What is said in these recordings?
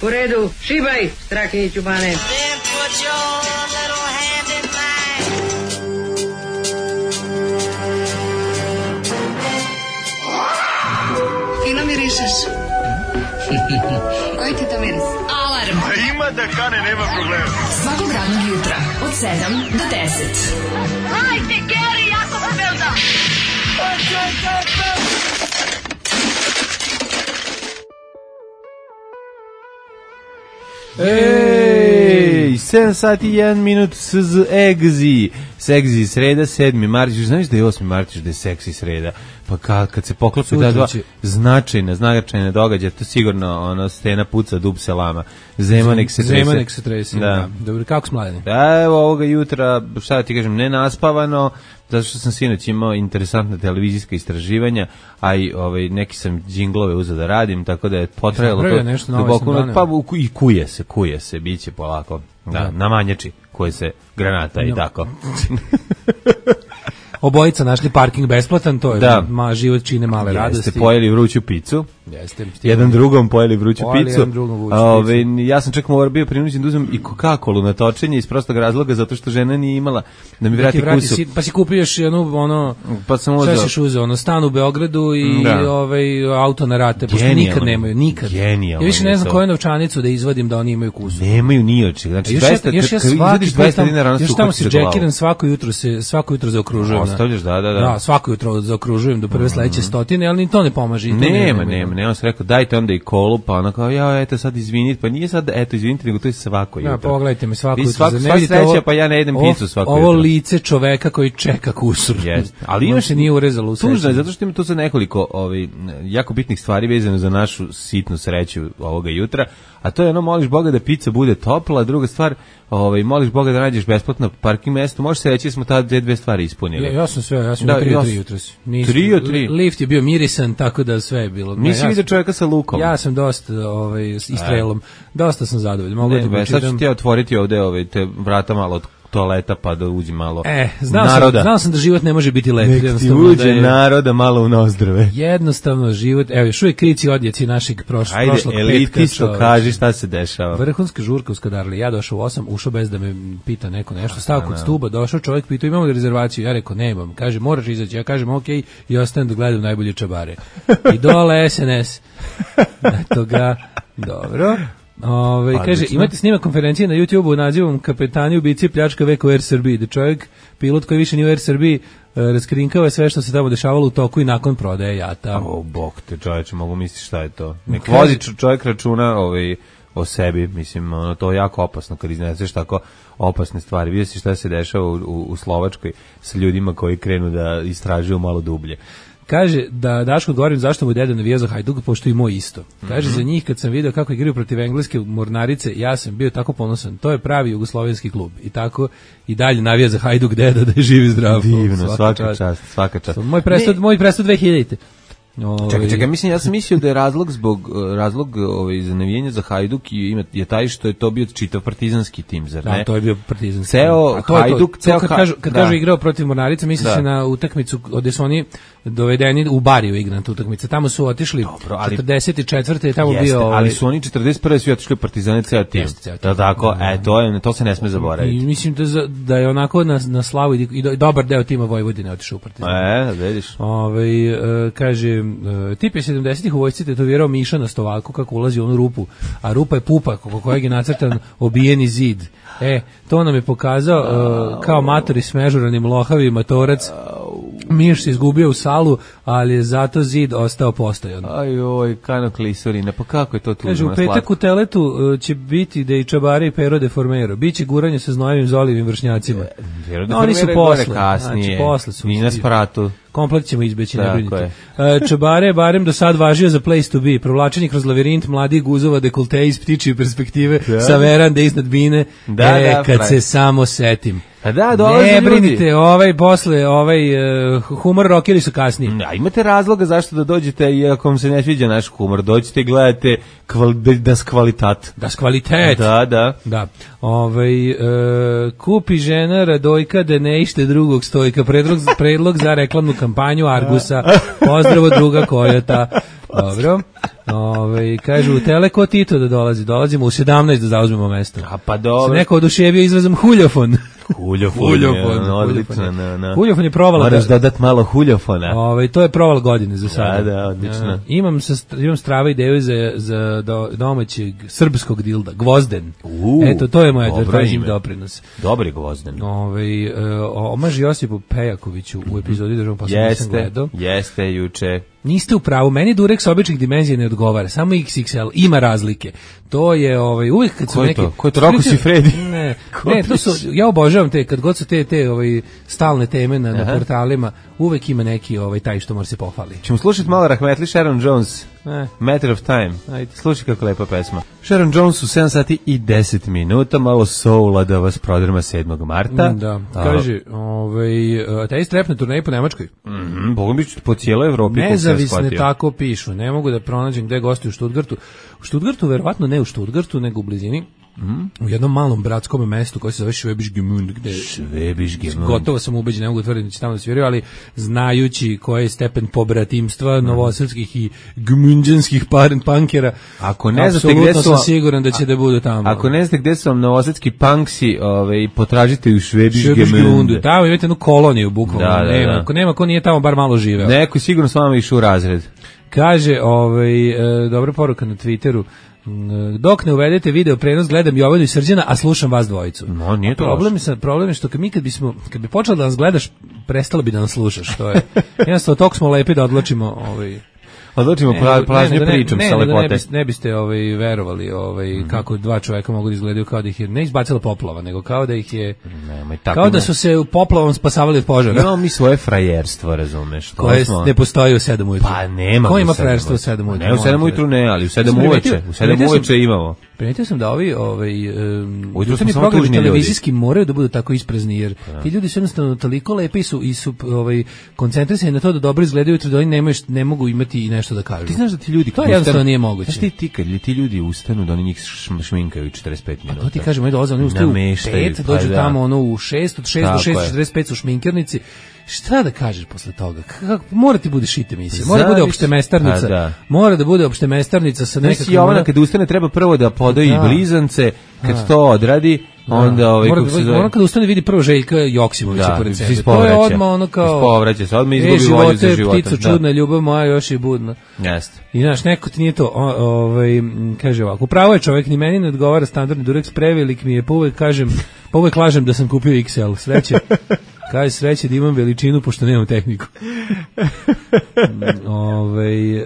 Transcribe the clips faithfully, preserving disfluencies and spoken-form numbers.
U redu, šibaj, Strahinjiću Bane. Fino mirišeš. Koji ti to miris? Alarm. A ima da kane, nema problema. Svakog radnog jutra od sedam do deset. Hajde, Geri, jako se velda. Ej, sedam sati i jedan minut S Z Egzi. Seksi sreda, sedmi martić. Znaš da je osmi martić, da je seksi sreda? Pa kad, kad se poklopi da dva značajna, značajna događaja, to sigurno ono, stena puca, dub se lama. Zemanek se trese. Zemanek se trese, da. da. Dobro, kako s mladeni? Da, evo ovoga jutra, šta da ti kažem, nenaspavano, zato što sam sinoć imao interesantna televizijska istraživanja, a i ovaj, neki sam džinglove uzeo da radim, tako da je potrajalo to nešto duboko, pa i kuje se, kuje se, bit će polako, da, da. Na manjači, koje se granata i no. tako. Obojica našli parking besplatan, to je da. Ma, život čine male Jeste radosti. Jeste pojeli vruću picu. Jeste. Jedan drugom pojeli vruću pojeli picu. Jedan drugom vruću Ove, picu. Ja sam čak morao bio prinuđen da uzmem i Coca-Colu na točenje iz prostog razloga, zato što žena nije imala da mi vrati, da vrati kusu. Si, pa si kupio još jednu, ono, pa sam uzeo. Šta si uzeo, ono, stan u Beogradu i da. ovaj, auto na rate, pošto Genijalno. nikad nemaju, nikad. Genijalno. Ja više ne znam koju novčanicu da izvadim da oni imaju kusu. Nemaju ni oči. Znači, još dvesta, još ja svaki dvesta dinara na još tamo se džekiram, svako jutro se, svako jutro zaokružujem. Ostavljaš, da, da, da. Da, svako jutro zaokružujem do prve sledeće stotine, ali ni to ne pomaže. Nema, nema, nema, se rekao, dajte onda i kolu, pa ona kao, ja, eto sad izvinite, pa nije sad, eto izvinite, nego to je svako jutro. Ja, pogledajte me svako jutro. Svako, sva sreća, pa ja ne jedem picu svako jutro. Ovo lice čoveka koji čeka kusur. Yes. Ali imaš se nije urezalo u sećanju. Tužno je, zato što ima tu sad nekoliko ovaj, jako bitnih stvari vezano za našu sitnu sreću ovoga jutra, a to je ono, moliš Boga da pizza bude topla, a druga stvar, ovaj, moliš Boga da nađeš besplatno parking mesto, može se reći da smo ta dve, dve stvari ispunili. Ja, ja sam sve, ja sam da, tri, tri jutros. Tri od tri? Lift je bio mirisan, tako da sve je bilo. Nisi ja vidio čovjeka sa lukom? Ja sam dosta, ovaj, istrelom, dosta sam zadovoljan. Mogu ne, da be, sad ću ti ja otvoriti ovde ovaj, te vrata malo od toaleta pa da uđi malo e, znao naroda. Sam, znao sam da život ne može biti lep. Nek ti uđe da je, naroda malo u nozdrave. Jednostavno život, evo još uvijek krici odjeci našeg prošlo, Ajde, prošlog petka. Ajde, elitisto kaži šta se dešava. Vrhunska žurka u Skadarli, ja došao u osam, ušao bez da me pita neko nešto, stao kod stuba, došao čovjek, pitao imamo li rezervaciju, ja rekao nemam, kaže moraš izaći, ja kažem ok, i ostanem da gledam najbolje čabare. I dole S N S. Eto ga, dobro. Ove, kaže, imate snimak konferencije na YouTubeu nazivom Kapetani ubici pljačka veka u Air Srbiji, da čovjek, pilot koji više nije u Air Srbiji, raskrinkava sve što se tamo dešavalo u toku i nakon prodaje jata. O, bog te čovječe, mogu misliti šta je to. Nek vodi čovjek računa ovaj, o sebi, mislim, ono, to je jako opasno kad izneseš tako opasne stvari. Vidio si šta se dešava u, u, u Slovačkoj sa ljudima koji krenu da istražuju malo dublje. Kaže da Daško govorim zašto mu deda navija za Hajduk, pošto i moj isto. Kaže mm-hmm. za njih kad sam video kako igraju protiv engleske mornarice, ja sam bio tako ponosan. To je pravi jugoslovenski klub. I tako i dalje navija za Hajduk deda da je živ i zdrav. Divno, svaka, svaka čast, svaka čast. Moj prestud, moj prestud dve hiljadite. Ove... Čekaj, čekaj, mislim, ja sam mislio da je razlog zbog razlog ovaj, za navijenje za Hajduk i je taj što je to bio čitav partizanski tim, zar ne? Da, to je bio partizanski ceo tim. Ceo Hajduk, to, ceo kad, kažu, kad da. kažu igrao protiv Mornarice, misli da. se na utakmicu gde su oni dovedeni u Bariju igrana utakmica. Tamo su otišli Dobro, ali, četrdeset četvrte je tamo jeste, bio... Ovaj, ali su oni četrdeset prve su otišli u Partizane ceo tim. Da, tako, e, to, je, to se ne sme zaboraviti. I mislim da, za, da je onako na, na slavu i, i dobar deo tima Vojvodine otišao u Partizane. E, vidiš. Ovaj uh, kaže, uh, tip je sedamdesetih u vojsci tetovirao Miša na stovaku kako ulazi u onu rupu, a rupa je pupa oko kojeg je nacrtan obijeni zid. E, to nam je pokazao uh, kao matori s mežuranim lohavi matorac. Miš se izgubio u salu, ali je zato zid ostao postojan. Aj oj, kano klisurina, pa kako je to tužno? Kaže, u petak u Teletu uh, će biti da i Čabare i Pero de Formero. Biće guranje sa znojevim zolivim vršnjacima. Pero de no, oni su posle. Kasnije. Znači, posle su. I na spratu. Komplet ćemo izbeći, ne brinite. Čabare je barem do sad važio za place to be. Provlačenje kroz lavirint mladih guzova dekolte iz ptičije perspektive da. Sa verande iznad bine. Da, e, da, kad pravi. Se samo setim. A da, dolaze ne ljudi. Brinite, ovaj posle, ovaj uh, humor rockeri su kasnije. A imate razloga zašto da dođete, i ako vam se ne sviđa naš humor, dođite i gledate kval, das kvalitat. Das kvalitet. Da, da. Da. Ovaj, uh, kupi žena Radojka da ne ište drugog stojka. Predlog, predlog za reklamnu kampanju Argusa. Pozdravo druga Kojota. Dobro. Ove, kaže, u Teleko Tito da dolazi, dolazimo u sedamnaest da zauzmemo mesto. A pa dobro. Se neko oduševio izrazom huljofon. Huljofon, Huljofon, je, odlično. huljofon. Na, na. Huljofon je provala. Moraš dodat malo huljofona. Ove, to je proval godine za sada. Da, da, odlično. Ja, imam, sa, imam strava ideju za, za do, domaćeg srpskog dilda, Gvozden. U, Eto, to je moj dobro advertising ime. doprinos. Dobri Gvozden. Ove, e, omaž Josipu Pejakoviću u epizodi državom posle nisam Jeste, gledao. jeste juče. Niste u pravu, meni Durex običnih dimenzija ne odgovara, samo iks iks el, ima razlike. To je ovaj uvijek kad su Ko je neki to? Ko je to? Rocco Siffredi? Ne, ne, to su ja obožavam te kad god su te te ovaj stalne teme na, na portalima, uvek ima neki ovaj taj što mora se pohvali. Ćemo slušati malo Rahmetli Sharon Jones. Ne. Matter of Time. Ajde. Slušaj kako lepa pesma. Sharon Jones u sedam sati i deset minuta, malo soula da vas prodrma sedmog marta. Mm, da, kaže, ovaj taj strep na turneji po Nemačkoj. Mhm, Bogom bi po cijeloj Evropi. Nezavisne tako pišu, ne mogu da pronađem gde gostuju u Stuttgartu. U Stuttgartu, verovatno ne u Stuttgartu, nego u blizini. Mm. U jednom malom bratskom mestu koji se zove Schwäbisch Gmünd, gde Schwäbisch Gmünd. Gotovo sam ubeđen, ne mogu tvrditi da će tamo da sviraju, ali znajući koji je stepen pobratimstva mm. novosadskih i gmünđanskih pankera, ako ne znate gde su, sam siguran da će a, da budu tamo. Ako ne znate gde su vam novosadski punksi, ovaj, potražite u Schwäbisch Gmünd. Tamo imate jednu koloniju, bukvalno. Da, da, nema, da. Ako nema, ko nije tamo bar malo živeo. Neko sigurno s vama išao u razred. Kaže, ovaj, e, dobra poruka na Twitteru, dok ne uvedete video prenos, gledam Jovanu i Srđana, a slušam vas dvojicu. No, nije to problem je, problem je što kad mi kad bismo, kad bi počelo da nas gledaš, prestalo bi da nas slušaš. To je, jednostavno, tog smo lepi da odločimo ovaj, Odločimo pla, plažnje pričom ne, sa ne, lepote. Ne, biste, ne biste ovaj, verovali ovaj, mm-hmm. kako dva čoveka mogu da izgledaju kao da ih je ne izbacila poplava, nego kao da ih je Nemoj, tako kao da ne. su se u poplavom spasavali od požara. Imamo mi svoje frajerstvo, razumeš? Koje smo... ne postoji u sedam ujutru. Pa nema. Ko ima frajerstvo u sedam ujutru? Ne, u sedam ujutru ne, ali u sedam uveče. U sedam uveče imamo. Primetio sam da ovi ovaj um, ujutru smo samo programi tužni televizijski moraju da budu tako isprazni, jer ja. ti ljudi su jednostavno toliko lepi su i su ovaj koncentrisani na to da dobro izgledaju, da oni nemaju ne mogu imati i nešto da kažu. Ti znaš da ti ljudi to jednostavno nije moguće. Znaš ti ti kad ti ljudi ustanu da oni njih šminkaju četrdeset pet minuta. To ti kažem, oni dolaze, oni ustaju u pet, dođu pa, tamo ono u šest, od šest do šest četrdeset pet su šminkernici. Šta da kažeš posle toga? Kako mora ti bude šit emisija. Mora da bude opšte mestarnica. Da. Mora da bude opšte mestarnica sa nekakvim. Jovana kad ustane treba prvo da podoji da. blizance, kad da. to odradi, da. onda ovaj kako se zove. Ona kad ustane vidi prvo Željka Joksimovića da, pored sebe. To je odmah ono kao povraća se, odmah izgubi volju za život. Ptico čudna, ljubav moja još je budna. Jeste. I znaš, neko ti nije to, ovaj kaže ovako, pravo je čovjek, ni meni ne odgovara standardni Durex, prevelik mi je, pa uvek kažem, pa uvek lažem da sam kupio iks el, sreće. Kaže sreće da imam veličinu pošto nemam tehniku. Ove,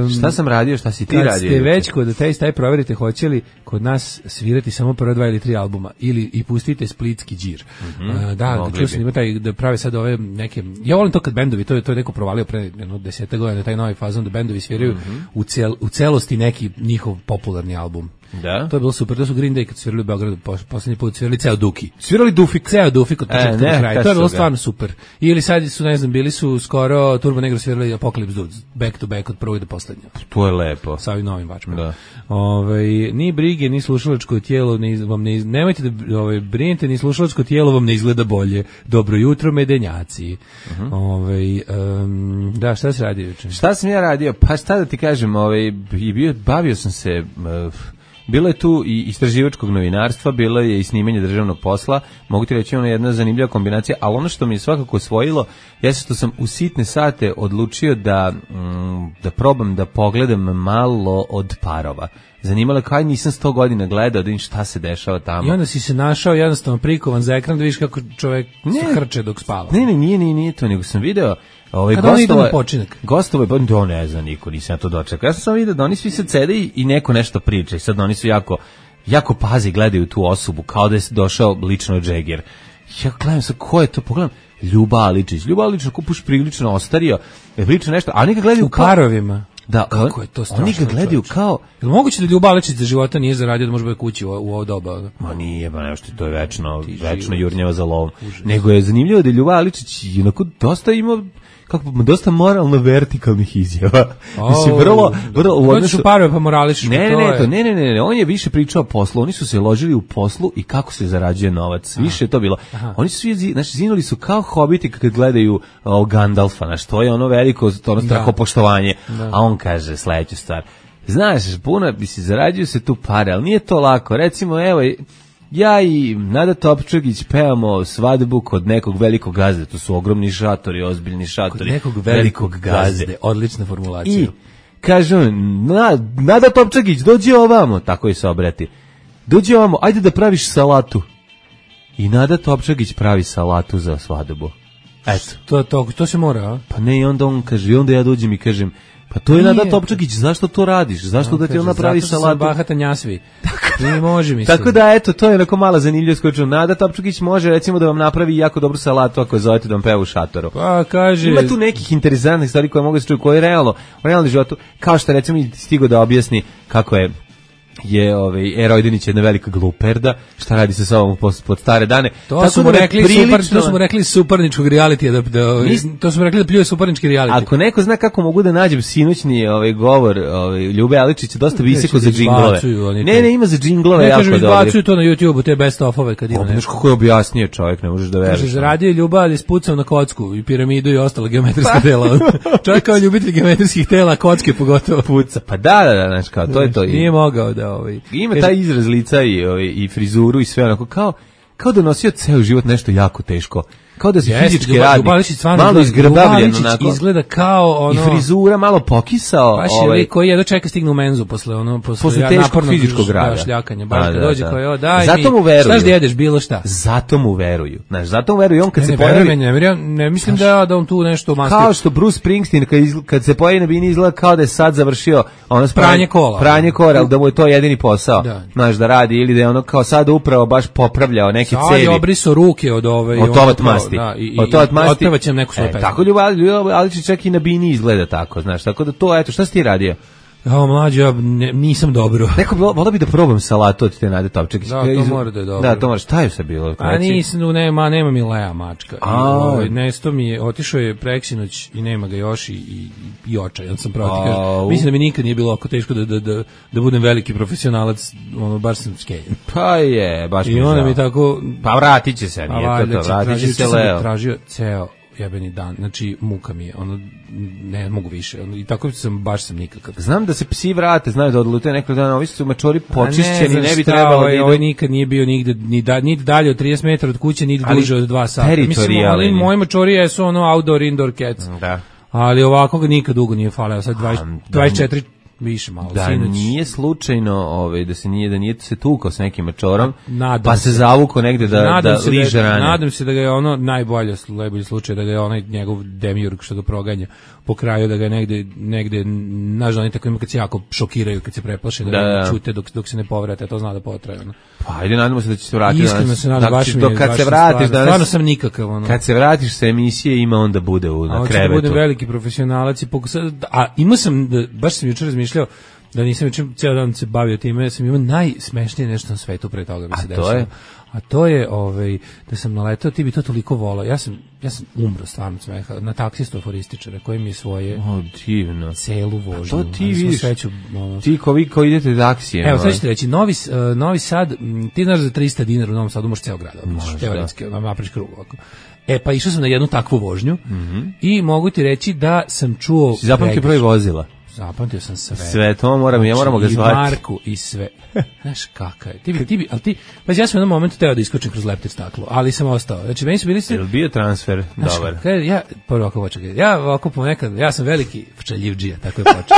um, šta sam radio, šta si ti kad radio? Kad ste već kod taj taj proverite hoće li kod nas svirati samo prva dva ili tri albuma ili i pustite splitski đir. Mm-hmm. Uh, da, da čuo sam ima taj da prave sad ove neke. Ja volim to kad bendovi, to je to je neko provalio pre jedno deset godina taj novi fazon da bendovi sviraju mm-hmm. u cel, u celosti neki njihov popularni album. Da. To je bilo super, to su Green Day kad svirali u Beogradu, poslednji put svirali ceo Duki. Svirali Dufik. Ceo Dufik od početka do kraja. To je bilo ga. stvarno super. Ili sad su, ne znam, bili su skoro Turbo Negro svirali Apocalypse Dudes, back to back od prvog do poslednjeg. To je lepo. Sa ovim novim vačkom. Da. Ovaj ni brige, ni slušalačko tijelo, ni vam ne nemojte da ovaj brinete, ni slušalačko tijelo vam ne izgleda bolje. Dobro jutro medenjaci. Uh-huh. Ovaj um, da, šta se radi juče? Šta sam ja radio? Pa šta da ti kažem, ovaj i bio bavio sam se uh, bilo je tu i istraživačkog novinarstva, bilo je i snimanje državnog posla, mogu ti reći ono jedna zanimljiva kombinacija, ali ono što mi je svakako osvojilo, jeste što sam u sitne sate odlučio da, mm, da probam da pogledam malo od parova. Zanimalo kao nisam sto godina gledao da vidim šta se dešava tamo. I onda si se našao jednostavno prikovan za ekran da vidiš kako čovjek ne, hrče dok spava. Ne, ne, nije, nije, nije to, nego sam video ovaj kada oni idu na počinak. Gostove, pa to ne znam niko, nisam ja to dočekao. Ja sam samo vidio da oni svi se sede i, i neko nešto priča i sad oni su jako, jako pazi, gledaju tu osobu kao da je došao lično Džeger. Ja gledam sa ko je to, pogledam, Ljuba Aličić. Ljuba Aličić kupuš prilično ostario, je priča nešto, a oni ga gledaju u kao... parovima. Da, kako je to strašno. Oni ga gledaju kao... Je li moguće da Ljuba Aličić za života nije zaradio da može biti kući u, u ovo doba? Ma nije, ba nešto, to je večno, Ti večno jurnjava za lovom. Užas. Nego je zanimljivo da je Ljuba Aličić onako dosta imao kako dosta moralno vertikalnih izjava. Oh, mislim vrlo vrlo u odnosu parove pa morališ. Ne, ne, ne, to, ne, ne, ne, ne, on je više pričao o poslu, oni su se ložili u poslu i kako se zarađuje novac. Aha. Više je to bilo. Aha. Oni su svi, znači zinuli su kao hobiti kad gledaju o, Gandalfa, znači to je ono veliko, to ono strahopoštovanje. A on kaže sledeću stvar. Znaš, puno, mislim, zarađuju se tu pare, ali nije to lako. Recimo, evo, ja i Nada Topčagić pevamo svadbu kod nekog velikog gazde. To su ogromni šatori, ozbiljni šatori. Kod nekog velikog, velikog gazde. gazde. Odlična formulacija. I kažem, na, Nada Topčagić, dođi ovamo, tako i se obrati. Dođi ovamo, ajde da praviš salatu. I Nada Topčagić pravi salatu za svadbu. Eto. To, to, to se mora, a? Pa ne, i onda on kaže, i onda ja dođem i kažem, pa to je Nada Topčagić, zašto to radiš? Zašto no, da ti ona pravi salatu? Zato što sam bahata njasvi. Ne može, mislim. Tako da, eto, to je onako mala zanimljivost koju ću. Nada Topčagić može, recimo, da vam napravi jako dobru salatu ako je zovete da vam peva u šatoru. Pa, kaže... Ima tu nekih interesantnih stvari koje mogu da se čuju, koje je realno, u realnom životu, kao što recimo i stigo da objasni kako je je ovaj Erojdinić jedna velika gluperda, šta radi sa sobom pod stare dane. To su mu rekli super, to su mu rekli suparničkog realitija da, da Nis, to su mu rekli da pljuje suparnički reality. Ako neko zna kako mogu da nađem sinoćni ovaj govor, ovaj Ljube Aličića dosta visoko za džinglove. Ne, ne, ima za džinglove jako dobro. Ne, kažem, izbacuju to na YouTubeu, te best ofove kad ima nešto. Kako je objasnio čovjek, ne možeš da veruješ. Kaže, radio Ljuba, ali spucao na kocku i piramidu i ostala geometrijska tela. Čovjek kao ljubitelj geometrijskih tela, kocke pogotovo puca. Pa da, da, da, znači kao to je to. Nije mogao da ovaj ima taj izraz lica i, ovaj, i frizuru i sve onako, kao, kao da nosio ceo život nešto jako teško. Kao da se yes, fizički Ljuba, radi, malo izgrbavljen onako. Izgleda kao ono... I frizura malo pokisao. Baš je ovaj, koji jedno čeka stigne u menzu posle, ono, posle, posle teškog fizičkog rada. Šljakanja, baš kad dođe koji, o, daj zato mi, mu veruju. Štaš da jedeš, bilo šta. Zato mu veruju. Znaš, zato mu veruju. On kad ne, se ne, pojavi... Ne, ne, ne mislim da, da on tu nešto master. Kao što Bruce Springsteen, kad, izgleda, kad se pojavi na bini, izgleda kao da je sad završio ono pranje kola. Pranje kola, ali da mu je to jedini posao. Da. Znaš, da radi, ili da je ono kao sad upravo baš popravljao neke cevi. Sad je obriso ruke od ove... Od tomat masti. Otpevaćem neku svoju e, pesmu. Tako Ljuba Aličić čak i na bini izgleda tako, znaš, tako da to, eto, šta si ti radio? Ja, mlađe, ja ne, nisam dobro. Neko bi, volao bi da probam salatu od te Nade Topčagić. Da, to mora da je dobro. Da, to moraš, šta je sve bilo? A nisam, nema, nema mi Lea mačka. I, ovaj, nesto mi je, otišao je preksinoć i nema ga još i, i, i očaj, on sam pravo ti kažem. Mislim da mi nikad nije bilo oko teško da, da, da, da budem veliki profesionalac, ono, baš sam skeljen. Pa je, baš mi I onda mi tako... Pa vratit će se, nije to to, vratit će se Leo. Tražio ceo jebeni dan, znači muka mi je, ono, ne mogu više, ono, i tako sam, baš sam nikakav. Znam da se psi vrate, znaju da odlute nekog dana, ovi su mačori počišćeni, ne, ne bi trebalo ovaj, da idu. Ovaj nikad nije bio nigde, ni, da, ni dalje od trideset metara od kuće, ni duže od dva sata. Mislim, oni, moji mačorije su ono outdoor, indoor cats. Da. Ali ovako ga nikad dugo nije faleo, sad dvadeset, dvadeset četiri više malo. Da sinoć. Nije slučajno, ovaj, da se nije da nije se tukao s nekim mačorom, nadam pa se, se zavuko negde da nadam da se liže da, rane. Nadam se da ga je ono najbolje, najbolji slučaj da ga je onaj njegov demiurg što ga proganja po kraju, da ga je negde negde nažalost oni tako ima kad se jako šokiraju, kad se preplaše da, da ćute dok dok se ne povrate, to zna da potraje ono. Pa ajde, nadamo se da će se vratiti. Iskreno se nadam, baš mi je, kad se vratiš danas, stvarno sam nikakav ono. Kad se vratiš sa emisije ima onda bude u na krevetu. A da budem veliki profesionalac i pokušao, a imao sam da, baš sam jučer razmišljao da nisam već cijel dan se bavio time, ja sam imao najsmešnije nešto na svetu pre toga mi se desilo. A to je? A to je, ovaj, da sam naletao, ti bi to toliko volao. Ja sam, ja sam umro stvarno od smeha na taksistu aforističara koji mi je svoje o, divno. Celu vožnju. A to ti vidiš, sveću, ono, ti ko vi koji idete taksijem. Evo, sad ćete reći, Novi, uh, Novi Sad, m, ti znaš za trista dinara u Novom Sadu možeš ceo grad obići, teoretski, napraviš krug ovako. E, pa išao sam na jednu takvu vožnju mm-hmm. i mogu ti reći da sam čuo... Si zapamtio broj vozila? Zapamtio sam sve. Sve, to moram, ja moramo ga zvati. I Marku, i sve. Znaš kakav je. Ti bi, ti bi, ali ti, pa ja sam u jednom momentu teo da iskočim kroz leptir staklo, ali sam ostao. Znači, meni su bili sve... Je li bio transfer? Znaš, dobar. Kada, ja, prvo ovako počeo, ja ovako ponekad, ja sam veliki šaljivdžija, tako je počeo.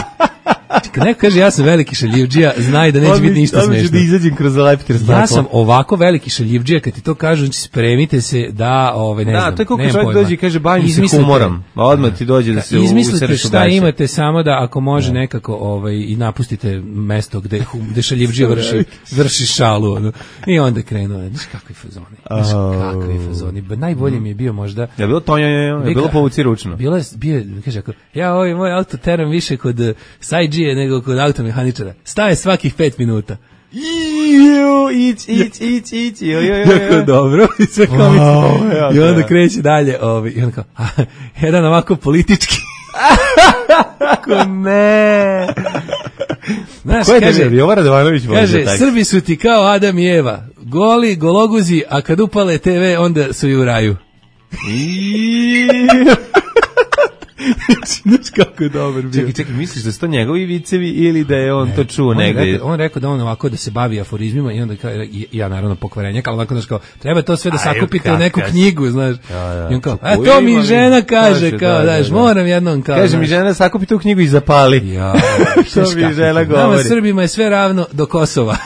Kad neko kaže ja sam veliki šaljivdžija, znaj da neće biti ništa smešno. Da izađem kroz leptir staklo. Ja sam ovako veliki šaljivdžija, kad ti to kažu, znači spremite se da, ove, ne da, znam, da, to je kako čovjek dođe i kaže bavim se humorom, a odmah ti dođe da se usereš u gaće. Izmislite šta imate, samo da ako može nekako ovaj, i napustite mesto gde, gde šaljivdžija vrši, vrši šalu. Ono. I onda krenuo, znaš kakvi fazoni, znaš kakvi fazoni. Najbolje mi je bio možda... Je bilo to, je bilo povuci ručno. Bilo je, bio, kaže, ako, ja ovaj moj auto teram više kod sajđije nego kod automehaničara. Staje svakih pet minuta. Ić, ić, ić, ić. Jako dobro. I sve kao wow, i onda kreće dalje. Ovi, i onda kao, a, jedan ovako politički. Kako ne. Znaš, ko je kaže, ne, Jovan Radovanović kaže, Srbi su ti kao Adam i Eva. Goli, gologuzi, a kad upale te ve, onda su i u raju. Znaš kako je dobar bio. Čekaj, čekaj, misliš da su to njegovi vicevi ili da je on ne, to čuo on negde? Rekao, on rekao da on ovako da se bavi aforizmima i onda kao, ja naravno pokvarenjak, ali onako, znaš kao, treba to sve da sakupite u neku knjigu, znaš. Da, da. I on kao, a to mi žena kaže, kao, znaš, moram jednom kao. Kaže mi žena, sakupite u knjigu i zapali. Ja, što mi žena govori. Nama Srbima je sve ravno do Kosova.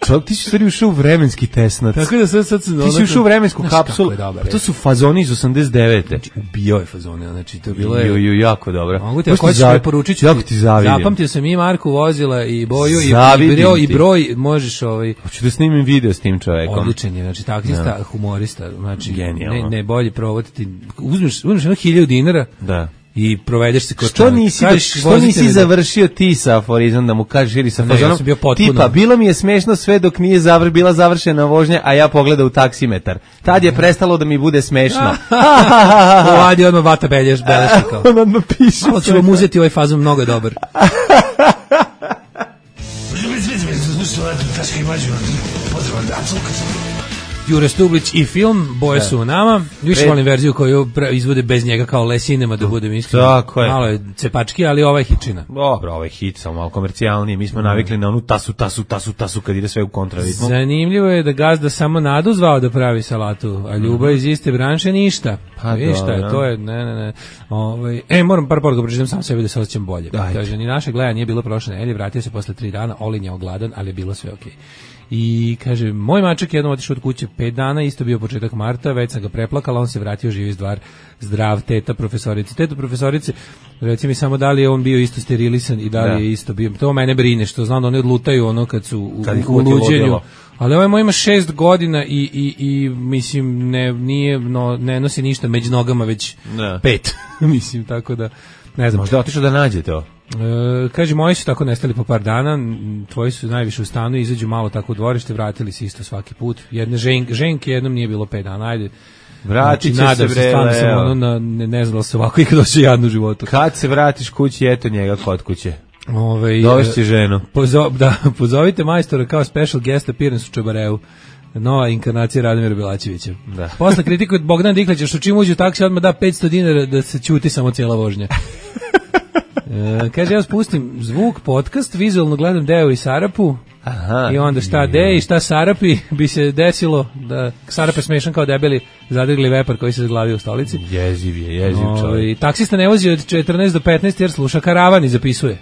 Čovjek, ti si stvari ušao u vremenski tesnac. Tako da sad, sad se... Ti si ušao u vremensku kapsulu. To su fazoni iz osamdeset devete. Znači, ubio je fazone, znači, to bilo je... Ju, ju, jako dobro. Mogu ti, ako ćeš me poručit ću ti. Zapamtio sam i Marku vozila i boju i broj, i broj, možeš ovaj... Hoću da snimim video s tim čovjekom. Odličan je, znači, taksista, humorista, znači, ne, ne bolje provoditi. Uzmeš, uzmeš jedno hiljadu dinara. Da. I provedeš se kod što nisi, kažeš, što nisi završio ti sa aforizmom da mu kažeš ili sa fazonom ja tipa bilo mi je smešno sve dok nije zavr, bila završena vožnja a ja pogledao u taksimetar tad je prestalo da mi bude smešno. Ovadi odmah vata belješ beleška kao on odmah piše ali ću vam uzeti ovaj fazon, mnogo je dobar. Jure Stublić i film Boje su u nama. Više volim verziju koju izvode bez njega kao Le Cinema, da budem iskren. Tako je. Malo je cepački, ali ovaj hičina. Dobro, ovaj hit samo malo komercijalniji. Mi smo navikli na onu tasu, tasu, tasu, tasu kad ide sve u kontraritmu. Zanimljivo je da gazda samo Nadu zvao da pravi salatu, a Ljubav iz iste branše ništa. Pa viš šta je, to je, ne, ne, ne. Ovaj, e, moram par poruka pročitam sam sebi da se osjećam bolje. Kaže, ni naše gledanje nije bilo prošle nedelje, vratio se posle tri dana, Olin je ogladan, ali je bilo sve okej. Okay. I kaže, moj mačak jednom otišao od kuće pet dana, isto bio početak marta, već sam ga preplakala, on se vratio živi zdvar, zdrav, teta profesorice. Teta profesorice, reci mi samo da li je on bio isto sterilisan i da li da. je isto bio, to mene brine, što znam da oni odlutaju ono kad su u, kad u luđenju. Ali ovaj moj ima šest godina i, i, i mislim, ne, nije, no, ne nosi ništa među nogama, već ne. pet. Mislim, tako da, ne znam. Možda otišao da nađe to. E, kaže, moji su tako nestali po par dana, tvoji su najviše u stanu, izađu malo tako u dvorište, vratili se isto svaki put. Jedne žen, ženke jednom nije bilo pet dana, ajde. Vratit će se bre, sam ono na, ne, ne znala se ovako i kad doće jadnu životu. Kad se vratiš kući, eto njega kod kuće. Ove, dovešći ženu. Pozo, da, pozovite majstora kao special guest appearance u Čabareu. Nova inkarnacija Radomira Belačevića. Da. Posle kritikuje Bogdan Diklića što čim uđe u taksi odmah da petsto dinara da se ćuti samo cijela vožnja. E, kaže, ja spustim zvuk, podcast, vizualno gledam Deo i Sarapu. Aha, i onda šta De i šta Sarapi bi se desilo da Sarap je smešan kao debeli zadrgli vepar koji se zaglavio u stolici. Jeziv je, jeziv čovjek. Taksista ne vozi od četrnaest do petnaest jer sluša karavan i zapisuje.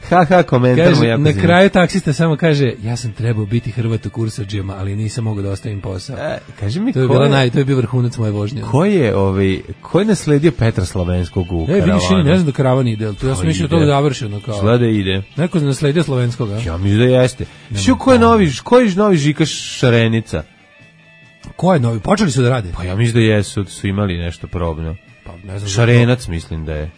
Ha, ha, komentar mu jako na zim. Kraju taksista samo kaže, ja sam trebao biti Hrvat u kursadžijama, ali nisam mogao da ostavim posao. E, kaži mi, to je, bila naj, to je bio vrhunac moje vožnje. Ko je, ovaj, ko je nasledio Petra Slovenskog u karavanu? E, vidiš, ne znam da karavan ide, to ja sam mislio da to završeno. Kao. Sleda ide. Neko je nasledio Slovenskog, a? Ja mislim da jeste. Što ko je novi, ko je novi Žika Šarenica? Ko je novi? Počeli su da rade? Pa ja mislim da jesu, su imali nešto probno. Pa ne znam. Šarenac mislim da je.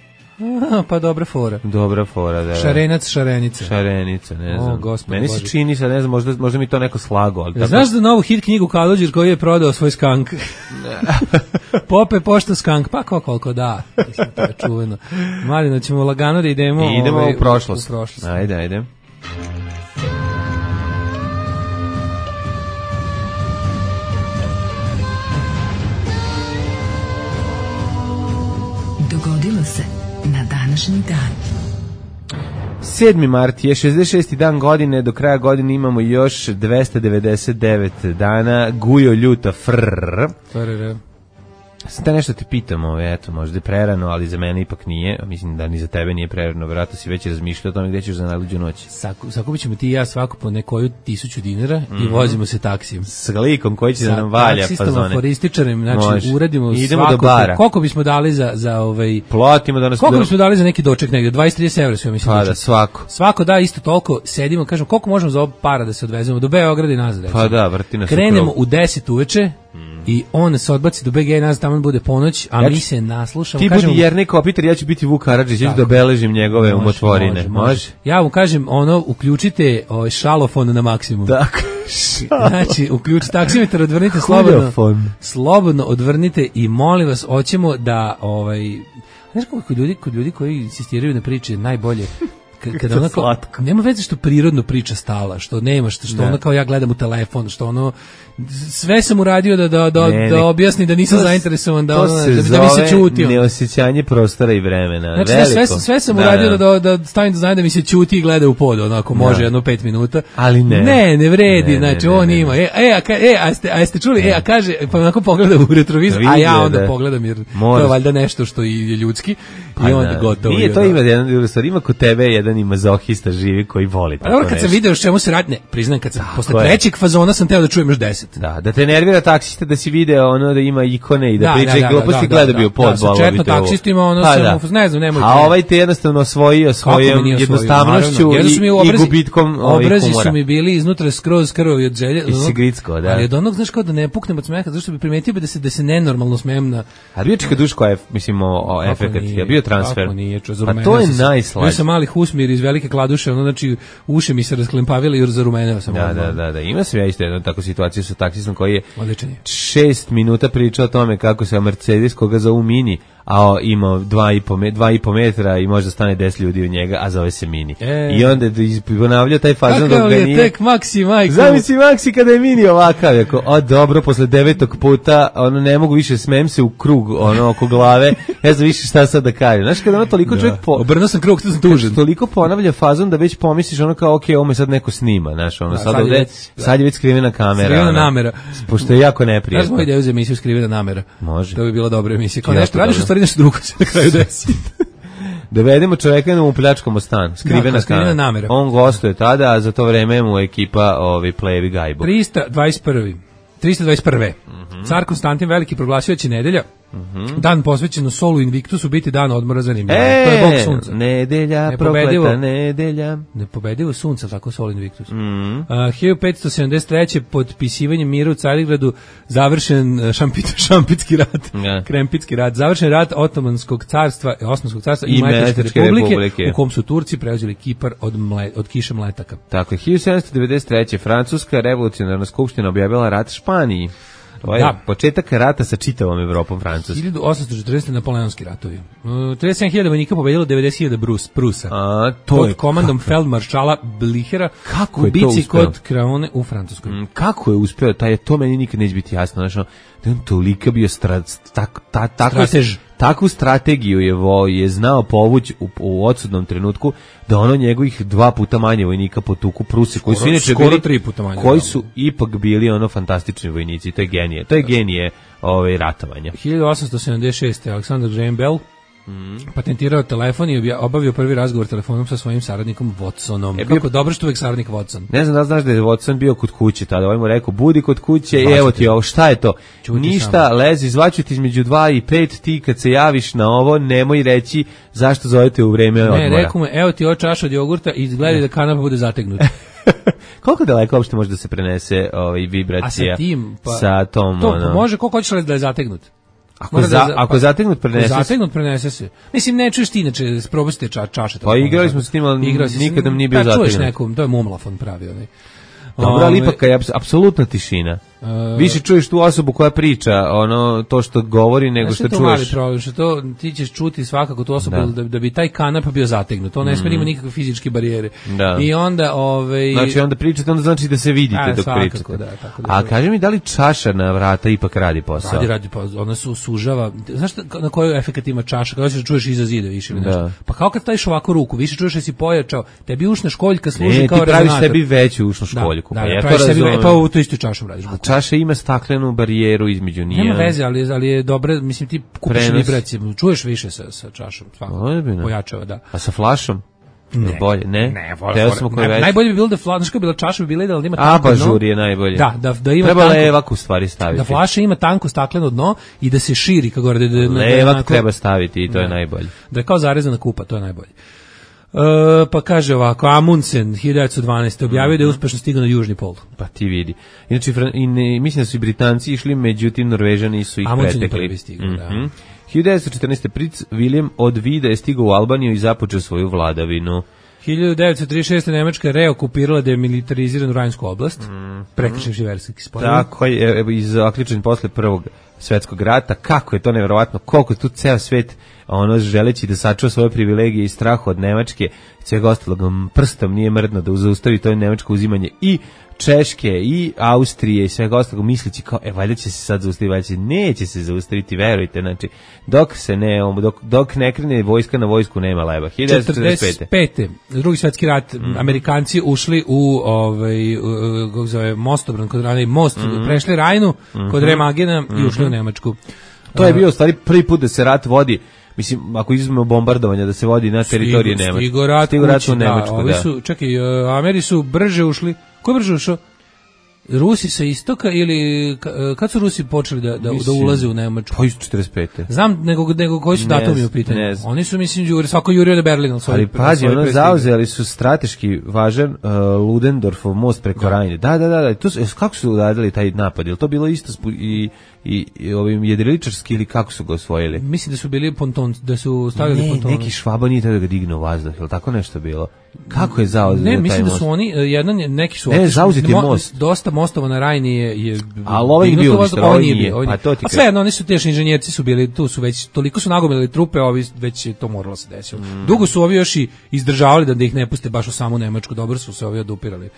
Aha, pa dobra fora. Dobra fora, da. Šarenac, šarenica. Šarenica, ne znam. O, gospod Meni se čini, sad ne znam, možda, možda mi to neko slago. Ali tako... Znaš da novu hit knjigu Kalođer koji je prodao svoj skank? Pope pošto skank, pa ko koliko da. Mislim, to je čuveno. Mladino, ćemo lagano da idemo... I idemo ovaj, u prošlost. U prošlost. Ajde, ajde. Dogodilo se na današnji dan. sedmi mart je šezdeset šesti dan godine, do kraja godine imamo još dvesta devedeset devet dana, gujo ljuta frrrr. Frrrr. Sad te nešto ti pitam, ove, eto, možda je prerano, ali za mene ipak nije, mislim da ni za tebe nije prerano, vjerojatno si već razmišljao o tome gdje ćeš za najluđu noć. Saku, sakupit ćemo ti i ja svako po nekoju tisuću dinara mm-hmm. i vozimo se taksijem. S likom koji će da nam valja fazone. Sa taksistom, aforističarem, znači Može. uradimo idemo svako, do bara. Koliko bismo dali za, za ovaj... Plotimo da nas... Koliko do... bismo dali za neki doček negdje, dvadeset do trideset evra sve mislim. Pa da, svako. Svako da isto toliko, sedimo, kažemo koliko možemo za ovo para da se odvezemo, do Beograda i nazad. Pa da, vrti nas krenemo u deset uveče, i on se odbaci do B G i nas tamo bude ponoć, a ja mi se naslušamo. Ti kažem, budi Jernik Opiter, ja ću biti Vuk Karadžić, ja ću da beležim njegove može, umotvorine. Može, može. može? Ja mu kažem, ono, uključite ovaj šalofon na maksimum. Dakle, znači, uključite taksimetar, odvrnite slobodno. Slobodno odvrnite i molim vas, hoćemo da, ovaj, znaš kako kod ljudi, kod ljudi koji insistiraju na priče najbolje, kada ona kao, nema veze što prirodno priča stala, što nema, što, što ona kao ja gledam u telefon, što ono, sve sam uradio da, da, da, ne, da objasni da nisam to, zainteresovan, da, ono, da, da mi se čuti. Neosjećanje prostora i vremena. Znači, da, sve, sve sam da, uradio da, da, da stavim da znam da mi se čuti i gleda u pod, onako, može da. jedno pet minuta. Ali ne. Ne, ne vredi, ne, znači, ne, on ne, ima. E, e, a, e, a, ste, a ste čuli, ne. e, a kaže, pa onako pogleda u retrovizor, a ja onda da. pogledam, jer Moraš. to je valjda nešto što je ljudski. I onda gotovo. Nije to ima jedan drugi stvar, ima kod tebe jedan i mazohista živi koji voli tako. A dobro, kad sam video s čemu se radi, ne, priznajem kad sam tako posle trećeg fazona sam teo da čujem još deset. Da, da te nervira taksista da si video ono da ima ikone i da, da priča i gluposti, gleda bio pod bolovi. Da, četno taksistima ono pa, sam, da. ne znam, nemojte. A ovaj te jednostavno osvojio svojom jednostavnošću i, i gubitkom humora. Obrazi su mi bili iznutra skroz krvovi od želje. I si gricko, da. Ali od onog, znaš, kao da ne puknem od smeha, zašto bi primetio da se da se nenormalno smejem na. A bio čeka Duško, mislim, o efekat, je bio transfer. A to je najslađe. Ja sam mali husmir iz velike kladuše, ono znači uši mi se rasklempavile i zarumeneo sam. Da, da, da, da. Ima se ja isto jednu takvu situaciju sa taksistom koji je Odličan je. šest minuta pričao o tome kako se Mercedes koga zovu Mini, a ima dva i po, dva i po metra i može da stane deset ljudi u njega, a zove se Mini. E. I onda je ponavljao taj fazon dok ga nije. Kakav je tek Maxi, majko. Zamisli Maxi kada je Mini ovakav. Jako, o dobro, posle devetog puta, ono ne mogu više, smijem se u krug, ono oko glave, ne znam više šta sad da kažem. Znaš, kada ono toliko da. čovjek po... Obrnuo sam krug, to sam tužen. Toliko ponavlja fazon da već pomisliš ono kao, ok, ovo me sad neko snima, znaš, ono, da, sad, sad, ovde, je već, sad je već skrivena kamera. Skrivena namera. Pošto je jako neprijatno. Znaš, moj ideju za emisiju Skrivena namera. Može. To bi bila dobra emisija. Kao nešto, radiš u stvari nešto drugo se na kraju desi. Dovedemo čoveka da mu pljačkamo stan, skrivena, da, skrivena namera. On gostuje tada, a za to vreme mu ekipa ovi plejevi gajbu. trista dvadeset prvi trista dvadeset prve Mm-hmm. Car Konstantin Veliki proglasio će nedelja, mm-hmm. dan posvećen Solu Invictusu, biti dan odmora za Rimljane. E, to je bog sunca. Nedelja, prokleta nedelja. Nepobedivo sunca, tako Sol Invictus. Mm-hmm. Uh, hiljadu petsto sedamdeset treće potpisivanjem mira u Carigradu završen šampit, šampitski rat, yeah. krempitski rat, završen rat Otomanskog carstva, Osmanskog carstva i, i Mletačke republike, republike, u kom su Turci preuzeli Kipar od, mle, od kiše mletaka. Tako je, hiljadu sedamsto devedeset treće Francuska revolucionarna skupština objavila rat Španiji. To je da. početak rata sa čitavom Evropom Francuske. hiljadu osamsto četrdeset Napoleonski ratovi. Uh, trideset sedam hiljada vojnika pobedilo devedeset hiljada Brus, Prusa. A, to pod je komandom feldmaršala Blihera kako u bici kod Kraone u Francuskoj. Mm, kako je uspeo? Taj, to meni nikad neće biti jasno. Znači, da on tolika bio strat, tak, ta, tako, stratež. Takvu strategiju je, vo, je znao povući u, u odsudnom trenutku da ono njegovih dva puta manje vojnika potuku Pruse, koji su inače bili, tri puta manje, koji su ipak bili ono fantastični vojnici. To je genije. To je genije ove ratovanja. hiljadu osamsto sedamdeset šeste Aleksandar Graham Bell Mm. patentirao telefon i obavio prvi razgovor telefonom sa svojim saradnikom Watsonom. Je bio... Kako dobro što uvek saradnik Watson. Ne znam da znaš da je Watson bio kod kuće tada. Ovaj mu rekao, budi kod kuće i evo ti ovo. Šta je to? Čuti ništa, samo. Lezi, zvaću ti između dva i pet, ti kad se javiš na ovo, nemoj reći zašto zovete u vreme odmora. Ne, rekao mu, evo ti ovo čaša od jogurta i izgledaj da kanapa bude zategnuta. Koliko daleko uopšte može da se prenese ovaj, vibracija A sa, tim, pa, sa tom? To ono... može, koliko hoćeš da je zategnut? Ako, za, da, ako pa, zategnut prenese se. Zategnut prenese se. Mislim, ne čuješ ti, inače, probajte ča, čaše. Pa igrali smo s tim, ali nikad nam nije bio zategnut. Pa čuješ nekom, to je Mumlafon pravi. Onaj. Dobro, ali ipak je apsolutna tišina. Uh, Više čuješ tu osobu koja priča, ono to što govori nego što čuješ. To je mali problem, što to ti ćeš čuti svakako tu osobu da, da, da bi taj kanap bio zategnut. To ne smije ima nikakve fizičke barijere. Da. I onda ovaj znači onda pričate, onda znači da se vidite a, dok svakako, pričate. Da, tako da, a kaži mi da li čaša na vrata ipak radi posao? Radi, radi posao. Ona se sužava. Znaš na koji efekat ima čaša? Kada se čuješ iza zida više ili nešto. Pa kao kad staviš ovako ruku, više čuješ da si pojačao. Tebi ušna školjka služi ne, kao rezonator. Ne, ti praviš sebi veću ušnu školjku. Da, da, pa ja praviš sebi, pa u tu istu čašu radiš. Čaša ima staklenu barijeru između nije. Nema veze, ali, ali je dobro, mislim ti kupiš vibraciju, čuješ više sa, sa čašom, svakako, pojačava, da. A sa flašom? Ne, bolje, ne. Ne, for, ne najbolje bi bilo da flaša bila čaša bi bila da ima tanko dno. Abažur je najbolje. Da, da, da ima treba tanko, levak u stvari staviti. Da flaša ima tanko stakleno dno i da se širi kako gore. Da, da, levak da, treba staviti i to ne. je najbolje. Da je kao zarezana kupa, to je najbolje. Uh, pa kaže ovako, Amundsen hiljadu devetsto dvanaeste objavio mm-hmm. da je uspešno stigao na južni pol. Pa ti vidi. Inače, i ne, mislim da su i Britanci išli, međutim Norvežani su ih Amundsen pretekli. Amundsen je prvi stigao, mm-hmm. da. hiljadu devetsto četrnaeste Princ William od Vida je stigao u Albaniju i započeo svoju vladavinu. hiljadu devetsto trideset šeste Nemačka reokupirala demilitariziranu Rajnsku oblast, mm-hmm. prekršivši versijski sporazum. Tako je, i zaključen posle prvog svetskog rata, kako je to neverovatno, koliko je tu ceo svet ono želeći da sačuva svoje privilegije i strah od Nemačke, svega ostalog prstom nije mrdno da zaustavi to nemačko uzimanje i Češke i Austrije i svega ostalog, misleći kao, e, valjda će se sad zaustaviti, valjda će, neće se zaustaviti, verujte, znači, dok se ne, dok, dok ne krene vojska na vojsku, nema leba. hiljadu devetsto četrdeset pete. Drugi svjetski rat, mm. Amerikanci ušli u, ovaj, kako zove, mostobran, kod Rajne, most, mm. prešli Rajnu, mm-hmm. kod Remagena mm-hmm. i ušli u Nemačku. To je bio, u stvari, prvi put da se rat vodi, mislim, ako izuzmemo bombardovanja, da se vodi na teritoriji Nemačke. Stigo rat, Stigo rat kući, u Nemačku, da. Ovi su, da. čekaj, Ameri su brže ušli, ko je brže ušao? Rusi sa istoka ili kad su Rusi počeli da da, mislim, da ulaze u Nemačku? Pa iz četrdeset pete. Znam nego nego koji su datumi u pitanju. Oni su mislim jure svako jurio do Berlina, ali pazi, ono zauzeli su strateški važan uh, Ludendorffov most preko da. Rajne. Da, da, da, da. To su, kako su uradili taj napad? Je li to bilo isto spu, i i, i ovim jedriličarski ili kako su ga osvojili? Mislim da su bili ponton, da su stavili ponton. Ne, neki Švaba nije da ga digne u vazduh, je li tako nešto bilo? Kako je zauzeti taj most? Ne, mislim da su oni, jedan, neki su... Ne, zauzeti mo, most. Dosta mostova na Rajni je... je ali ovaj je bio uništen, ovaj nije. Pa to ti... A sve jedno, oni su tešni inženjerci su bili, tu su već, toliko su nagomili trupe, ovi već je to moralo se desiti. Mm. Dugo su ovi još i izdržavali da, da ih ne puste baš u samu Nemačku, dobro su se ovi odupirali.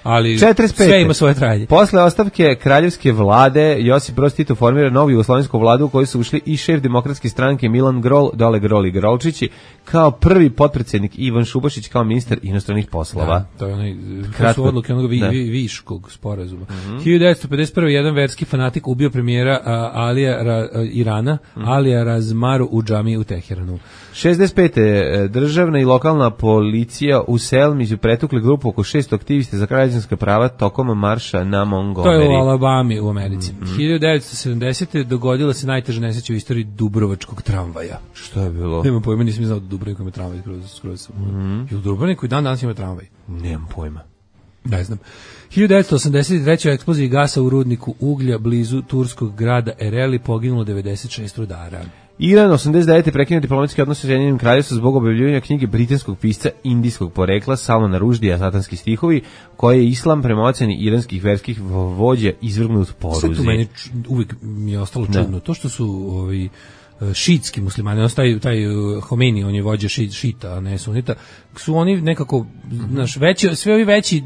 Ali četrdeset pete. Sve ima svoje trajanje. Posle ostavke kraljevske vlade Josip Broz Tito formira novu jugoslovensku vladu u kojoj su ušli i šef demokratske stranke Milan Grol, dole Grol i Grolčići, kao prvi potpredsjednik Ivan Šubašić kao ministar inostranih poslova. Da, to je onaj, to su odluke onoga vi, vi, Viškog sporazuma. Mm-hmm. hiljadu devetsto pedeset prve. jedan verski fanatik ubio premijera a, Alija Ra, a, Irana, mm-hmm. Alija Razmaru u džamiji u Teheranu. šezdeset pete. Državna i lokalna policija u Selmi su pretukli grupu oko šest aktivista za građanska prava tokom marša na Montgomery. To je u Alabami u Americi. Mm-hmm. hiljadu devetsto sedamdesete. dogodila se najteža nesreća u istoriji Dubrovačkog tramvaja. Što je bilo? Nemam pojma, nisam znao da Dubrovnik ima tramvaj skroz, skroz. Mm-hmm. I u Dubrovniku i dan danas ima tramvaj. Nemam pojma. Ne znam. hiljadu devetsto osamdeset treće. u eksploziji gasa u rudniku uglja blizu turskog grada Ereli poginulo devedeset šest rudara. Iran osamdeset devete. prekinuo diplomatski odnos sa Sjedinjenim Kraljevstvom zbog objavljivanja knjige britanskog pisca indijskog porekla Salmana Ruždija Satanski stihovi, koje je islam prema oceni iranskih verskih vođa izvrgnut poruzi. Sve tu meni uvijek mi je ostalo čudno. Da. To što su ovi šitski muslimani, on taj, taj Homeni, on je vođa šit, šita, a ne sunita, su oni nekako, znaš, veći, sve ovi veći,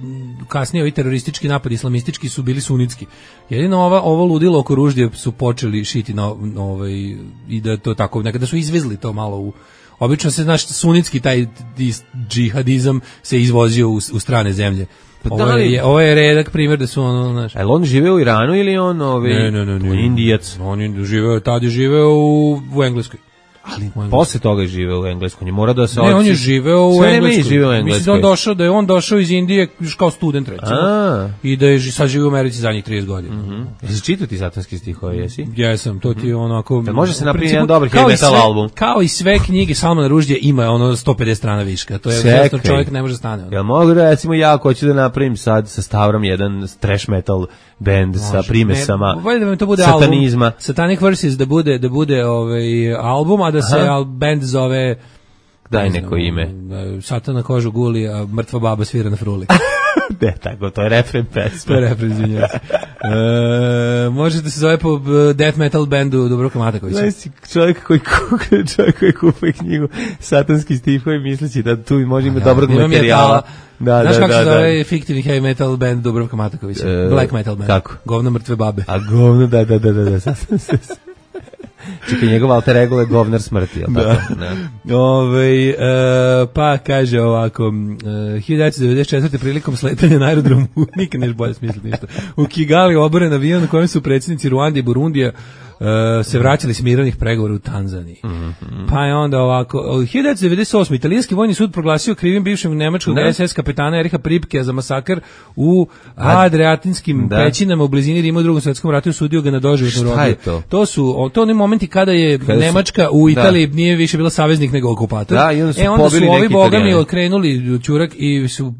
kasnije ovi teroristički napadi, islamistički su bili sunitski. Jedino ova, ovo ludilo oko Ruždije su počeli šiti na, na ovaj, i da to tako, nekada su izvezli to malo u, obično se, znaš, sunitski taj džihadizam se izvozio u, u strane zemlje. Ovo je, ovo je redak primjer da su ono, znaš. A on žive u Iranu ili on ovaj ne, ne, ne, ne, Indijac? On je živeo, tad je živeo u, u Engleskoj. Ali posle toga je živeo u Engleskoj. On je mora da se Ne, on je živeo u Engleskoj. Živeo u Engleskoj. Mislim da on došao, da je on došao iz Indije kao student recimo. A. I da je sad živio u Americi zadnjih trideset godina. Mhm. Jesi čitao ti satanski stihove, jesi? Jesam, to ti je onako. Da može se napraviti jedan dobar heavy metal album. Kao i sve knjige Salmana Ruždija ima ono sto pedeset strana viška. To je jednostavno čovjek ne može stane. Ja mogu recimo ja ako hoću da napravim sad sa Stavrom jedan thrash metal band može, sa primesama ne, da to bude satanizma. Album, Satanic Verses da bude da bude ovaj album, a da se al band zove daj neko znam, ime. Satan na kožu guli, a mrtva baba svira na fruli. Ne, tako, to je refren pesma. To je refren, izvinjam se. E, možete se zove po death metal bandu Dubravka Matakovića. Znaš si čovjek koji kupe, čovjek koji kupe knjigu Satanski stihovi misleći da tu može imati dobrog materijala. Da, znaš da, kako da, se da. zove fiktivni heavy metal band Dubravka Matakovića? E, Black metal band. Kako? Govno mrtve babe. A govno, da, da, da, da, da. Čekaj, njegov alter ego je govnar smrti, jel tako? Da. Ove, e, pa kaže ovako, e, hiljadu devetsto devedeset četvrte. prilikom sletanja na aerodromu, nikad neš bolje smisliti ništa, u Kigali oboren avion na kojem su predsjednici Ruande i Burundija Uh, se vraćali s mirovnih pregovora u Tanzaniji. Mm-hmm. Pa je onda ovako, hiljadu devetsto devedeset osme. italijanski vojni sud proglasio krivim bivšeg nemačkog ne. es es kapetana Eriha Pripkea za masakr u Adriatinskim da. pećinama u blizini Rima u Drugom svjetskom ratu i osudio ga na doživotnu robiju. Šta je to? To su to oni momenti kada je kada Nemačka u Italiji da. nije više bila saveznik nego okupator. Da, i onda su, e, onda su ovi bogami okrenuli ćurak i su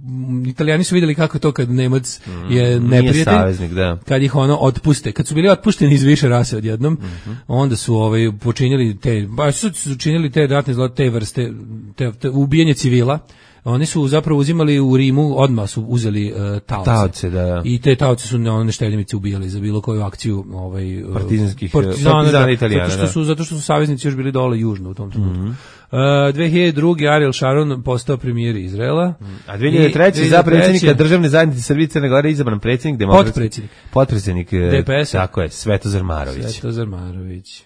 Italijani su vidjeli kako to kad Nemac mm, je neprijatelj, saveznik, da. kad ih ono otpuste, kad su bili otpušteni iz više rase odjednom. Mm-hmm. Onda su ovaj počinili te baš su učinili te ratne zločine, te vrste te, te ubijanje civila. oni su zapravo uzimali u Rimu, odmah su uzeli uh, taoce. Taoce, da, da. I te taoce su one šteljemice ubijali za bilo koju akciju ovaj, partizanskih partizana, partizana da, Italijana. Zato što su, zato što su saveznici još bili dole južno u tom trenutku. Mm-hmm. Uh, dve hiljade druge. Ariel Sharon postao premijer Izraela. A dve hiljade treće. za predsjednika državne zajednice Srbije i Crne Gore izabran predsjednik demokratske potpredsjednik potpredsjednik D P S. Tako je, Svetozar Marović. Svetozar Marović.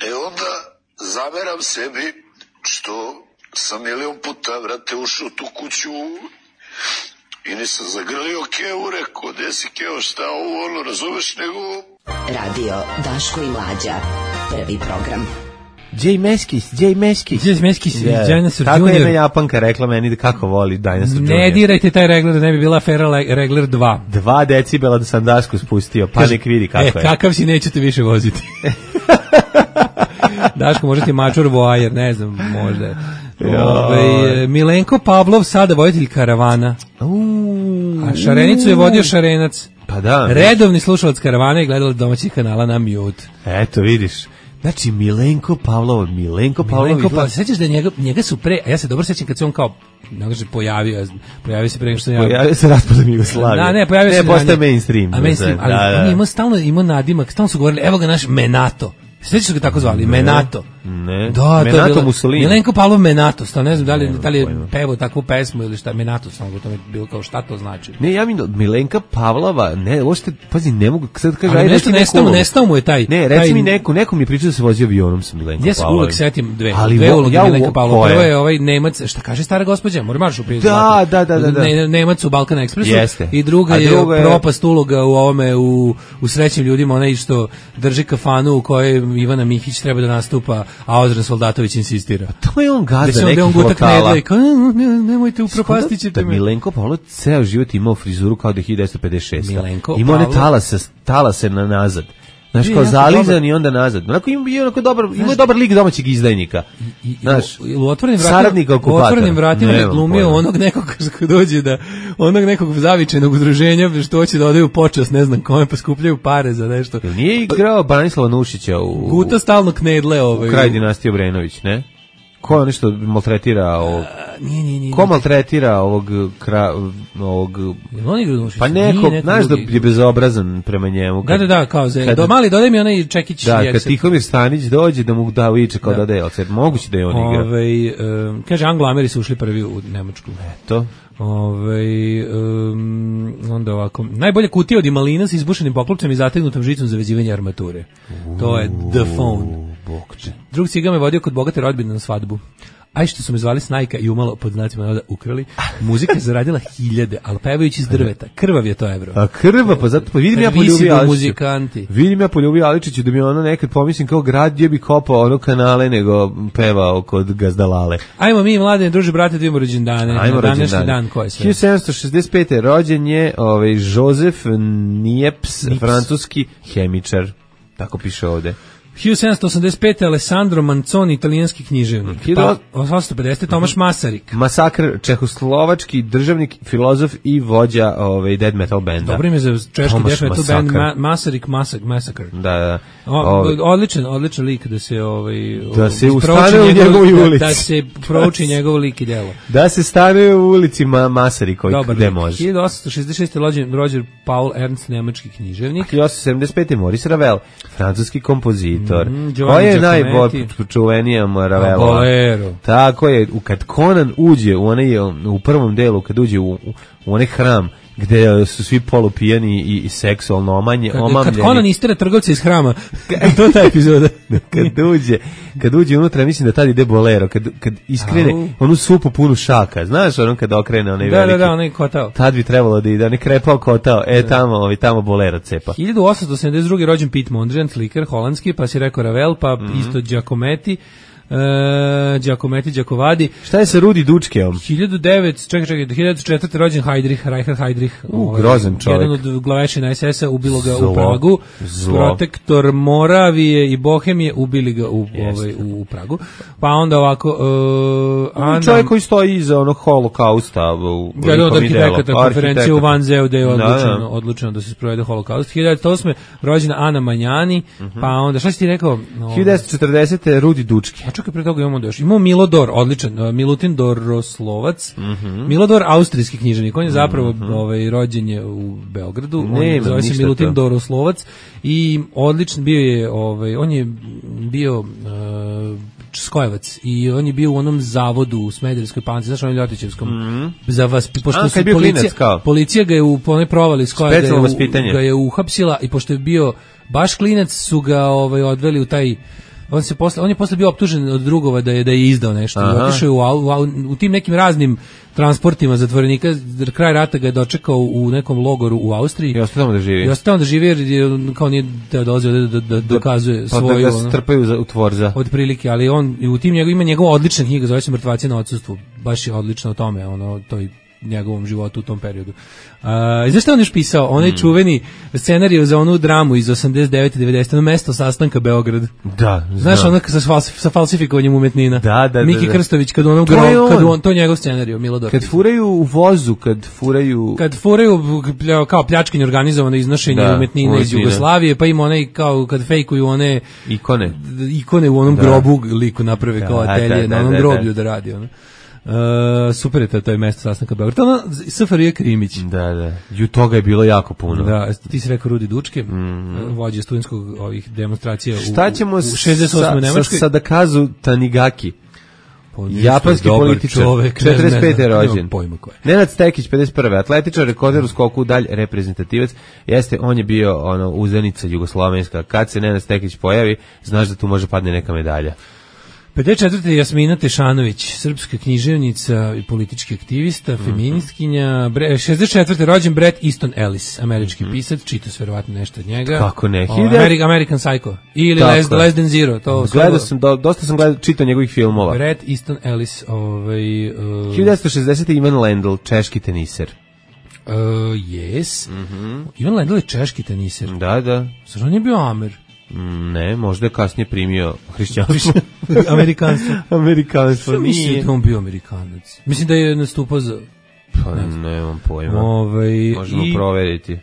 E onda zameram sebi što sam milion puta, vrate, ušao u tu kuću i nisam zagrlio Kevu, rekao, gde si Keo, šta ovo, ono, razumeš, nego... Radio Daško i Mlađa, prvi program. Jay Meskis, Jay Meskis. Jay Meskis, yeah. Dinosaur Tako junior. je jedna Japanka rekla meni da kako voli Dinosaur junior. Ne dirajte taj regler, da ne bi bila afera regler dva. Dva decibela da sam dasku spustio, pa nek vidi kako e, je. E, kakav si, nećete više voziti. Daško, možda ti mačor voajer, ne znam, možda. Ove, Milenko Pavlov, sada voditelj Karavana. A Šarenicu je vodio Šarenac. Pa da. Redovni slušalac Karavana i gledalac domaćih kanala na Mute. Eto, vidiš. Znači, Milenko Pavlov, Milenko Pavlov. Milenko Pavlov, sećaš da njega, njega su pre, a ja se dobro sećam kad se on kao, ne kaže, pojavio, pojavio se pre nego što ja... Pojavio se raspadom Jugoslavije. Da, ne, pojavio se... Ne, postaje mainstream. A mainstream, ali da, da. on je imao stalno, imao nadimak, stalno su govorili, evo ga naš Menato. Sećaš su ga tako zvali, ne, Menato. Ne, da, Menato bilo, Mussolini. Milenko Pavlov Menato, sto, ne znam da li, da li je pevao takvu pesmu ili šta, Menato, samo gotovo je bilo kao šta to znači. Ne, ja mi Milenka Pavlova, ne, uopšte, pazi, ne mogu, sad kaže, ali ajde, nešto nestao, nestao mu je taj. Ne, reci taj, mi neko, neko mi je pričao da se vozio avionom sa Milenkom ja se Pavlovim. uvek setim dve, ali dve uloge ja, Milenka Pavlova. Prvo je je ovaj Nemac, šta kaže stara gospođa, mora marš u prijezdu. Da, da, da, da, da. Ne, Nemac u Balkan Ekspresu. Jeste. I druga A je, druga je propast uloga u ovome, u, u Srećnim ljudima, onaj što drži kafanu u kojoj Ivana Mihić treba da nastupa, a Ozren Soldatović insistira. To je on gazda nekih on lokala. Kao, ne, nemojte upropastit ćete me. me. Milenko Pavlov ceo život imao frizuru kao da je hiljadu devetsto pedeset šeste. Milenko imao one Pavlov... talase, talase na nazad. Znaš, I, kao zalizan dobar... i onda nazad. Onako ima, ima, onako dobar, ima dobar lik domaćeg izdajnika. I, i, znaš, u otvorenim saradnika okupatora. U otvorenim vratima je glumio onog nekog koji dođe da, onog nekog zavičajnog udruženja što hoće da odaju počast, ne znam kome, pa skupljaju pare za nešto. Jel nije igrao Branislava Nušića u... Guta stalno knedle ovaj. U kraj dinastije Obrenović, ne? Ko nešto maltretira ovog... Nije, nije, nije. Ko maltretira ovog... Kra, ovog on igra Nušić? Pa neko, znaš da je bezobrazan prema njemu. Kad, da, da, da, kao za... Do, mali, dodaj mi onaj čekić. Da, jekset. kad Tihomir Stanić dođe da mu da viče kao da da je, moguće da je on igra. Ove, um, kaže, Anglo-Ameri su ušli prvi u Nemačku. Eto. Ove, um, onda ovako, najbolja kutija od imalina sa izbušenim poklopcem i zategnutom žicom za vezivanje armature. Uuu, to je The Phone. Bokče. Drug ciga me vodio kod bogate rodbine na svadbu. Aj što su me zvali Snajka i umalo pod znacima navoda ukrali. Muzika je zaradila hiljade, ali pevajući iz drveta. Krvav je to evro. A krva, pa zato pa vidim ja poljubio Aličiću. Vidim ja poljubio Aličiću da mi ono nekad pomislim kao grad gdje bi kopao ono kanale nego pevao kod Gazdalale. Ajmo mi mlade druže brate da imamo rođendane. Ajmo na današnji rođendane. dan ko je sve? hiljadu sedamsto šezdeset pete rođen je ovaj Joseph Niepce, Nips. francuski hemičar. Tako piše ovde. hiljadu sedamsto osamdeset pete. Alessandro Manzoni, italijanski književnik. Pa, osamsto pedesete. Tomaš Masarik. Masakr, čehoslovački državnik, filozof i vođa ovaj death metal benda. Dobro ime za češki Tomaš death metal band, Masakr. Ma, Masarik Masak, Massacre. Da, da. O, Ovaj. odličan, odličan lik da se ovaj Da se prouči ustane u njegovoj da, ulici. da se prouči njegov lik i delo. Da se stane u ulici Ma, Masarikovi, gde može. hiljadu osamsto šezdeset šeste. rođen Roger Paul Ernst, nemački književnik. hiljadu osamsto sedamdeset pete. Maurice Ravel, francuski kompozitor. Mm, Ko je najčuvenija Ravelova? Bolero. Tako je, kad Conan uđe u onaj, u prvom delu, kad uđe u, u onaj hram gde su svi polupijani i, i seksualno omanje, kad, omamljeni. Kad Conan istera trgovca iz hrama, to je ta epizoda. kad uđe, kad uđe unutra, mislim da tad ide Bolero, kad, kad iskrene Au. onu supu punu šaka, znaš ono kad okrene onaj da, veliki. Da, da, onaj kotao. Tad bi trebalo da ide, onaj krepao kotao, e da. tamo, ovi, tamo Bolero cepa. hiljadu osamsto sedamdeset druge. rođen Piet Mondrian, slikar, holandski, pa si rekao Ravel, pa mm-hmm. isto Giacometti. E, Giacometti Giacovadi. Šta je sa Rudi Dučkeom? hiljadu devetsto čekaj, čekaj, hiljadu četvrte. rođen Heydrich, Reichard Heydrich. U, ovaj, grozan čovjek. Jedan od glavešina es es a, ubilo ga Zlo. u Pragu. Zlo. Protektor Moravije i Bohemije ubili ga u, ovaj, u Pragu. Pa onda ovako... Uh, Anna... Čovjek koji stoji iza onog holokausta. U, Jedan od arhitekata konferencije u Vanzeu da je odlučeno, da, da. odlučeno da se sprovede holokaust. hiljadu osme. rođena Ana Manjani. Uh-huh. Pa onda, šta si ti rekao? hiljadu devetsto četrdesete. Rudi Dučki. čekaj, pre toga imamo da još. Imamo Milodor, odličan, uh, Milutin Doroslovac. Mm-hmm. Milodor, austrijski književnik. On je zapravo mm-hmm. ovaj, rođen je u Beogradu. Ne, on zove se Milutin to. Doroslovac i odličan bio je, ovaj, on je bio... Uh, Skojevac i on je bio u onom zavodu u Smederevskoj Palanci, znaš, onom Ljotićevskom. Mm-hmm. Za vas, pošto A, su policija, policija ga je u onoj provali Skojevac ga, ga je uhapsila i pošto je bio baš klinac su ga ovaj odveli u taj on se posle on je posle bio optužen od drugova da je da je izdao nešto. Otišao je u, u, u tim nekim raznim transportima zatvorenika, kraj rata ga je dočekao u nekom logoru u Austriji. I ostao tamo da živi. I ostao tamo da živi jer je, kao nije da dolazio da, da, da dokazuje pa svoju... Pa da ga strpaju u tvorza. Od prilike, ali on u tim njegov, ima njegova odlična knjiga, zove se Mrtvaci na odsustvu. Baš je odlično o tome, ono, toj njegovom životu u tom periodu. Uh, zašto on još pisao? Onaj mm. čuveni scenarij za onu dramu iz osamdeset devete devedesete na mesto sastanka Beograd. Da, znaš, ono sa, falsif, sa falsifikovanjem umetnina. Da, da, Miki da, da. Krstović, kad onom gro, on. kad on, to je njegov scenarij, Milodor. Kad furaju u vozu, kad furaju... Kad furaju kao pljačkanje organizovano iznošenje da, umetnina umetnina iz Jugoslavije, pa ima onaj kao kad fejkuju one... Ikone. Ikone u onom da. grobu liku naprave da, kao atelje, da, da, na onom da, groblju da, da radi, ono. Uh, super je to, to je mesto sastanka Beograda. Ono, S F R J Krimić. Da, da. I toga je bilo jako puno. Da, ti si rekao Rudi Dučke, mm-hmm. vođe studentskog ovih demonstracija Šta ćemo u, u šezdeset osmoj sa, Nemačkoj. sa Sadakazu Tanigaki? Japanski političar, četrdeset pete rođen. Nenad Stekić, pedeset prve atletičar, rekorder u skoku, dalj reprezentativac. Jeste, on je bio ono uzdanica jugoslovenska. Kad se Nenad Stekić pojavi, znaš da tu može padne neka medalja. pedeset četvrte Jasmina Tešanović, srpska književnica i politički aktivista, mm-hmm. feministkinja. šezdeset četvrte rođen Bret Easton Ellis, američki mm-hmm. pisac, čito se verovatno nešto od njega. Kako ne? O, Ameri- American Psycho ili Less, Less Than Zero. To gledao sam, do, dosta sam gledao, čitao njegovih filmova. Bret Easton Ellis. Ovaj, uh, hiljadu devetsto šezdesete Ivan Lendl, češki teniser. Uh, yes. Mm-hmm. Ivan Lendl je češki teniser. Da, da. Zar on je bio Amer? Ne, možda je kasnije primio hrišćanstvo. Amerikanstvo. Amerikanstvo, nije. Mislim da on bio Amerikanac. Mislim da je nastupao za... Pa ne, nemam pojma. Ove, možemo i, proveriti.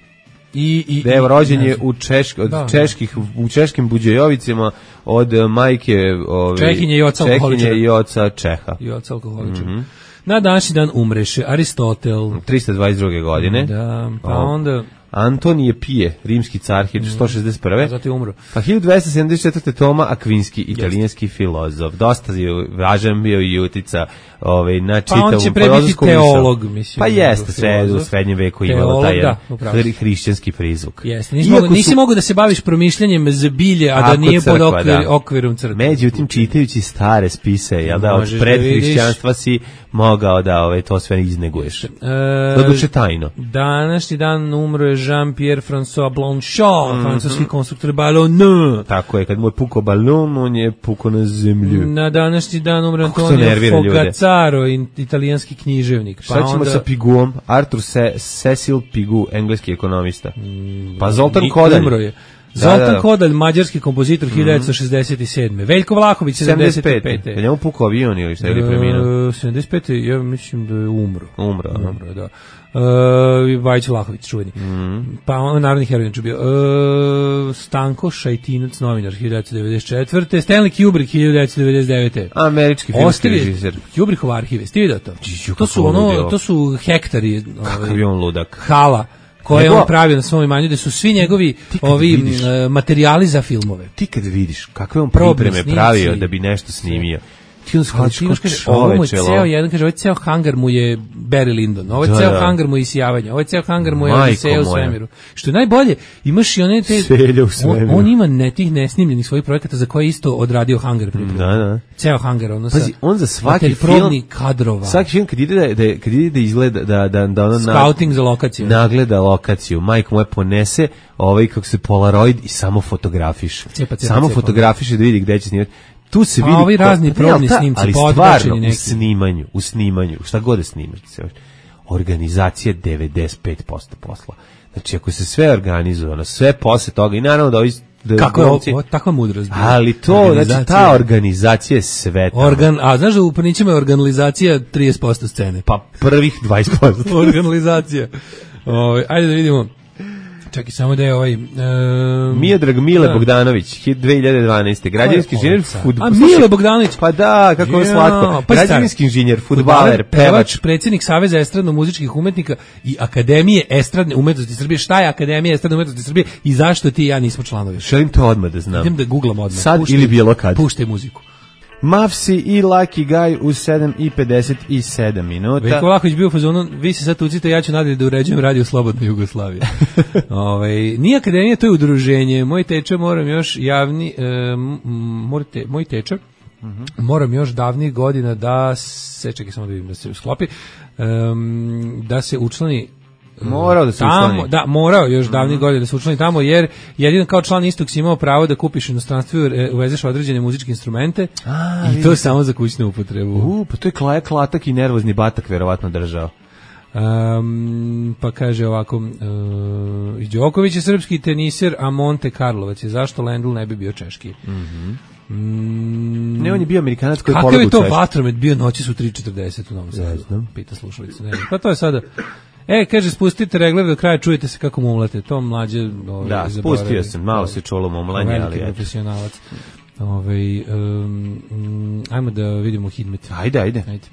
I, i, Dev rođen je u, češk, od da, čeških, u češkim Buđejovicima od majke ove, Čehinje i oca alkoholičara. i oca Čeha. I oca alkoholičara. Mm-hmm. Na današnji dan umreše Aristotel. trista dvadeset druge godine. Da, pa o, onda... Antonije Pije, rimski car, hiljadu sto šezdeset prve. Zato je umro. Pa hiljadu dvesta sedamdeset četvrte Toma Akvinski, italijanski filozof. Dosta je važan bio i utica ovaj, na čitavu pa on će pre biti teolog, mislim. Pa jeste, sve u srednjem veku imalo taj da, hrišćanski prizvuk. Jeste, nisi, mogu, nisi si, mogu da se baviš promišljanjem zbilje, a da nije crkva, pod okvir, da. okvirom crkve. Međutim, čitajući stare spise, jel da, od predhrišćanstva da si mogao da ovaj, to sve izneguješ. E, Doduše tajno. Današnji dan umro je Jean-Pierre François Blanchard, mm-hmm. francuski konstruktor balona. Tako je, kad mu je pukao balon, on je pukao na zemlju. Na današnji dan umre Antonio Fogazzaro, italijanski književnik. Šta ćemo onda... sa Piguom? Arthur Se- Cecil Pigou, engleski ekonomista. Pa Zoltan Kodalj. Umro je. Zoltan da, da, da. Kodalj, mađarski kompozitor, hiljadu devetsto šezdeset sedme Veljko Vlahović, sedamdeset pete Je njemu pukao avion ili šta, ili preminuo? sedamdeset pete ja mislim da je umro. Umro, umro da. Uh, Vajić Vlahović, čuveni. Mm. Pa on narodni heroj je bio. Uh, Stanko Šajtinac, novinar, hiljadu devetsto devedeset četvrte Stanley Kubrick, hiljadu devetsto devedeset devete Američki filmski režiser. Kubrickov arhive, ste vidio to? To su, ono, to su hektari. Kakav je on ludak. Hala. koje Nego, on pravi na svom imanju, da su svi njegovi ovi vidiš, materijali za filmove. Ti kad vidiš kakve on pripreme pravio da bi nešto snimio, ti on shvatiš kao čoveče. Ceo jedan, kaže, ovaj ceo hangar mu je Barry Lyndon, ovaj da, ceo da. hangar mu je Isijavanje, ovaj ceo hangar mu je Odiseja u svemiru. Što je najbolje, imaš i one te... On, on ima ne tih nesnimljenih svojih projekata za koje isto odradio hangar pripremu. Da, da. Ceo hangar, ono Pazi, sa... on za svaki film... kadrova. Svaki film kad ide da, da, kad ide da izgleda, da, da, da ono... Scouting za lokaciju. Nagleda lokaciju. Majko moje ponese ovaj, kako se Polaroid i samo fotografiš. Cepa, cepa, samo cepa. fotografiš da vidi gde će snimati. Tu se pa vidi ovi razni probni snimci, ali stvarno neki. u snimanju, u snimanju, šta god da snimaš, organizacija devedeset pet posto posla. Znači ako se sve organizuje, sve posle toga i naravno da ovi da kako je ovo, takva mudrost. Ali to, znači ta organizacija je sve tamo. Organ, a znaš da u Prnićima je organizacija trideset posto scene. Pa prvih dvadeset posto. Organizacija. Ove, ajde da vidimo. Čekaj, samo da je ovaj... Um, Miodrag Mile da. Bogdanović, hit dve hiljade dvanaeste. Građevinski inženjer, fudbaler. A Mile Bogdanović. Pa da, kako je slatko. Pa Građevinski inženjer, fudbaler, pevač, predsjednik Saveza estradno-muzičkih umetnika i Akademije estradne umetnosti Srbije. Šta je Akademija estradne umetnosti Srbije i zašto ti i ja nismo članovi? Želim to odmah da znam. Idem da googlam odmah. Sad puštaj, ili bilo kad. Puštaj muziku. Mavsi i Lucky Guy u sedam i pedeset sedam minuta. Veljko Vlahović bio u fazonu, vi se sad tucite, ja ću nadalje da uređujem radio Slobodna Jugoslavija. Ovaj nije akademija, to je udruženje. Moj teče moram još javni, e, morate, moj teče, mm-hmm. moram još davnih godina da se, čekaj samo da vidim da se sklopi, um, da se učlani Morao da se tamo, učlani. Da, morao još davnih mm-hmm. godina da se učlani tamo, jer jedino kao član istog si imao pravo da kupiš inostranstvo i uvezeš određene muzičke instrumente. A, i to je samo za kućnu upotrebu. U, pa to je klaja klatak i nervozni batak verovatno držao. Um, pa kaže ovako, uh, Đoković je srpski teniser, a Monte Karlovac je. Zašto Lendl ne bi bio češki? Mhm. Mm, ne, on je bio Amerikanac koji je kakav je to Češki. vatromet bio noći su tri četrdeset u Novom Sadu? Pita slušalica. Ne, pa to je sada... E, kaže, spustite regler do kraja, čujete se kako mumlate. To mlađe... Ove, da, spustio sam, malo se čulo mumlanje, ali... Veliki profesionalac. Ove, um, um, ajmo da vidimo Hidmet. Ajde, ajde. Ajde.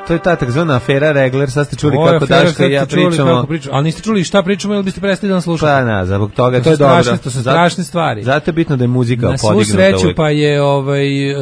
To je ta takzvana afera Regler, sad ste čuli kako Daško i ja pričamo. pričamo. Ali niste čuli šta pričamo ili biste prestali da nas slušate? Pa na, zbog toga, to, to je strašne, dobro. To su strašne stvari. Zato je bitno da je muzika na podignuta. Na svu sreću uvijek. Pa je ovaj, uh,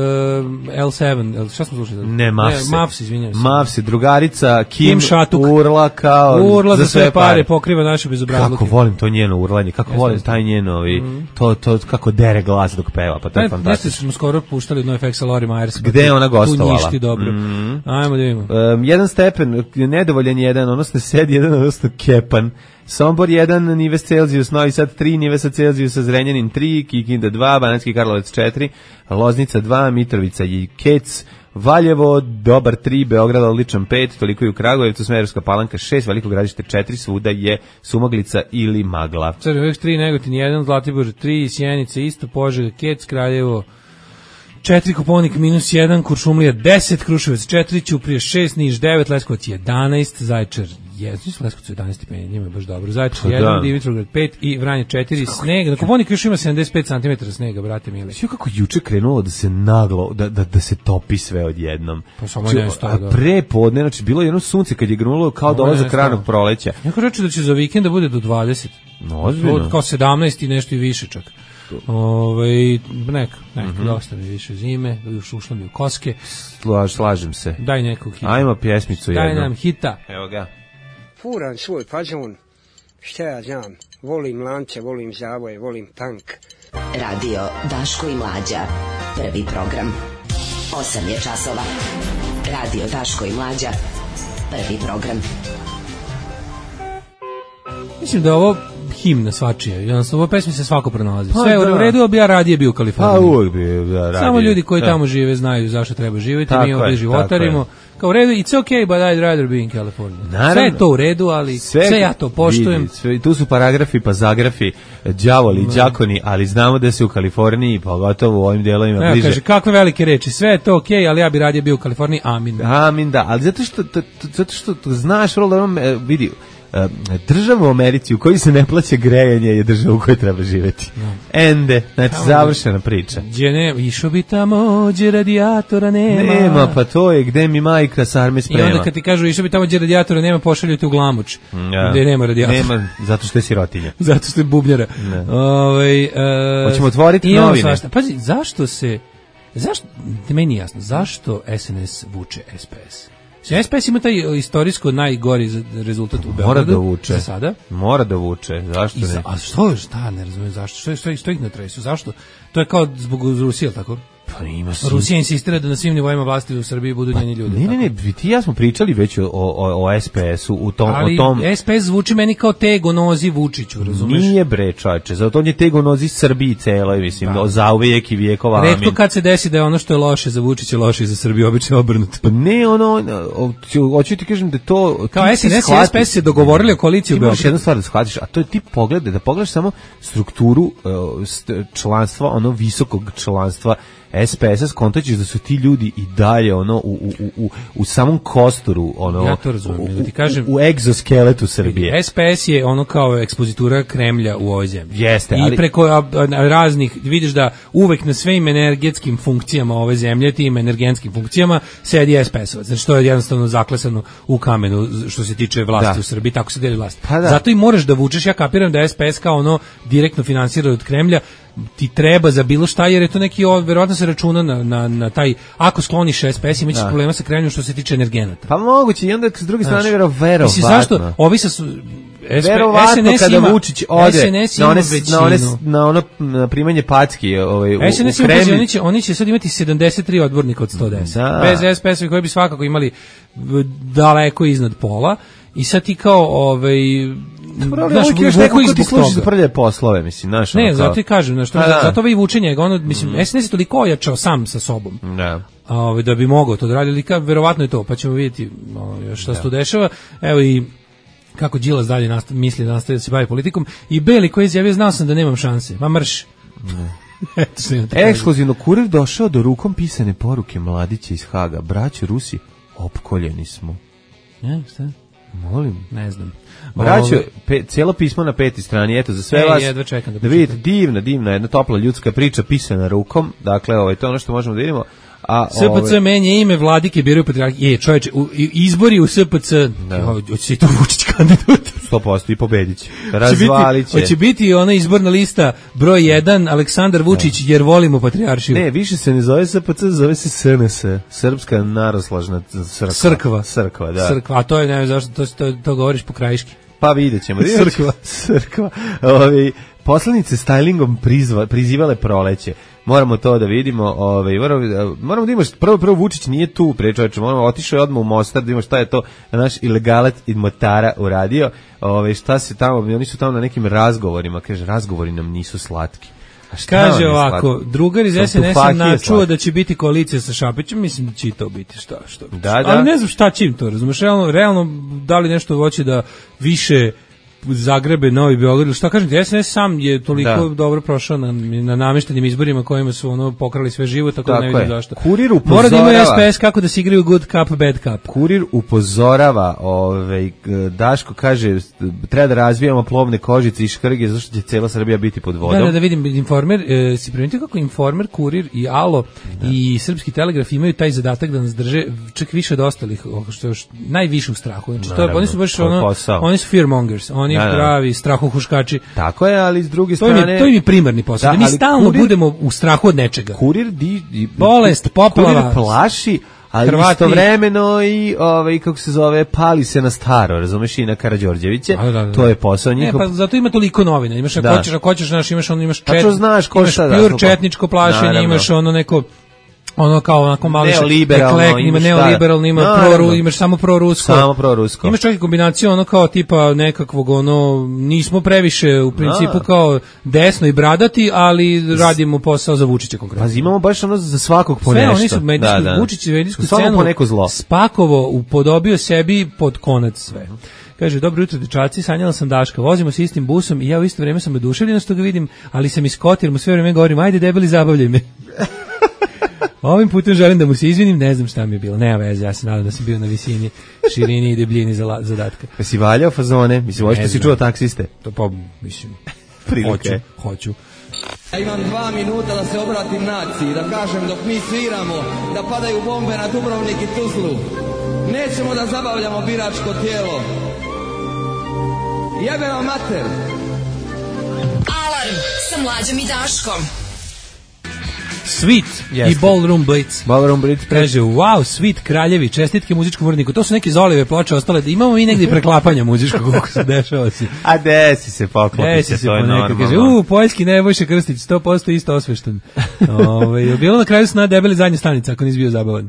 L sedam, šta smo slušali? Ne, Mavsi. Ne, Mavsi, izvinjam se. Mavsi, drugarica, Kim, Kim Šatuk. Urla kao Urla za sve pare, pare pokriva naše bezobrazluke. Kako volim to njeno urlanje, kako volim taj njeno, mm. to, to kako dere glas dok peva, pa to je fantastično. Nešto smo skoro puštali No Effects Lori Myers. Gde je ona gostovala? Tu njišti dobro. Mm. Ajmo da vidimo. Um, jedan stepen, nedovoljan jedan, odnosno sed jedan, odnosno kepan. Sombor jedan, Nives Celzijus, Novi Sad tri, Nivesa Celzijusa, Zrenjanin tri, Kikinda dva, Banatski Karlovac četiri, Loznica dva, Mitrovica i Kec, Valjevo, dobar tri, Beograd odličan pet, toliko i u Kragujevcu, Smederevska Palanka šest, Veliko Gradište četiri, svuda je sumaglica ili magla. Crveniš tri, Negotin jedan, Zlatibor tri, Sjenica isto, Požega, Kec, Kraljevo četiri, Koponik minus jedan, Kuršumlija deset, Kruševac četiri, Ćuprija šest, Niš devet, Leskovac jedanaest, Zaječar jedan, Leskovac jedanaest stepeni, njima je baš dobro, Zaječar jedan, Dimitrovgrad pet i Vranje četiri, sneg, na Koponik još ima sedamdeset pet centimetara snega, brate mili. Sve kako juče krenulo da se naglo, da, da, da se topi sve odjednom. Pa samo ne stoji, da. A pre podne, znači bilo je jedno sunce kad je grunulo kao dolazak ranog proleća. Neko reče da će za vikend da bude do dvadeset. No, ozbiljno. Kao sedamnaest i nešto i više čak. Ove, neka, neka, mm-hmm. dosta mi više zime, još ušlo mi u koske. Slaž, slažem se. Daj nekog hita. Ajmo pjesmicu jednu. Daj nam hita. Evo ga. Furam svoj fazon, šta ja znam, volim lance, volim zavoje, volim tank. Radio Daško i Mlađa, prvi program. Osam je časova. Radio Daško i Mlađa, prvi program. Mislim da ovo himna svačija. Jednostavno, u pesmi se svako pronalazi. Pa sve da. U redu, ali ja radije bio u Kaliforniji. Pa uvijek bi da, radije. Samo ljudi koji da. Tamo žive znaju zašto treba živjeti. Tako mi ovdje životarimo. Kao u redu, it's okay, but I'd rather be in California. Naravno. Sve je to u redu, ali sve, sve ja to poštujem. Vidi, sve, tu su paragrafi, pa zagrafi, đavoli, đakoni, ali znamo da se u Kaliforniji, pogotovo u ovim delovima ja, bliže. Kaže, kakve velike reči, sve je to okej, okay, ali ja bi radije bio u Kaliforniji, amin. Amin, da, ali zato što, to, to, zato što to znaš, vrlo da vidi, država u Americi u kojoj se ne plaća grejanje je država u kojoj treba živjeti. No. Ende, znači tamo završena priča. Gdje ne, išao bi tamo, gdje radijatora nema. Nema, pa to je gde mi majka sarme sprema. I onda kad ti kažu išao bi tamo gdje radijatora nema, pošalju te u Glamuč. Ja. Gdje nema radijatora. Nema, zato što je sirotinja. Zato što je bubljara. Ove, uh, Hoćemo otvoriti novine. Svašta. Pazi, zašto se, zašto, meni jasno, zašto S N S vuče S P S? S P S ima taj istorijsko najgori rezultat u Beogradu. Mora da vuče. Za sada. Mora da vuče. Zašto ne? Za, a što, šta, ne razumijem zašto? Što, što, što ih ne tresu? Zašto? To je kao zbog Rusije, tako? Pa ima si. Rusija insistira da na svim nivoima vlasti u Srbiji budu pa, njeni ljudi. Ne, ne, ne, ti ja smo pričali već o, o, o S P S-u u tom, ali o tom. S P S zvuči meni kao tego nozi Vučiću, razumeš? Nije bre, čoveče, zato on je tego nozi Srbiji celoj, mislim, da. Za uvijek i vijekova. Amin. Retko kad se desi da je ono što je loše za Vučića loše i za Srbiju, obično obrnuto. Pa ne, ono, hoću ti kažem da to kao S N S i S P S se dogovorili o koaliciji u Beogradu. Imaš jednu stvar da shvatiš, a to je ti pogledaj, da pogledaš samo strukturu uh, članstva, ono visokog članstva S S P S-a skontaćeš da su ti ljudi i dalje ono u, u, u, u samom kostoru ono, ja to razumijem, da ti kažem, u, u egzoskeletu Srbije. S P S je ono kao ekspozitura Kremlja u ovoj zemlji. Jeste, I ali... preko a, a, raznih, vidiš da uvek na svim energetskim funkcijama ove zemlje, tim energetskim funkcijama, sedi S P S-ovac. Znači to je jednostavno zaklesano u kamenu što se tiče vlasti da. u Srbiji, tako se deli vlast. Pa da. Zato i moraš da vučeš, ja kapiram da S P S kao ono direktno finansira od Kremlja, ti treba za bilo šta, jer je to neki, verovatno se računa na, na, na taj, ako skloniš S P S, imaćeš problema sa Kremljom što se tiče energenata. Pa moguće, i onda s druge strane verovatno. Mislim, zašto? Ovi sa su... Verovatno kada ima, Vučić ode na one, na, one, na ono na primanje packi ovaj, u, S N S u Kremlju. Oni će, oni će sad imati sedamdeset tri odbornika od sto deset. Da. Bez S P S-ovi koji bi svakako imali daleko iznad pola. I sad ti kao... Ovaj, znaš, još neko ko ti služi za prlje poslove, mislim, znaš. Ne, zato i kažem, znaš, zato ovaj vučenje, ono, mislim, S N S je toliko ojačao sam sa sobom. Da. A, ovaj, da bi mogao to da radi, ali ka, verovatno je to, pa ćemo vidjeti ono, šta se tu dešava. Evo i kako Đilas dalje nastav, misli da nastavi da se bavi politikom. I Beli koji je izjavio, znao sam da nemam šanse. Ma mrš. Ekskluzivno kurir došao do rukom pisane poruke mladića iz Haga. Braćo Rusi, opkoljeni smo. Ne, šta? Molim. Ne znam. Braćo, pe, cijelo pismo na petoj strani, eto, za sve e, vas, jedva čekam da, da vidite, divna, divna, jedna topla ljudska priča pisana rukom, dakle, ovaj, to je ono što možemo da vidimo. A, S P C menja ime, vladike biraju patrijarhi. E, čoveče, u, izbori u S P C, hoće se i to Vučić kandidat. sto posto i pobedit će. Razvalit će. Hoće biti ona izborna lista broj jedan, Aleksandar Vučić, da. Jer volimo patrijaršiju. Ne, više se ne zove S P C, zove se S N S, Srpska naroslažna crkva. Crkva. Crkva, da. Crkva, a to je, ne znam zašto, to, to, to govoriš po krajiški. Pa vidjet ćemo. Crkva. Crkva. Ovi, poslanice stylingom prizva, prizivale proleće. Moramo to da vidimo, ovaj moramo, moramo da imamo prvo prvo Vučić nije tu prečoveče, moramo otišao je odmah u Mostar da vidimo šta je to naš ilegalac iz Motara uradio, ovaj šta se tamo, oni su tamo na nekim razgovorima, kaže razgovori nam nisu slatki. Kaže ovako, drugar iz S N S-a načuo da će biti koalicija sa Šapićem, mislim da će to biti, šta, što. Da, da. Ali ne znam šta će im to, razumeš, realno, realno da li nešto hoće da više Zagrebe, Novi Beograd, ili šta kažem ti, S N S sam je toliko da. dobro prošao na, na nameštenim izborima kojima su ono pokrali sve život, tako, tako da ne vidim zašto. Kurir upozorava. Mora da ima S P S kako da se igraju good cup, bad cup. Kurir upozorava, ovaj, Daško kaže, treba da razvijamo plovne kožice i škrge, zašto će cela Srbija biti pod vodom. Da, da, da vidim, Informer, e, si primetio kako Informer, Kurir i Alo da. I Srpski telegraf imaju taj zadatak da nas drže čak više od ostalih, što je još najviše u strahu. Znači, to, oni su baš ono, oni su fearmongers, oni Da, da. pravi strahohuškači. Tako je, ali s druge to strane... Je, to je mi primarni posao, da, da mi stalno kurir, budemo u strahu od nečega. Kurir, di, di, bolest, poplava... Kurir plaši, ali Hrvati, istovremeno i, ovaj, kako se zove, pali se na staro, razumeš, i na Karađorđeviće. Da, da, da. To je posao njihov. Ne, pa zato ima toliko novina. Imaš, ako hoćeš, ako hoćeš, znaš, imaš ono, imaš čet, znaš ko imaš pure četničko plašenje, naravno. Imaš ono neko... ono kao onako malo neoliberalno, ima neoliberalno, ima no, proru, imaš samo prorusko. Samo prorusko. Imaš čak i kombinaciju ono kao tipa nekakvog ono nismo previše u principu no. kao desno i bradati, ali radimo posao za Vučića konkretno. Pa imamo baš ono za svakog po nešto. Sve oni su medijsku, da, da. Vučić medijsku scenu po neko zlo. Spakovo upodobio sebi pod konac sve. Kaže, dobro jutro dečaci, sanjala sam Daška, vozimo se istim busom i ja u isto vrijeme sam oduševljena što ga vidim, ali sam iskotir, mu sve vrijeme govorim, ajde debeli, zabavljaj me. Ovim putem želim da mu se izvinim, ne znam šta mi je bilo, nema veze, ja se nadam da sam bio na visini, širini i debljini zadatka. Pa si valjao fazone, mislim, ovo što si čuo taksiste? To pa, mislim, prilike. Hoću, hoću. Ja imam dva minuta da se obratim naciji, da kažem dok mi sviramo, da padaju bombe na Dubrovnik i Tuzlu. Nećemo da zabavljamo biračko tijelo. Jebe vam mater! Alarm sa Mlađom i Daškom. Sweet yes. I Ballroom Blitz. Ballroom Blitz kaže, wow, Sweet Kraljevi, čestitke muzičkom uredniku. To su neke Zolive ploče ostale, da imamo mi negdje preklapanja muzičkog, kako se dešava si. A desi se, poklopi se, to je normalno. Kaže, u, Poljski Nebojša Krstić, sto posto isto osvešten. Ove, bilo na kraju sna debeli zadnja stanica, ako nisi bio zabavan.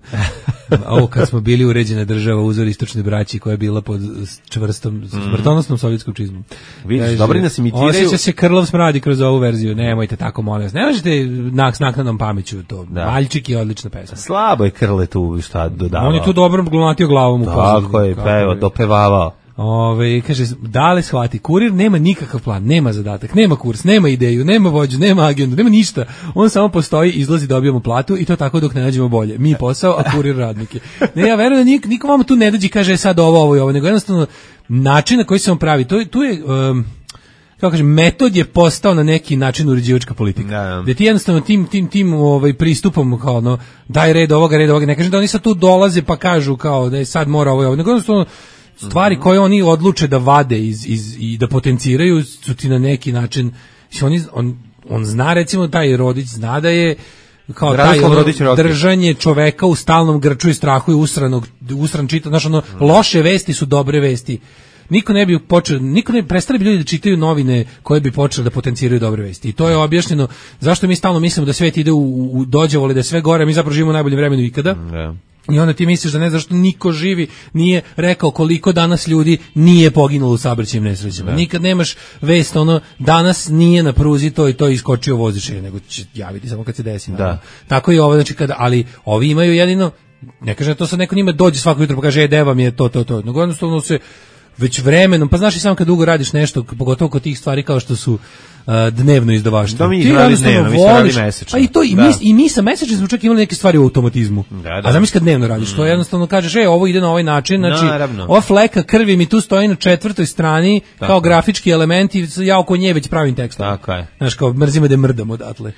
Ovo kad smo bili uređena država, uzor istočne braći koja je bila pod čvrstom, smrtonosnom sovjetskom čizmom. Vidiš, dobro nas imitiraju. Osjeća se krlov smradi kroz ovu verziju, nemojte tako, molim vas. Ne možete nak, s naknadnom pameću to. Da. Valjčik je odlična pesma. Slabo je Krle tu šta dodavao. On je tu dobro glunatio glavom u pozadini. Tako je, peo, dopevavao. Ove, kaže, da li shvati, kurir nema nikakav plan, nema zadatak, nema kurs, nema ideju, nema vođu, nema agendu, nema ništa. On samo postoji, izlazi, dobijamo platu i to tako dok ne nađemo bolje. Mi posao, a kurir radnike. Ne, ja verujem da nik, niko vama tu ne dođe i kaže sad ovo, ovo i ovo, nego jednostavno način na koji se on pravi, to, tu je... Um, kako kažem, metod je postao na neki način uređivačka politika. Da, da. Da ti jednostavno tim tim tim ovaj pristupom kao ono daj red ovoga, red ovoga, ne kažem da oni sad tu dolaze pa kažu kao da je sad mora ovo, ovo. Nego jednostavno stvari koje oni odluče da vade iz, iz i da potenciraju su ti na neki način, oni on on zna recimo taj Rodić zna da je kao taj ono, držanje čoveka u stalnom grču i strahu i usranog usran čita, znači ono loše vesti su dobre vesti. Niko ne bi počeo, niko ne prestali bi ljudi da čitaju novine koje bi počeli da potenciraju dobre vesti. I to je objašnjeno zašto mi stalno mislimo da svet ide u, u dođevole, da je sve gore, mi zapravo živimo u najboljem vremenu ikada. Yeah. I onda ti misliš da ne znaš što niko živi nije rekao koliko danas ljudi nije poginulo u saobraćajnim nesrećama. Yeah. Nikad nemaš vest ono danas nije na pruzi to i to iskočio vozič, nego će javiti samo kad se desi. Da. Tako i ovo, znači kada, ali ovi imaju jedino, ne kaže to sad neko njima dođe svako jutro pa kaže e deva mi je to to to. Nego jednostavno se već vremenom, pa znaš i sam kad dugo radiš nešto, pogotovo kod tih stvari kao što su uh, dnevno izdavaštvo. Mi ih radi dnevno, mi se radi mesečno. A i to, i, mi, i mi sa mesečnim smo čak imali neke stvari u automatizmu. Da, da. A zamisli kad dnevno radiš, mm. to jednostavno kažeš, e, ovo ide na ovaj način, znači, naravno. Ova fleka krvi mi tu stoji na četvrtoj strani, tako. Kao grafički element i ja oko nje već pravim tekstom. Tako je. Znaš, kao mrzimo da mrdam odatle.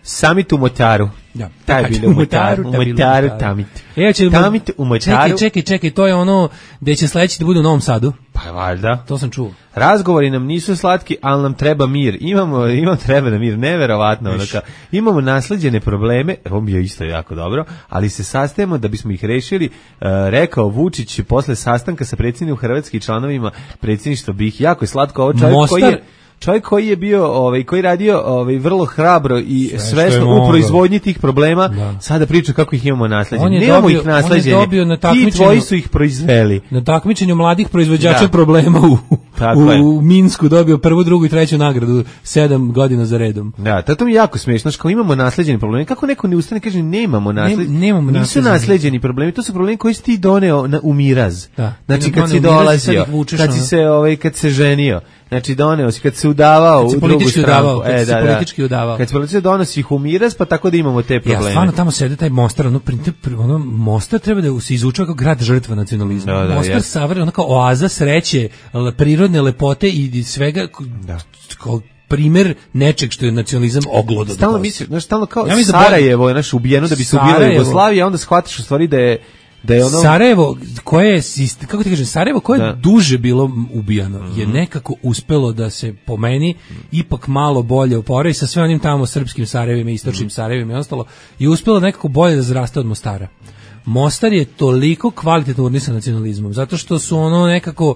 Samit u Motaru. Ja, taj je bilo u Motaru, u Motaru, Tamit. E, će Tamit u Motaru. Čekaj, čekaj, čekaj, to je ono gde će sledeći da bude u Novom Sadu. Pa valjda. To sam čuo. Razgovori nam nisu slatki, ali nam treba mir. Imamo, imamo treba da mir, neverovatno. Onaka. Imamo nasleđene probleme, ovo mi je isto jako dobro, ali se sastajemo da bismo ih rešili, uh, rekao Vučić posle sastanka sa predsjednikom Hrvatske i članovima predsjedništva B i H. Jako je slatko ovo čovjek Mostar... koji je čovjek koji je bio, ovaj, koji radio ovaj, vrlo hrabro i sve svesno u proizvodnji tih problema, da. Sada priča kako ih imamo nasleđene. Nemamo ih nasleđene, ti tvoji su ih proizveli. Na takmičenju mladih proizvođača da. Problema u, u, u Minsku dobio prvu, drugu i treću nagradu sedam godina za redom. Da, to mi je jako smiješno, kao imamo nasleđene probleme. Kako neko ne ustane kaže nemamo nasleđene, ne, nemamo nisu nasleđeni. nasleđeni problemi, to su problemi koji si ti doneo na, u miraz. Da. Znači kad si dolazio, kad si se, ovaj, kad se ženio. Znači doneo si kad se udavao u drugu stranu, e, da, politički udavao. Kad se politički donosi ih u miraz, pa tako da imamo te probleme. Ja, stvarno tamo sede taj Mostar, ono, ono Mostar treba da se izučava kao grad žrtva nacionalizma. Da, da, Mostar savre, ono kao oaza sreće, prirodne lepote i svega, da. Kao primer nečeg što je nacionalizam oglodo. Stalno misliš, znaš, stalno kao ja Sarajevo je naš ubijeno da bi se ubila Jugoslavija, onda shvatiš u stvari da je da je ono Sarajevo koje je kako ti kažem Sarajevo koje je duže bilo ubijano mm-hmm. je nekako uspelo da se po meni ipak malo bolje oporavi sa sve onim tamo srpskim Sarajevima, istočnim mm-hmm. Sarajevima i ostalo i uspelo nekako bolje da zraste od Mostara. Mostar je toliko kvalitetno urnisan nacionalizmom zato što su ono nekako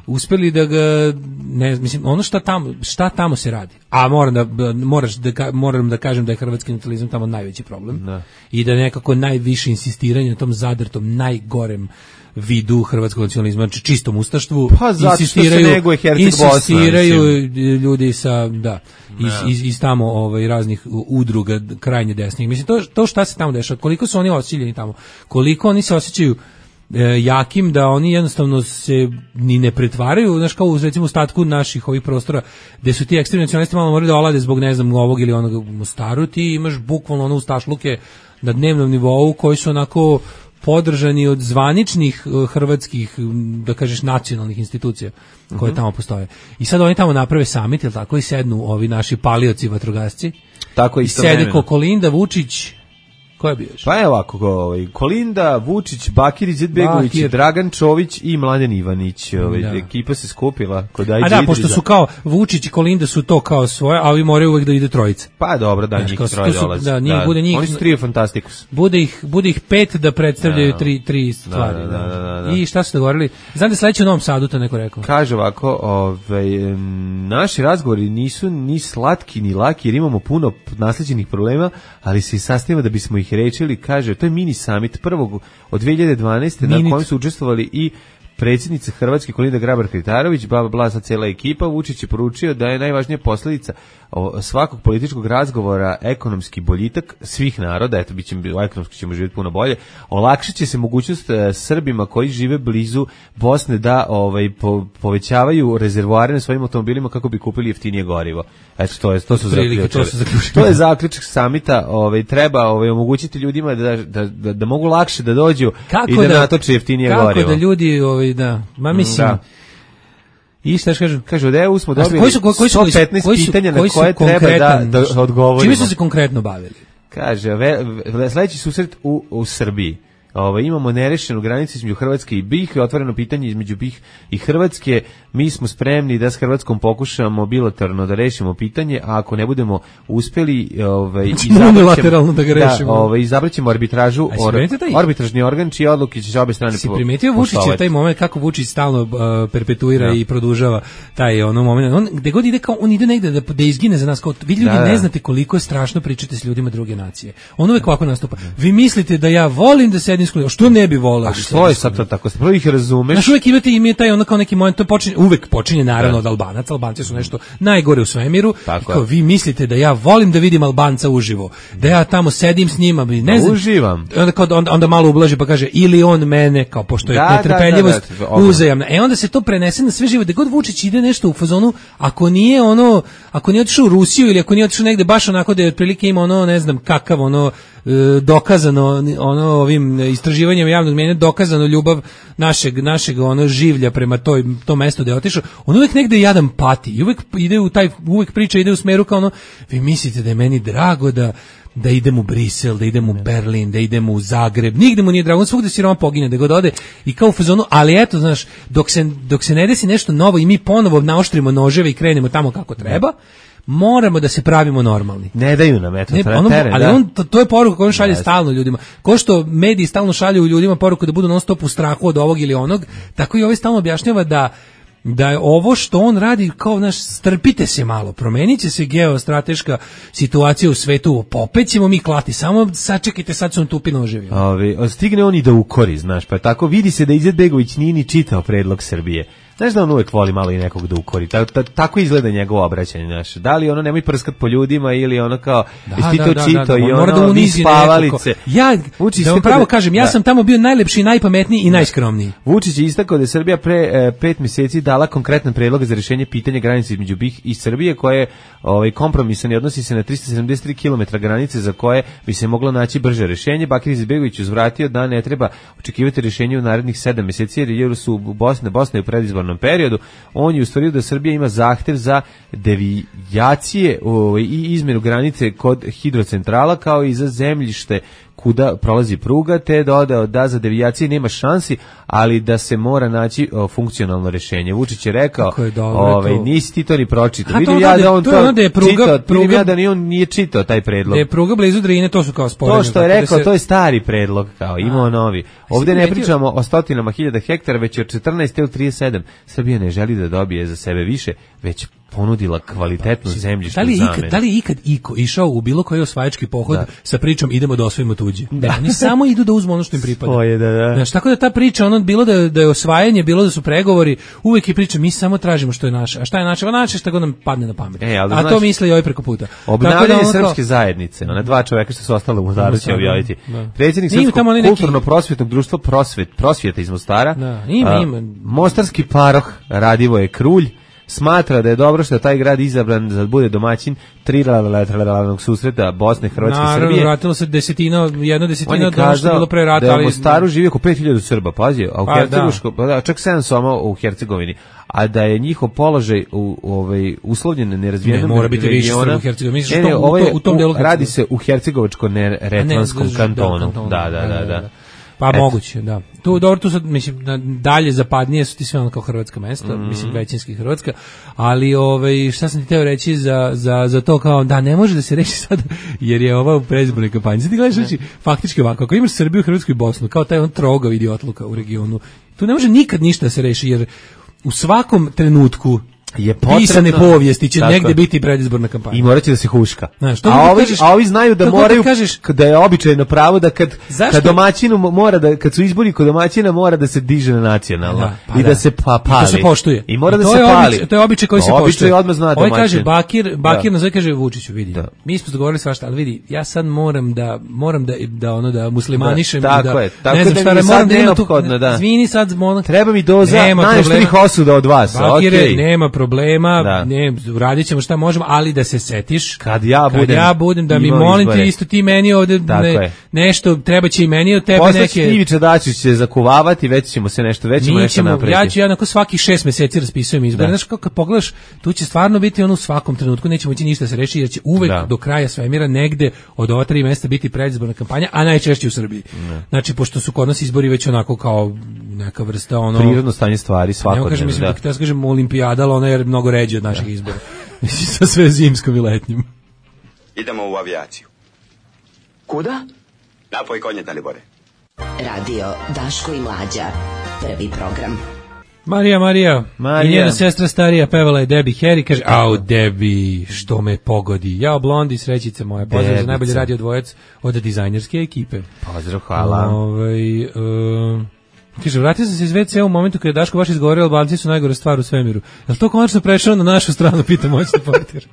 uspeli da ga ne mislim ono šta tamo šta tamo se radi. A moram da moraš da moram da kažem da je hrvatski nacionalizam tamo najveći problem. Da. I da nekako najviše insistiranje na tom zadrtom najgorem vidu hrvatskog nacionalizma, znači čistom ustaštvu, pa, insistiraju, insistiraju ljudi sa da iz, iz, iz tamo ovaj raznih udruga krajnje desnih. Mislim to to šta se tamo dešava, koliko su oni osiljeni tamo, koliko oni se osjećaju E, jakim da oni jednostavno se ni ne pretvaraju, znaš kao u recimo ostatku naših ovih prostora gde su ti ekstremni nacionalisti malo morali da olade zbog ne znam ovog ili onog u Mostaru, ti imaš bukvalno ono ustašluke na dnevnom nivou koji su onako podržani od zvaničnih uh, hrvatskih, da kažeš, nacionalnih institucija koje uh-huh. tamo postoje. I sad oni tamo naprave samit, jel tako, i sednu ovi naši palioci vatrogasci. Tako isto. I sede ko Kolinda, Vučić. Ko je bio još? Pa je ovako, ovaj, Kolinda, Vučić, Bakir Izetbegović, Bakir. Dragan Čović i Mladen Ivanić. Ovaj, da. Ekipa se skupila kod Ajde A da, pošto su kao Vučić i Kolinda su to kao svoje, a ovi moraju uvek da ide trojica. Pa dobro, da, njih troje dolazi. Da, njih, da. Bude njih, oni su trio Fantastikus. Bude ih, bude ih pet da predstavljaju da. tri, tri stvari. Da, da, da, da, da. I šta su dogovorili? Znam da sledeće u Novom Sadu, to neko rekao. Kaže ovako, ovaj, naši razgovori nisu ni slatki ni laki jer imamo puno nasleđenih problema, ali se i sastavimo da bismo ih rečili, kaže, to je mini summit prvog od dve hiljade dvanaeste Minit. Na kojem su učestvovali i predsjednica Hrvatske Kolinda Grabar-Kitarović, bla, bla, sa cijela ekipa. Vučić je poručio da je najvažnija posljedica svakog političkog razgovora ekonomski boljitak svih naroda, eto, bit će, ekonomski ćemo živjeti puno bolje, olakšat će se mogućnost e, Srbima koji žive blizu Bosne da ovaj, po, povećavaju rezervoare na svojim automobilima kako bi kupili jeftinije gorivo. Eto, to, je, to su zaključili. To, to je zaključak samita, ovaj, treba ovaj, omogućiti ljudima da, da, da, da mogu lakše da dođu kako i da, da natoče jeftinije kako gorivo. Kako da ljudi, ovaj, da, ma mislim... Da. I šta kažu? Kažu da EU smo dobili koji su, koji su, sto petnaest koji su, pitanja na koje treba da, da odgovorimo. Čime su se konkretno bavili? Kaže, ve, ve, sledeći susret u, u Srbiji. Ovo, imamo nerešenu granicu između Hrvatske i B i H, otvoreno pitanje između B i H i Hrvatske. Mi smo spremni da s Hrvatskom pokušamo bilateralno da rešimo pitanje, a ako ne budemo uspeli, ovaj unilateralno da ga rešimo. Da, ovaj izabraćemo arbitražu, or, arbitražni organ čije odluke će se obe strane poštovati. Si primetio Vučić taj moment kako Vučić stalno uh, perpetuira da. i produžava taj ono moment. On gde god ide kao on ide negde da da izgine za nas, kao vi ljudi da, ne znate koliko je strašno pričati s ljudima druge nacije. On uvek ovako nastupa. Vi mislite da ja volim da sedim što ne bi voleo. A što je sad to tako? Prvo ih razumeš. Znaš, uvek imate ime taj ono kao neki moment, to počinje, uvek počinje naravno da. od Albanaca. Albanci su nešto najgore u svemiru. Tako kao, vi mislite da ja volim da vidim Albanca uživo. Da ja tamo sedim s njima. Ne da znam. Uživam. Onda, onda, onda malo ublaži pa kaže ili on mene, kao pošto je da, netrpeljivost da, da, da, uzajamna. E onda se to prenese na sve živo. Da god Vučić ide nešto u fazonu, ako nije ono, ako nije otišao u Rusiju ili ako nije otišao negde baš onako da je otprilike ima ono, ne znam kakav ono, dokazano ono ovim istraživanjem javnog mnjenja dokazano ljubav našeg našeg ono življa prema toj tom mestu gde je otišao, on uvek negde jadan pati i uvek ide u taj uvek priča ide u smeru kao ono vi mislite da je meni drago da da idem u Brisel, da idem u Berlin, da idem u Zagreb, nigde mu nije drago, on svugde siroma pogine, da god ode i kao u fazonu, ali eto, znaš, dok se, dok se ne desi nešto novo i mi ponovo naoštrimo noževe i krenemo tamo kako treba, moramo da se pravimo normalni. Ne daju nam, eto, ne, ono, teren, ali da. on, to, to je poruka koju on šalje yes. stalno ljudima. Ko što mediji stalno šalju ljudima poruku da budu non stop u strahu od ovog ili onog, tako i ovaj stalno objašnjava da da je ovo što on radi kao naš strpite se malo, promenit će se geostrateška situacija u svetu, opet ćemo mi klati, samo sačekajte, sad su on tupi noževi. Ovi, stigne on i da ukori, znaš, pa tako vidi se da Izetbegović nije ni čitao predlog Srbije. Znaš da on uvek voli malo i nekog da ukori. Ta, ta, tako izgleda njegovo obraćanje, znaš. Da li ono nemoj prskat po ljudima ili ono kao da, ti to da, čito da, da, i ono da vi spavalice. Ja, Vučić da vam pravo kažem, ja da. sam tamo bio najlepši, najpametniji i najskromniji. Vučić je istakao da je Srbija pre e, pet mjeseci dala konkretan predlog za rješenje pitanja granice između B i H i Srbije, koje je ovaj, kompromisan i odnosi se na tristo sedamdeset tri kilometra granice za koje bi se moglo naći brže rješenje. Bakir Izetbegović uzvratio da ne treba očekivati rješenje u narednih sedam mjeseci jer su Bosna, Bosna je u predizbornom periodu. On je ustvario da Srbija ima zahtev za devijacije ovaj, i izmjenu granice kod hidrocentrala kao i za zemljište kuda prolazi pruga, te dodao da za devijacije nema šansi, ali da se mora naći o, funkcionalno rješenje. Vučić je rekao, je dobro, ovaj, to... nisi ti to ni pročitao. Vidim ja da on to, to je pruga, čitao, pruga, ja da ni on nije čitao taj predlog. Da je pruga blizu Drine, to su kao sporedne. To što je rekao, da se... to je stari predlog, kao imao novi. Ovdje ne pričamo o stotinama hiljada hektara, već od četrnaest ili trideset sedam. Srbija ne želi da dobije za sebe više, već ponudila kvalitetnu zemljišnu zamenu. Da li je ikad iko išao u bilo koji osvajački pohod da. sa pričom idemo da osvojimo tuđe? Da. Oni samo idu da uzmu ono što im pripada. Svoje, da, da. Znaš, tako da ta priča, ono bilo da, da je osvajanje, bilo da su pregovori, uvek je priča, mi samo tražimo što je naše. A šta je naše? A naše šta god nam padne na pamet. E, a to misle i ovaj preko puta. Obnavljanje da srpske zajednice, ona dva čoveka što su ostale u Mostaru će objaviti. Predsjednik Srpskog kulturno-prosvjetnog društva Prosvet, Prosvjeta iz Mostara, da, ima, a, ima. Mostarski paroh Radivoje Krulj smatra da je dobro što je taj grad izabran za da bude domaćin trilateralnog susreta Bosne, Hrvatske i Srbije. Naravno, vratilo se desetina, jedna desetina do što je bilo pre rata. Da je u Mostaru živi oko pet hiljada Srba, pazi, a u pa, Hercegovačko, da. čak sedam soma u Hercegovini, a da je njihov položaj u ovaj uslovljen nerazvijenom ne, mora biti više Srba u Hercegovini. Ne, ne, ovo je, u tom delu radi se u Hercegovačko-Neretvanskom kantonu. Da, da, da, da. Pa et. moguće, da. Tu dobro, tu sad mislim dalje zapadnije su ti sve ono kao hrvatska mesta, mm-hmm. mislim većinski hrvatska, ali ovaj šta sam ti teo reći za, za, za to kao da ne može da se reši sad jer je ova u predizbornoj kampanji. Sad ti gledaš reći faktički ovako, ako imaš Srbiju, Hrvatsku i Bosnu, kao taj on trogav idiotluka u regionu, tu ne može nikad ništa da se reši jer u svakom trenutku je potrebno, pisane povijesti će tako, negde biti predizborna kampanja. I morat će da se huška. Znaš, a, ovi, kažeš, a ovi znaju da moraju, kažeš, da je običajno pravo da kad, zašto? kad domaćinu mora da, kad su izbori kod domaćina mora da se diže na nacionalno da, pa i da, da se pa, pali. I to se poštuje. I mora I da to se pali. Običaj, to je običaj koji se običaj poštuje. Odmah zna Ovaj domaćin. kaže Bakir, Bakir da. nazove kaže Vučiću, vidi. Da. Mi smo dogovorili svašta, ali vidi, ja sad moram da moram da da ono da muslimanišem da, tako da je. Tako ne znam da šta, mi moram sad da imam tu. neophodno, da. Izvini sad, moram. Treba mi doza najštrih osuda od vas. Bakire, okej. nema problema, Da. ne, radit ćemo šta možemo, ali da se setiš kad ja budem, kad ja budem da mi imao molim izbore. te isto ti meni ovde ne, nešto treba će i meni od tebe Posle neke. Ivica Dačić će zakuvavati, već ćemo se nešto, već ćemo Mi nešto ćemo, napraviti. ja ću ja onako svaki šest meseci raspisujem izbore. Znaš kako kad pogledaš, tu će stvarno biti ono u svakom trenutku, neće moći ništa se reši jer će uvek da. do kraja svemira negde od ova tri mesta biti predizborna kampanja, a najčešće u Srbiji. Ne. Znači pošto su kod nas izbori već onako kao neka vrsta ono prirodno stanje stvari svakodnevno. Ne kažem, mislim, da. da ja kažem olimpijada, ali ona je mnogo ređe od naših da. izbora. Sa sve zimskom i letnjim. Idemo u avijaciju. Kuda? Napoj konje, Dalibore. Radio Daško i Mlađa. Prvi program. Marija, Marija, Marija. I njena sestra starija pevala je Debbie Harry, kaže, au Debbie, što me pogodi. Jao, Blondi, srećice moja, pozdrav za najbolji radio dvojac od dizajnerske ekipe. Pozdrav, hvala. Ovaj uh, kaže, vratio sam se iz ve ce u momentu kada je Daško baš izgovorio, Albanci su najgore stvar u svemiru. Je li to konačno prešao na našu stranu, pita moćni portir.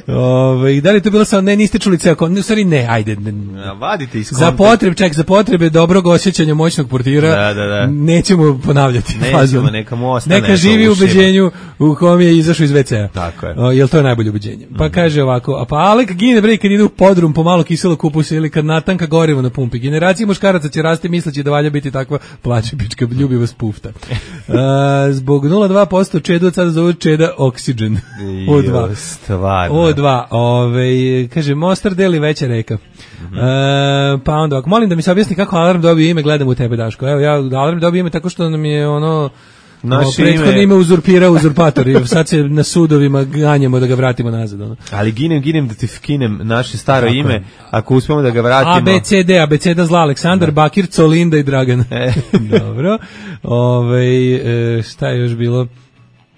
Ove, da li to bilo samo, ne, niste čuli ceo, u stvari ne, ajde. Ne. A, vadite iz za potrebe, ček, za potrebe dobrog osjećanja moćnog portira, da, da, da. nećemo ponavljati. Nećemo, neka mu ostane. Neka živi u ubeđenju u kom je izašao iz ve ce a. Tako je. O, jel to je najbolje ubeđenje? Pa mm. kaže ovako, a pa Alek gine bre kad ide u podrum po malo kiselo kupusa ili kad natanka gorivo na pumpi. Generacije muškaraca će rasti misleći da valja biti takva plače pička ljubiva spufta. A, zbog nula zarez dva posto čedu od sada zove čeda Oxygen. O dva. Stvarno. O dva. Ove, kaže, Mostar deli veća reka. Mm-hmm. E, pa onda, ako molim da mi se objasni kako Alarm dobio ime, gledam u tebe, Daško. Evo, ja Alarm dobio ime tako što nam je ono... Naše prethodno ime, ime uzurpirao uzurpator i sad se na sudovima ganjamo da ga vratimo nazad. Ono. Ali ginem, ginem da ti vkinem naše staro tako ime, ako uspemo da ga vratimo. A, B, C, D, A, B, C, D, zla, Aleksandar, da. Bakir, Colinda i Dragan. E. Dobro. Ove, e, šta je još bilo?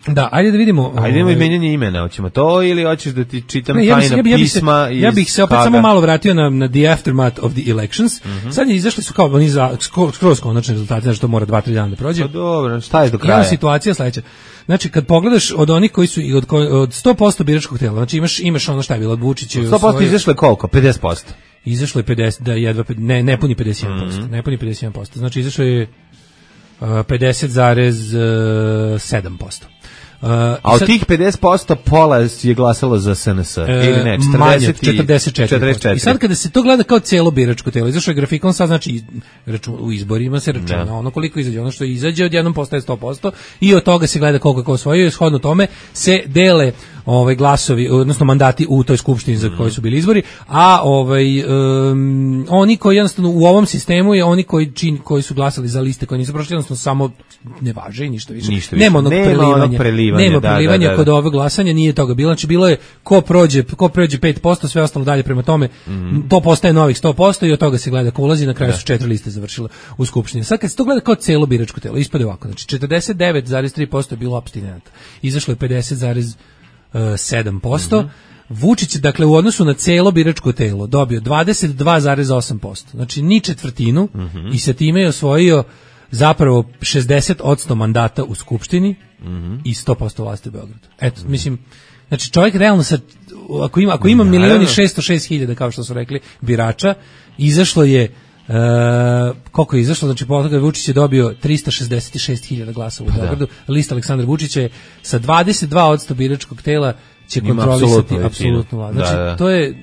Da, ajde da vidimo. Ajde idemo i menjanje imena, hoćemo to ili hoćeš da ti čitam ne, ja tajna ja bi, ja bi pisma se, Ja bih se opet Haga. samo malo vratio na, na the aftermath of the elections. Mm-hmm. Sad je izašli su kao oni za skroz konačni rezultati, znači to mora dva tri dana da prođe. Pa dobro, šta je do kraja? Ima situacija sledeća. Znači kad pogledaš od onih koji su od, od sto posto biračkog tela, znači imaš imaš ono šta je bilo od Vučića. sto posto svoje... izašlo je koliko? pedeset posto. Izašlo je pedeset, da jedva ne ne puni pedeset jedan posto. Mm-hmm. Ne puni pedeset jedan posto. Znači izašlo je uh, pedeset zarez sedam posto. Uh, a od sad, tih pedeset posto pola je glasalo za S N S, uh, ili ne, četrdeset, četrdeset četiri. četrdeset četiri. I sad kada se to gleda kao celo biračko telo, izašao je grafikon, sad znači račun, u izborima se računa da. Ono koliko izađe, ono što izađe odjednom postaje sto posto i od toga se gleda koliko je ko osvojio i shodno tome se dele ovaj glasovi, odnosno mandati u toj skupštini za koji su bili izbori, a ovaj um, oni koji jednostavno u ovom sistemu je oni koji čin, koji su glasali za liste koje nisu prošli, jednostavno samo ne važe i ništa više. Ništa više. Nema onog Nema prelivanja. Onog prelivanja. Nema da, prelivanja da, da. Kod ovog glasanja nije toga bilo. Znači bilo je ko prođe, ko prođe pet posto, sve ostalo dalje prema tome. Mm. To postaje novih sto posto i od toga se gleda ko ulazi, na kraju da. Su četiri liste završile u skupštini. Sad kad se to gleda kao celo biračko telo, ispade ovako. Znači četrdeset devet zarez tri posto je bilo apstinenata. Izašlo je pedeset zarez sedam posto. Mm-hmm. Vučić je, dakle, u odnosu na celo biračko telo dobio dvadeset dva zarez osam posto. Znači, ni četvrtinu mm-hmm. i sa time je osvojio zapravo šezdeset posto mandata u Skupštini mm-hmm. i sto posto vlasti u Beogradu. Eto, mm-hmm. mislim, znači čovjek realno sad, ako ima, ako ima milion i šesto šest hiljada, kao što su rekli, birača, izašlo je Uh, koliko je izašlo, znači po toga Vučić je dobio trista šezdeset šest hiljada glasa u Beogradu, lista Aleksandra Vučića je sa dvadeset dva posto biračkog tela će kontrolisati apsolutno vlast. Znači, da, da. to je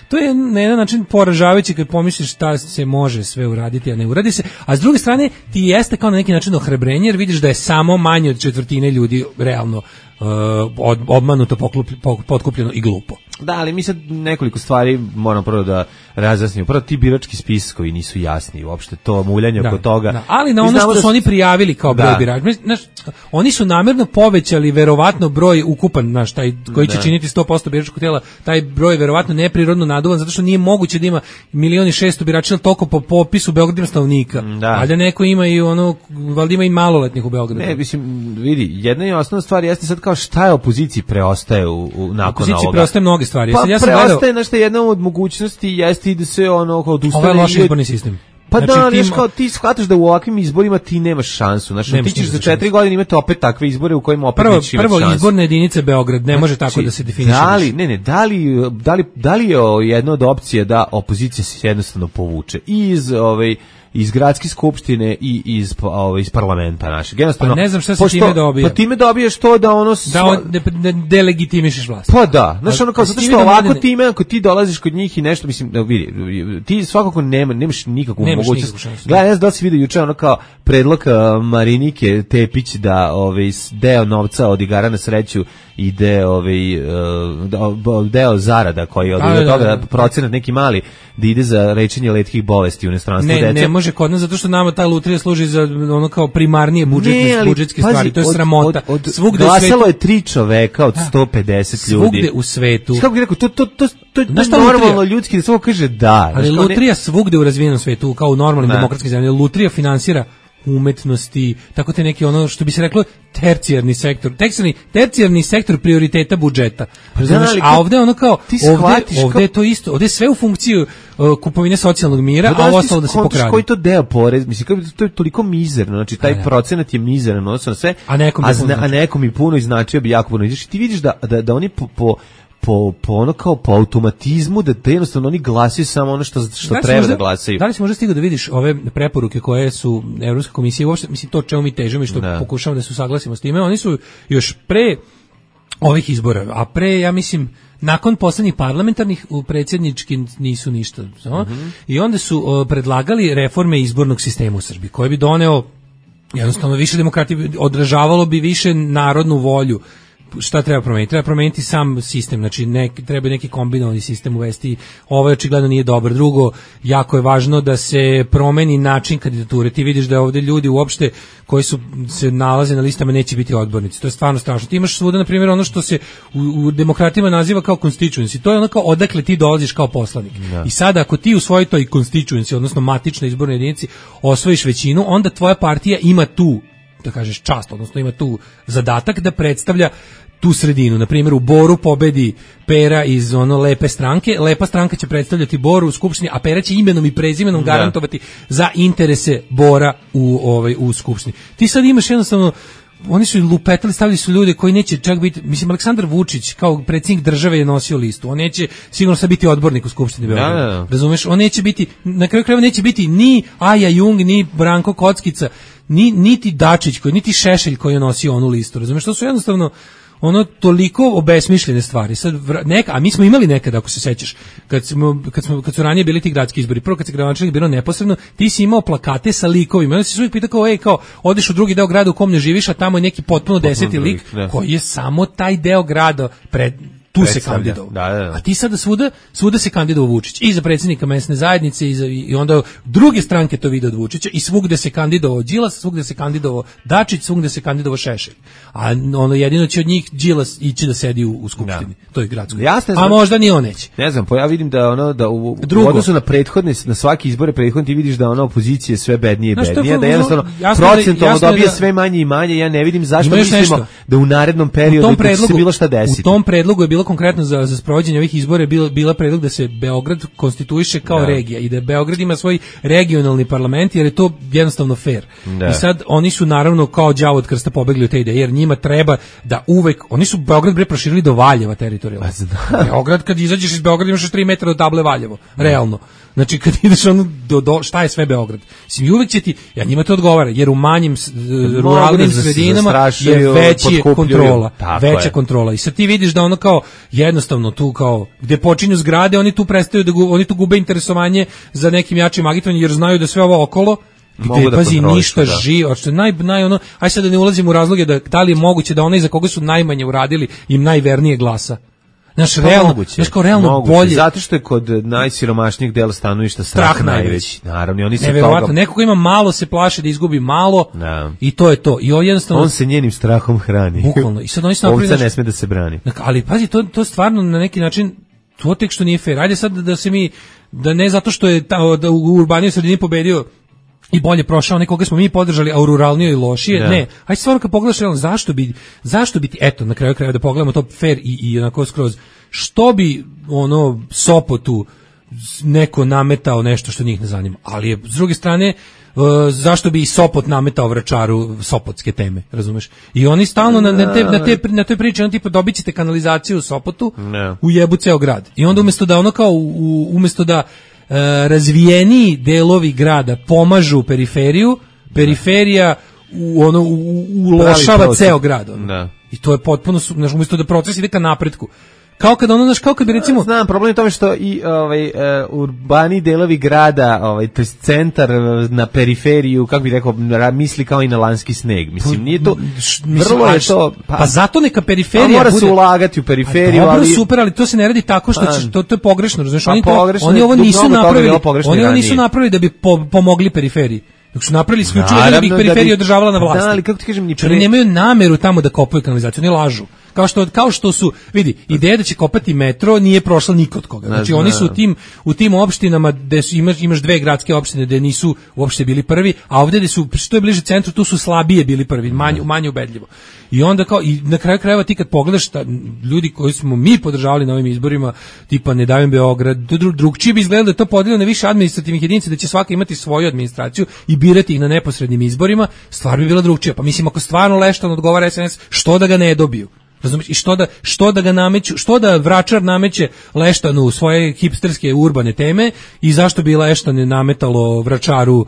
to je na jedan način poražavajuće kad pomisliš šta se može sve uraditi, a ne uradi se, a s druge strane ti jeste kao na neki način ohrabrenje jer vidiš da je samo manje od četvrtine ljudi realno od, obmanuto, poklup, potkupljeno i glupo. Da, ali mi sad nekoliko stvari moramo prvo da razjasnimo. Prvo, ti birački spiskovi nisu jasni uopšte, to muljanje da, oko toga. Da, ali na ono što da su oni prijavili kao broj da. birača, znaš, oni su namerno povećali verovatno broj ukupan, znaš, taj koji će da. činiti sto posto biračkog tela, taj broj je verovatno neprirodno naduvan, zato što nije moguće da ima milion i šesto birača toliko po popisu Beograda ima stanovnika. Da. Valjda neko ima i ono, valjda ima i maloletnih u Beogradu. Ne, mislim, vidi, jedna i osnovna stvar jeste sad kao šta je opoziciji preostaje u, u nakon opoziciji ovoga. preostaje mnoge stvari. Pa ja preostaje nešto jedna od mogućnosti jeste i da se ono kao odustane. Ovo je loš izborni sistem. Pa znači, da, ali tim... kao ti shvataš da u ovakvim izborima ti nemaš šansu. Znači, ti ćeš za četiri godine imati opet takve izbore u kojima opet prvo, nećeš imati prvo šansu. Prvo izborne jedinice Beograd, ne može znači, tako da se definiše. Da li, ne, ne, da li, da li, da li je jedna od opcija da opozicija se jednostavno povuče iz ovaj iz gradske skupštine i iz ovaj iz parlamenta našeg. Jednostavno, pa ne znam šta se time dobije. Pa time dobiješ to da ono da on de, de, delegitimišeš vlast. Pa da, znači ono kao zato što ovako ne... time ako ti dolaziš kod njih i nešto mislim da vidi, ti svakako nema nemaš nikakvu nemaš mogućnost. Gledaj, ja znam da si vidio juče ono kao predlog Marinike Tepić da ovaj deo novca od igara na sreću ide ovaj deo zarada koji od da, toga da, da, procenat neki mali da ide za lečenje retkih bolesti u inostranstvu dece. Ne, ne može kod nas zato što nama ta lutrija služi za ono kao primarnije budžetne budžetske pazi, stvari, to je sramota. Od, od, svugde glasalo u svetu je tri čoveka od sto pedeset ljudi. Svugde u svetu. Kako bih rekao, to to to to je normalno ljudski da svako kaže da. Ali lutrija svugde u razvijenom svetu kao u normalnim demokratskim zemljama, lutrija finansira umetnosti, tako te neki ono što bi se reklo tercijarni sektor, tercijarni, tercijarni sektor prioriteta budžeta. Znaš, a ovde ono kao, ovde, ovde je to isto, ovde je sve u funkciju uh, kupovine socijalnog mira, a ovo ostalo da se pokrade. Koji to deo porez, mislim, kako to je toliko mizerno, znači taj procenat je mizeran, odnosno sve, a nekom, a, zna, a nekom i puno i značio bi jako puno. Znači, ti vidiš da, da, da oni po, po po po ono kao po automatizmu da te jednostavno oni glasaju samo ono što što da treba možda, da glasaju. Da li si možda stigao da vidiš ove preporuke koje su Evropska komisija uopšte, mislim to čemu mi težimo i što da. pokušavamo da se usaglasimo s time, oni su još pre ovih izbora, a pre ja mislim nakon poslednjih parlamentarnih u predsjednički nisu ništa, no? Mm-hmm. I onda su o, predlagali reforme izbornog sistema u Srbiji, koji bi doneo jednostavno više demokratije, odražavalo bi više narodnu volju. Šta treba promeniti? Treba promeniti sam sistem, znači nek, treba neki kombinovani sistem uvesti, ovo očigledno nije dobro. Drugo, jako je važno da se promeni način kandidature. Ti vidiš da ovde ljudi uopšte koji su se nalaze na listama neće biti odbornici. To je stvarno strašno. Ti imaš svuda, na primjer, ono što se u, u demokratima naziva kao constituency. To je ono kao odakle ti dolaziš kao poslanik. Ja. I sada ako ti u svojoj toj constituency, odnosno matičnoj izbornoj jedinici, osvojiš većinu, onda tvoja partija ima tu, da kažeš, čast, odnosno ima tu zadatak da predstavlja tu sredinu. Na primjer, u Boru pobedi Pera iz ono lepe stranke, lepa stranka će predstavljati Boru u skupštini, a Pera će imenom i prezimenom da. garantovati za interese Bora u ovaj u skupštini. Ti sad imaš jednostavno, oni su lupetali, stavili su ljude koji neće čak biti, mislim, Aleksandar Vučić kao predsjednik države je nosio listu, on neće sigurno sad biti odbornik u skupštini Beograda, da, da. razumeš, on neće biti, na kraju krajeva neće biti ni Aja Jung, ni Branko Kockica, ni, niti Dačić, koji, niti Šešelj koji je nosio onu listu, razumeš, to su jednostavno ono toliko obesmišljene stvari. Sad neka, a mi smo imali nekada, ako se sećaš, kad smo kad smo kad su ranije bili ti gradski izbori, prvo kad se gradonačelnik bilo neposredno, ti si imao plakate sa likovima. Onda si se uvijek pitao kao, ej, kao, odeš u drugi deo grada u kom ne živiš, a tamo je neki potpuno deseti lik koji je samo taj deo grada pred tu se kandidovao. Da, da, da. A ti sada svuda, svuda se kandidovao Vučić. I za predsjednika mesne zajednice i, za, i onda druge stranke to vide od Vučića i svugde se kandidovao Đilas, svugde se kandidovao Dačić, svugde se kandidovao Šešelj. A ono jedino će od njih Đilas ići da sedi u, u skupštini. Da. To je gradsko. Jasne, a možda ni on neće. Ne znam, pa ja vidim da ono da u, u odnosu na prethodne, na svaki izbore prethodne ti vidiš da ona opozicija je sve bednije i bednije, da jednostavno procentualno dobije sve manje i manje. Ja ne vidim zašto mislimo nešto. Da u narednom periodu će se bilo šta desiti. U tom predlogu je bilo konkretno za, za sprovođenje ovih izbora je bila, bila predlog da se Beograd konstituiše kao da. regija i da Beograd ima svoj regionalni parlament jer je to jednostavno fair. Da. I sad oni su naravno kao đavo od krsta pobegli od te ideje jer njima treba da uvek, oni su Beograd bre proširili do Valjeva teritorijalno. Beograd kad izađeš iz Beograda imaš tri metra do table Valjevo, realno. Znači kad ideš ono do, do šta je sve Beograd. Mislim, uvek će ti, ja njima to odgovara, jer u manjim ruralnim sredinama je veća kontrola, veća je. kontrola. I sad ti vidiš da ono kao jednostavno tu kao gde počinju zgrade, oni tu prestaju da gu, oni tu gube interesovanje za nekim jačim agitovanjem jer znaju da sve ovo okolo gde, da pazi, ništa da. živo, što je naj, naj ono, aj sad da ne ulazimo u razloge da, da li je moguće da onaj za koga su najmanje uradili im najvernije glasa. Znaš, pa realno, moguće, znaš kao realno moguće, bolje. Zato što je kod najsiromašnijih dela stanovništva strah, strah najveći. Naravno, oni se toga... Neko ko ima malo se plaši da izgubi malo da. I to je to. I on jednostavno... On se njenim strahom hrani. Bukvalno. I sad oni se napravi... Ovca ne sme da se brani. Ali pazi, to, to stvarno na neki način, to tek što nije fair. Ajde sad da se mi, da ne zato što je ta, da u urbanijoj sredini pobedio i bolje prošao nekoga smo mi podržali, a u ruralnijoj lošije, da. Ne. Ajde stvarno kad pogledaš, zašto bi, zašto bi ti, eto, na kraju kraja da pogledamo to fair i, i onako skroz, što bi ono Sopotu neko nametao nešto što njih ne zanima, ali je s druge strane uh, zašto bi i Sopot nametao Vračaru sopotske teme, razumeš? I oni stalno na, na, te, na, te, na toj priči, on tipa dobit ćete kanalizaciju u Sopotu, ne. U jebu ceo grad. I onda umjesto da ono kao, u, umjesto da uh, razvijeniji delovi grada pomažu periferiju, periferija u, ono, u, ulošava ceo grad. Ono. Ne. I to je potpuno, znaš, umjesto da proces ide ka napretku. Kao kad ono, znaš, kao kad bi recimo... Znam, problem je tome što i ovaj, uh, urbani delovi grada, ovaj, to je centar na periferiju, kako bi rekao, misli kao i na lanski sneg. Mislim, nije to... Vrlo je to... Pa, pa zato neka periferija bude... mora bude... se ulagati u periferiju, dobro, ali... super, ali to se ne radi tako što će, to, to je pogrešno, znaš, pa oni, to, pogrešno, oni ovo nisu napravili, oni ovo nisu ranije. napravili da bi po, pomogli periferiji. Dok su napravili isključivo da bi ih periferija održavala na vlasti. Da, ali kako ti kažem, ni pre... Oni nemaju nameru tamo da kopaju kanalizaciju, oni lažu. Kao što, kao što su, vidi, ideja da će kopati metro nije prošla nikod koga. Znači oni su u tim, u tim opštinama gde su, imaš, imaš dve gradske opštine gde nisu uopšte bili prvi, a ovdje gde su, što je bliže centru, tu su slabije bili prvi, manje, manje ubedljivo. I onda kao, i na kraju krajeva ti kad pogledaš ta, ljudi koji smo mi podržavali na ovim izborima, tipa Ne davim Beograd, dru, drugčije bi izgledalo da je to podeljeno na više administrativnih jedinica, da će svaka imati svoju administraciju i birati ih na neposrednim izborima, stvar bi bila drugčija. Pa mislim, ako stvarno Leštan odgovara S N S, što da ga ne dobiju? Razumiješ? I što da, što da ga nameću, što da Vračar nameće Leštanu svoje hipsterske urbane teme i zašto bi Leštan nametalo Vračaru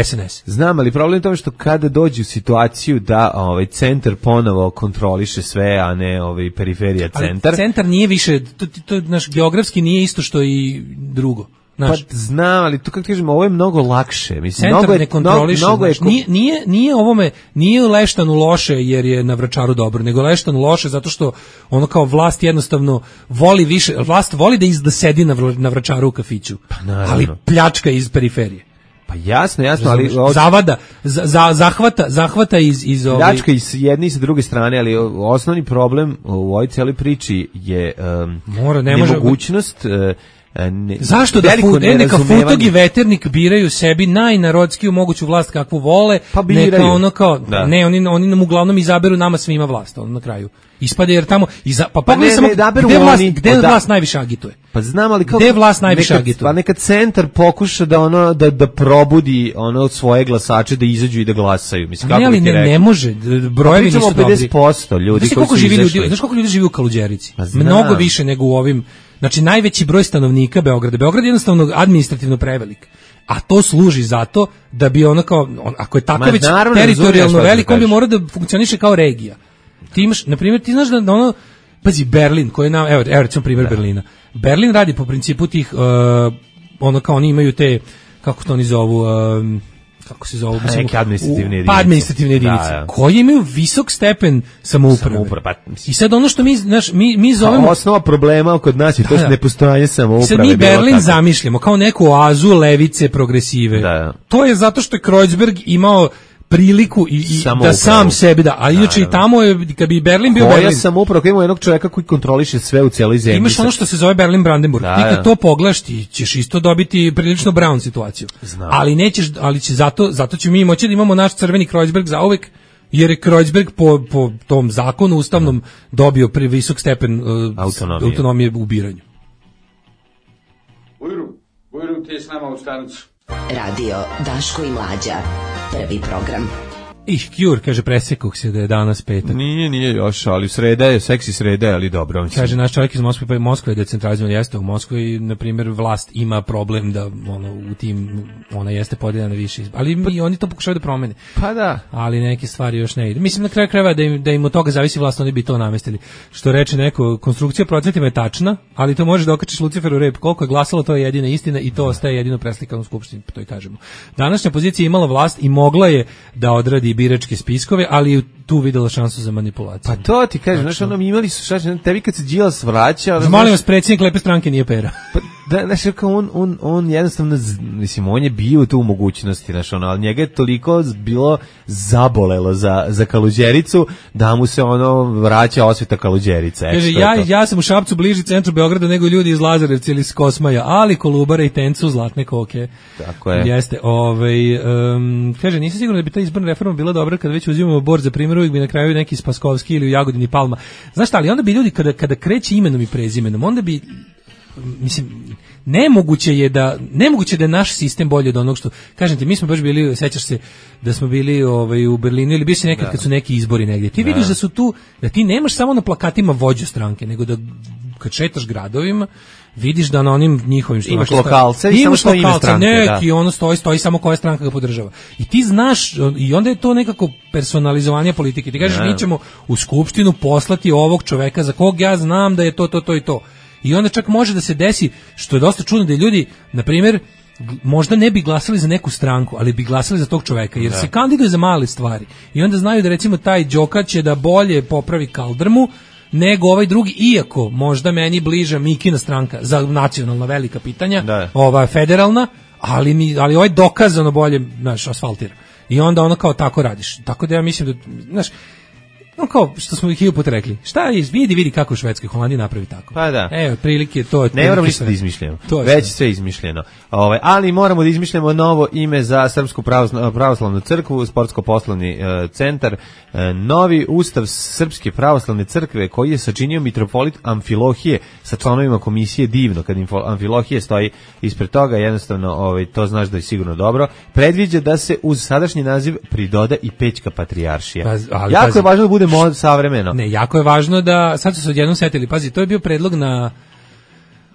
S N S? Znam, ali problem je tome što kada dođe u situaciju da ovaj centar ponovo kontroliše sve, a ne ovaj periferija centar. Ali centar nije više, to, to, naš geografski nije isto što i drugo. Znaš, pa znam, ali to kako kažemo, ovo je mnogo lakše. Mislim, centar mnogo je, ne kontroliše, mnogo je, nije, nije, nije ovome, nije Leštanu loše jer je na Vračaru dobro, nego Leštanu loše zato što ono kao vlast jednostavno voli više, vlast voli da izda sedi na, na Vračaru u kafiću, pa ali pljačka iz periferije. Pa jasno, jasno, ali... Od... Zavada, za, za, zahvata, zahvata iz... iz ovaj... Pljačka iz jedne i sa druge strane, ali osnovni problem u ovoj cijeli priči je um, Mora, ne nemogućnost... može... Uh, Ne, zašto da fu, ne, neka Futog i Veternik biraju sebi najnarodskiju moguću vlast kakvu vole, pa neka ono kao, da. ne, oni, oni nam uglavnom izaberu nama svima vlast, ono na kraju. Ispade jer tamo, iza, pa pogledaj samo, gde vlast, gde da, vlast najviše agituje? Pa znam, ali kao... Gde vlast najviše neka, agituje? Pa neka centar pokuša da ono, da, da probudi ono od svoje glasače, da izađu i da glasaju. Mislim, kako ne, ali ne, ne može, brojevi nisu dobri. pedeset posto ljudi koji su izašli. Znaš koliko ljudi živi u Kaluđerici? Mnogo više nego u ovim... Znači, najveći broj stanovnika Beograda. Beograd je jednostavno administrativno prevelik. A to služi zato da bi ono kao, on, ako je tako Ma, već teritorijalno veliko, on bi morao da funkcioniše kao regija. Ti imaš, na primjer, ti znaš da ono, pazi, Berlin, koji je na, evo, evo recimo primjer da. Berlina. Berlin radi po principu tih, uh, ono kao oni imaju te, kako to oni zovu, um, kako se zove, neke administrativne jedinice. Pa administrativne jedinice, da, da. Koji imaju visok stepen samouprave. Samouprave pa, I sad ono što mi, znaš, mi, mi zovemo... Osnova problema kod nas je to da, da. nepostojanje samouprave. Sad mi Berlin tako. Zamišljamo kao neku oazu levice progresive. Da, da. To je zato što je Kreuzberg imao priliku i, i da sam sebi da, a inače i tamo je, kad bi Berlin bio Berlin. Ja sam upravo imao jednog čovjeka koji kontroliše sve u cijeloj zemlji. Imaš ono što se zove Berlin Brandenburg. Da, ti kad to pogledaš, ti ćeš isto dobiti prilično brown situaciju. Znam. Ali nećeš, ali će zato, zato ćemo mi moći da imamo naš crveni Kreuzberg zauvek, jer je Kreuzberg po, po tom zakonu ustavnom dobio previsok stepen uh, autonomije. autonomije u biranju. Bujru, Bujru ti je s nama u stanicu. Radio Daško i Mlađa, prvi program. Ih, Cure, kaže, presekuh se da je danas petak. Nije, nije još, ali sreda je, seksi sreda je, ali dobro. Mislim. Kaže, naš čovjek iz Moskve, pa je Moskva je decentralizovana, jeste u Moskvi, na primjer, vlast ima problem da ono, u tim, ona jeste podijeljena na više, ali mi, oni to pokušaju da promene. Pa da. Ali neke stvari još ne ide. Mislim, na kraju krajeva da im, da im od toga zavisi vlast, oni bi to namestili. Što reče neko, konstrukcija procentima je tačna, ali to može da okačiš Luciferu rep. Koliko je glasalo, to je jedina istina i to ostaje jedino preslikano u skupštini, to i kažemo. Današnja pozicija imala vlast i mogla je da odradi biračke spiskove, ali je tu videla šansu za manipulaciju. Pa to ti kažem, znači ono, imali su šta, tebi kad se Đilas vraća... Ono, molim vas, predsjednik lepe stranke nije pera. Pa, da, znači, on, on, on jednostavno, mislim, on je bio tu u mogućnosti, znači, ono, ali njega je toliko bilo zabolelo za, za Kaluđericu, da mu se ono vraća osveta Kaluđerica. Kaže, ja, ja sam u Šapcu bliži centru Beograda nego ljudi iz Lazarevca ili iz Kosmaja, ali Kolubara i Tencu zlatne koke. Tako je. Jeste, ovaj, um, kaže, nisam siguran da bi ta izborna reforma bila dobra kad već uzimamo bord za primjer, uvijek bi na kraju neki Spaskovski ili u Jagodini Palma. Znaš šta, ali onda bi ljudi kada, kada kreće imenom i prezimenom, onda bi, mislim, nemoguće je da nemoguće da je naš sistem bolji od onog što, kažem ti, mi smo baš bili, sećaš se da smo bili ovaj, u Berlinu ili bio si nekad da. Kad su neki izbori negdje. Ti da. Vidiš da su tu, da ti nemaš samo na plakatima vođu stranke, nego da kad šetaš gradovima, vidiš da na onim njihovim što imaš lokalce i samo što ime stranke, neki da. Ono stoji, stoji samo koja stranka ga podržava. I ti znaš, i onda je to nekako personalizovanje politike. Ti kažeš, mi ćemo u skupštinu poslati ovog čoveka za kog ja znam da je to, to, to i to. I onda čak može da se desi, što je dosta čudno, da ljudi, na primjer, možda ne bi glasali za neku stranku, ali bi glasali za tog čoveka, jer da. Se kandiduje za male stvari. I onda znaju da recimo taj Đoka će da bolje popravi kaldrmu nego ovaj drugi, iako možda meni bliža Mikina stranka za nacionalna velika pitanja, da. Ova federalna, ali mi ali ovaj dokazano bolje, znaš, asfaltira. I onda ono kao tako radiš. Tako da ja mislim da, znaš, no kao što smo ih put rekli, šta je, vidi, vidi kako u Švedskoj, Holandiji napravi tako. Pa da. Evo, prilike, to je... Ne moramo ništa da izmišljamo, već sve izmišljeno. Ove, ali moramo da izmišljamo novo ime za Srpsku pravoslavnu crkvu, sportsko-poslovni e, centar, e, novi ustav Srpske pravoslavne crkve koji je sačinio mitropolit Amfilohije sa članovima komisije, divno, kad Amfilohije stoji ispred toga, jednostavno ovaj, to znaš da je sigurno dobro, predviđa da se uz sadašnji naziv pridoda i Pećka patrijaršija. Pa, ali, jako pazi. Je važno da bude mod savremeno. Ne, jako je važno da, sad su se odjednom setili, pazi, to je bio predlog na,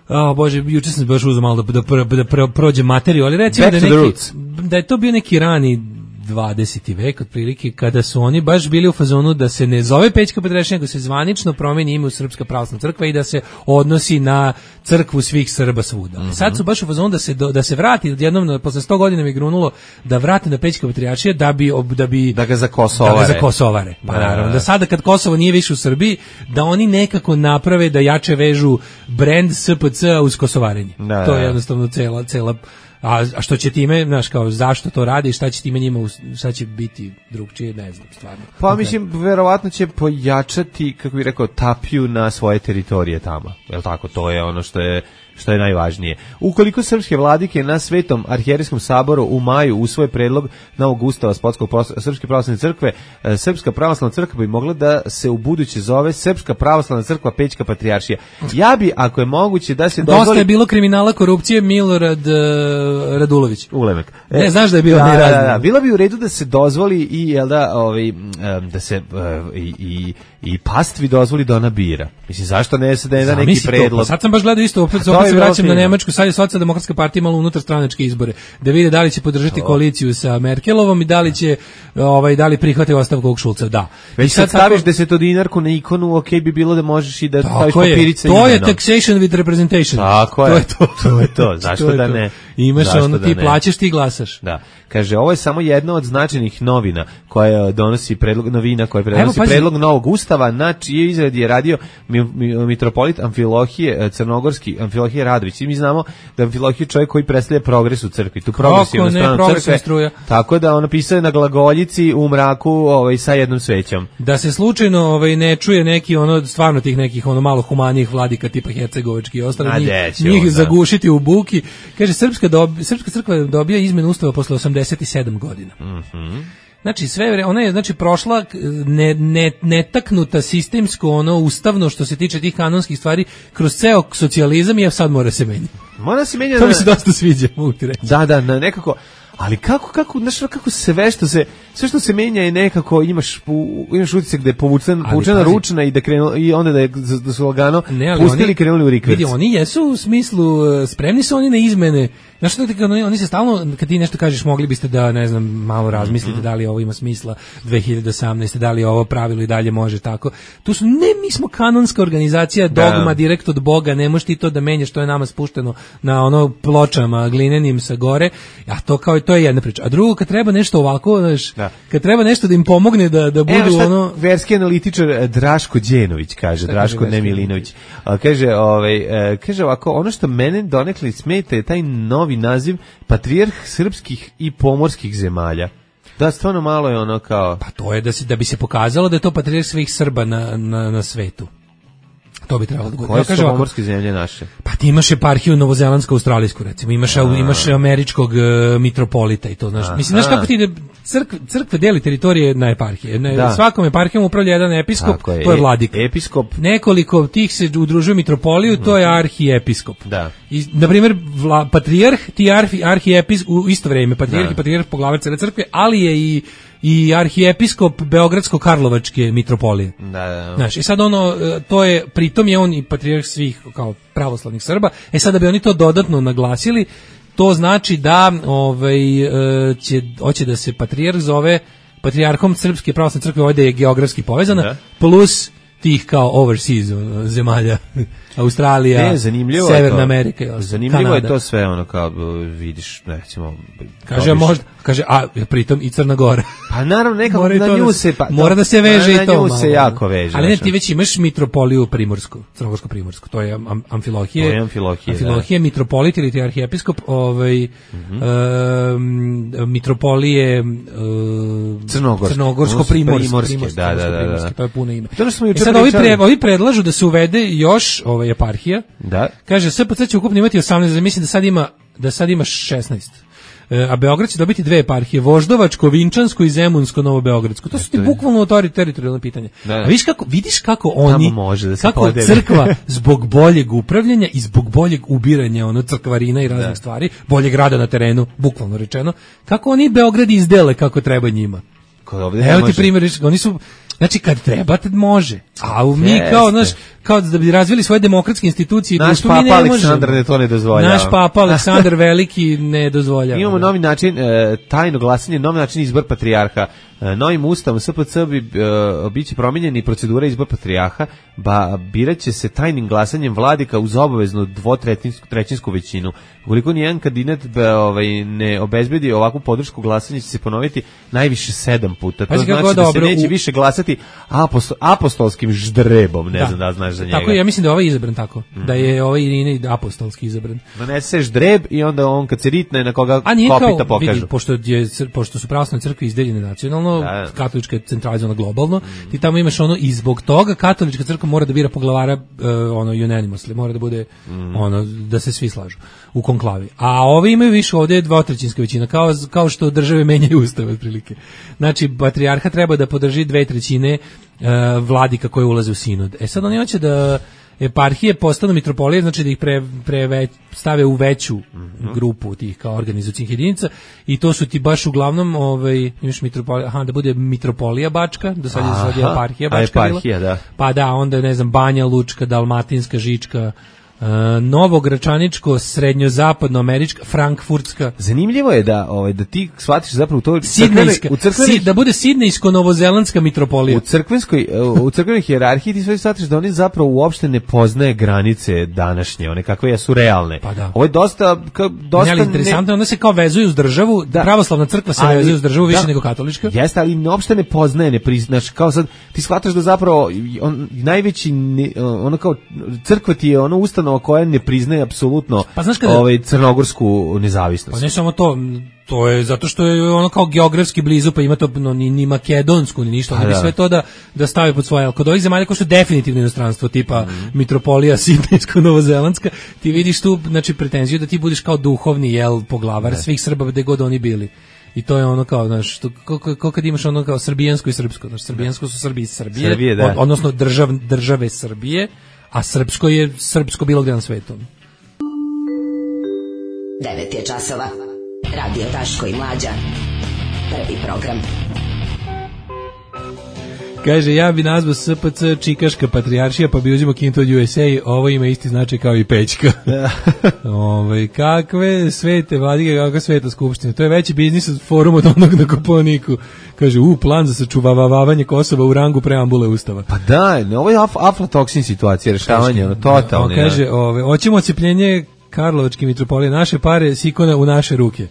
o Bože, juče sam baš uzeo malo da, da, da, da prođe materiju, ali recimo da, neki, da je to bio neki rani dvadeseti vek otprilike, kada su oni baš bili u fazonu da se ne zove Pećka patrijaršija, nego se zvanično promeni ime u Srpska pravoslavna crkva i da se odnosi na crkvu svih Srba svuda. Mm-hmm. Sad su baš u fazonu da se do, da se vrati odjednom posle sto godina mi grunulo da vrate na Pećka patrijaršija da bi da bi da ga za Kosovare. Da ga za Kosovare. Pa naravno da sada kad Kosovo nije više u Srbiji, da oni nekako naprave da jače vežu brend S P C uz Kosovarenje. Da, to je jednostavno cela cela A, a što će time, znaš, kao zašto to radi i šta će time njima, šta će biti drugčije, ne znam, stvarno. Pa mislim, verovatno će pojačati, kako bih rekao, tapiju na svoje teritorije tamo. Jel tako, to je ono što je što je najvažnije. Ukoliko srpske vladike na Svetom arhijerejskom saboru u maju usvoje predlog novog ustava Srpske pravoslavne crkve, Srpska pravoslavna crkva bi mogla da se u buduće zove Srpska pravoslavna crkva Pećka patrijaršija. Ja bi, ako je moguće, da se dozvoli... Dosta je bilo kriminala, korupcije, Milorad uh, Radulović. Ulemek. E, ne, znaš da je bilo da, nerazno. Da, da, bilo bi u redu da se dozvoli i, jel da, ovaj, da se uh, i, i, i pastvi dozvoli da ona bira. Mislim, zašto ne se da neki predlog? Pa sad sam baš gledao isto, opet, opet se vraćam na Nemačku, sad je Socijaldemokratska partija imala unutar stranačke izbore, da vide da li će podržati to. Koaliciju sa Merkelovom i da li će ovaj da li prihvate ostavku ovog Šulca, da. Već I sad staviš tako... desetodinarku na ikonu, ok bi bilo da možeš i da staviš papirice. To je taxation with representation. Tako to je. je to. To je to. Zašto to da to. ne? Imaš Zašto ono, da ti ne? plaćaš, ti glasaš. Da. Kaže, ovo je samo jedna od značajnih novina koja donosi predlog novina koja donosi predlog novog ustava, na čije izradi je radio mi, mi, mitropolit Amfilohije Crnogorski, Amfilohije Radović. I mi znamo da Amfilohije čovjek koji predstavlja progres u crkvi, tu progresivnu stranu crkve. Tako da on napisao na glagoljici u mraku, ovaj sa jednom svećom. Da se slučajno ovaj ne čuje neki ono stvarno tih nekih ono malo humanijih vladika tipa hercegovački i ostali njih, njih zagušiti u buki. Kaže srpska dobi, srpska crkva dobija izmenu ustava posle osamdeset sedam godina. Mhm. Znači sve ona je znači prošla ne, ne, netaknuta sistemsko ono ustavno što se tiče tih kanonskih stvari kroz ceo socijalizam i sad mora se menjati. Mora se menjati. To mi se dosta sviđa, mogu ti reći. Da, da, nekako Ali kako kako znaš kako sve što se sve što se menja je nekako imaš imaš utisak da je povučen povučena ručna i da krenulo i onda da je da su lagano ne, pustili oni, krenuli u rikverc. Vidi, oni jesu u smislu spremni su oni na izmene. Znaš što ti oni, oni se stalno kad ti nešto kažeš mogli biste da ne znam malo razmislite mm-hmm. da li ovo ima smisla dve hiljade osamnaeste da li ovo pravilo i dalje može tako. Tu su ne mi smo kanonska organizacija dogma da. Direkt od Boga, ne možeš ti to da menjaš, to je nama spušteno na ono pločama glinenim sa gore. A to kao to je jedna priča. A drugo kad treba nešto ovako, znaš, da. Kad treba nešto da im pomogne da da budu Evo ono verski analitičar Draško Đenović kaže, šta Draško ne Milinović. Kaže, ovaj kaže ovako, ono što mene donekle smeta je taj novi naziv patrijarh srpskih i pomorskih zemalja. Da, stvarno malo je ono kao... Pa to je da, si, da bi se pokazalo da je to patrijarh svih Srba na, na, na svetu. To bi trebalo da bude. Koje su pomorske zemlje naše? Pa ti imaš eparhiju novozelandsku, australijsku recimo, imaš, imaš američkog uh, mitropolita i to, znaš. A, mislim, znaš kako ti ide, crkve, crkve deli teritorije na eparhije. Ne, da. Svakom eparhijom upravlja jedan episkop, je, to je vladika. Episkop. Nekoliko tih se udružuju mitropoliju, to je arhiepiskop. Da. I, na primjer, vla, patrijarh, ti arhi, arhiepiskop, u isto vrijeme, patrijarh i patrijarh poglavar cele crkve, ali je i i arhiepiskop Beogradsko-Karlovačke mitropolije. Da, da. Znaš, i sad ono, to je, pritom je on i patrijarh svih kao pravoslavnih Srba, e sad da bi oni to dodatno naglasili, to znači da ovaj, će, hoće da se patrijarh zove patrijarhom Srpske pravoslavne crkve, ovdje je geografski povezana, da. Plus tih kao overseas zemalja, Australija, ne, Severna to, Amerika i ostalo. Zanimljivo Kanada. je to sve ono kao vidiš, recimo, kaže možda, kaže a pritom i Crna Gora. Pa naravno nekako na nju da, se pa mora da se veže na, i to. Na nju malo, se jako veže. Ali ne, ti već imaš mitropoliju Primorsku, Crnogorsko-Primorsku. To je am, Amfilohije. To je Amfilohije. Amfilohije da. Mitropolit ili ti arhiepiskop, ovaj mm-hmm. uh, mitropolije uh, Crnogorsko, Crnogorsko-Primorske, da, da, da, da. To je puno ime. To smo I sad ovi, pre, ovi predlažu da se uvede još ovaj eparhija. Da. Kaže S P C će ukupno imati osamnaest, mislim da sad ima da sad ima šesnaest. E, a Beograd će dobiti dve eparhije, Voždovačko, Vinčansko i Zemunsko, Novobeogradsko. To su ti bukvalno teritorijalno pitanje. Da, da. A vidiš kako, vidiš kako oni, može da se kako podeli. Crkva zbog boljeg upravljanja i zbog boljeg ubiranja ono crkvarina i raznih da. Stvari, boljeg rada na terenu, bukvalno rečeno, kako oni Beograd izdele kako treba njima. Evo ti primjer, oni su, znači kad treba, tad može. A mi Jeste. kao, znaš, kao da bi razvili svoje demokratske institucije. Naš papa ne Aleksandar ne to ne dozvoljava. Naš papa Aleksandar Veliki ne dozvoljava. Imamo novi način, e, tajno glasanje, novi način izbor patrijarha. E, novim ustavom S P C bi e, biće promijenjeni procedura izbor patrijarha, ba biraće se tajnim glasanjem vladika uz obaveznu dvotrećinsku većinu. Ukoliko nijedan kandidat be, ovaj, ne obezbedi ovakvu podršku, glasanje će se ponoviti najviše sedam puta. To znači da dobro, se neće u... više glasati apostol, apostolskim ždrebom, ne da. Znam da znaš za njega. Tako ja mislim da je ovaj izabran tako, mm-hmm. da je ovaj Irine apostolski izabran. Donese ždreb i onda on kad se ritne na koga kopita pokažu. Vidi, pošto, je, pošto su pravoslavne crkve izdeljene nacionalno, da. Katolička je centralizovana globalno, mm. ti tamo imaš ono i zbog toga katolička crkva mora da bira poglavara uh, ono unanimously, mora da bude mm. ono da se svi slažu u konklavi. A ovi imaju više, ovdje je dvotrećinska većina, kao, kao što države menjaju ustav otprilike. Znači, patrijarha treba da podrži dve trećine uh, vladika koje ulaze u sinod. E sad oni hoće da eparhije postanu mitropolije, znači da ih pre, pre već, stave u veću mm-hmm. grupu tih kao organizacijnih jedinica i to su ti baš uglavnom ovaj, imaš mitropolija, aha, da bude mitropolija Bačka, do sad je sad je eparhija Bačka eparhija, da. Pa da, onda ne znam, Banja Lučka, Dalmatinska, Žička, Uh, Novogračaničko, srednjozapadnoamerička, frankfurtska. Zanimljivo je da ovaj da ti shvatiš zapravo to Sidnejska, u crkvenoj si, da bude sidnejsko-novozelandska mitropolija. U crkvenskoj u crkvenoj hijerarhiji ti sve shvatiš da oni zapravo uopšte ne poznaje granice današnje, one kakve jesu realne. Pa da. Ovo je dosta ka, dosta ne, interesantno, ne... onda se kao vezuju uz državu, da. Pravoslavna crkva se ali, vezuje uz državu više da. Nego katolička. Jeste, ali uopšte ne poznaje, ne priznaš, kao sad ti shvataš da zapravo on najveći ne, ono kao crkva ti je ono ustanova koja ne priznaje apsolutno pa kada, ovaj crnogorsku nezavisnost. Pa ne samo to, to je zato što je ono kao geografski blizu, pa ima to no, ni, ni makedonsku, ni ništa, oni bi sve to da, da stave pod svoje. Ali kod ovih zemalja koji su definitivno inostranstvo, tipa mm. mitropolija sidnejsko-novozelandska, ti vidiš tu, znači, pretenziju da ti budeš kao duhovni, jel, poglavar ne. Svih Srba gde god oni bili. I to je ono kao, znaš, kako kad imaš ono kao srbijansko i srpsko, znači, srbijansko su Srbi iz Srbije, Srbije da. Od, odnosno držav, države Srbije, a srpsko je srpsko bilo gde na svetu. devet je časova. Radio Daško i Mlađa. Prvi program. Kaže, ja bi nazvao S P C Čikaška patrijaršija, pa bi uzimao Kinto od U S A, ovo ima isti značaj kao i Pećka. Ove, kakve svete vladike, kakva sveta skupština. To je veći biznis od foruma od onog na Koponiku. Kaže, u, plan za sačuvavavanje Kosova u rangu preambule Ustava. Pa da, ovo je af, aflatoksin situacija, rešavanje, ono, totalno. Kaže, ove, hoćemo ocepljenje Karlovačke mitropolije, naše pare s ikona u naše ruke.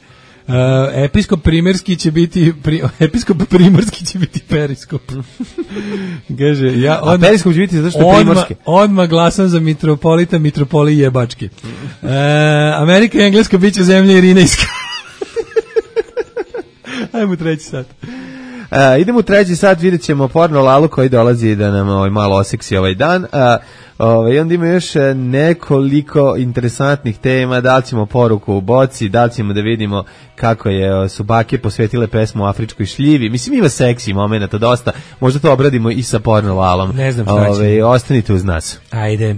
Uh, episkop Primerski će biti pri, episkop Primorski će biti periskop. Kaže, ja odmah, a periskop će biti zato što je primorski. Odmah glasam za mitropolita, mitropolije jebačke. Uh, Amerika i Engleska bit će zemlja Irinejska. Ajmo treći sat. Uh, idemo u treći sat, vidjet ćemo porno Lalu koji dolazi da nam ovaj, malo oseksi ovaj dan. Uh, ovaj, onda ima još nekoliko interesantnih tema, da li ćemo poruku u boci, da li ćemo da vidimo kako je, su bake posvetile pesmu o afričkoj šljivi. Mislim, ima seksi momenta dosta, možda to obradimo i sa porno Lalom. Ne znam šta ovaj, će. Ostanite uz nas. Ajde.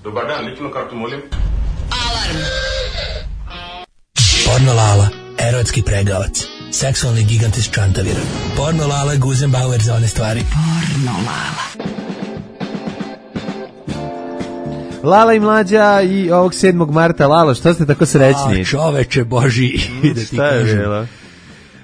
Dobar dan, ličnu kartu molim. Alarm. Porno Lala, erotski pregavac. Seksualni gigant iz Čantavira. Porno Lala, Guzenbauer za one stvari. Porno Lala. Lala i Mlađa i ovog sedmog marta. Lalo, što ste tako srećni? A, čoveče Boži. Mm, da ti šta je bilo?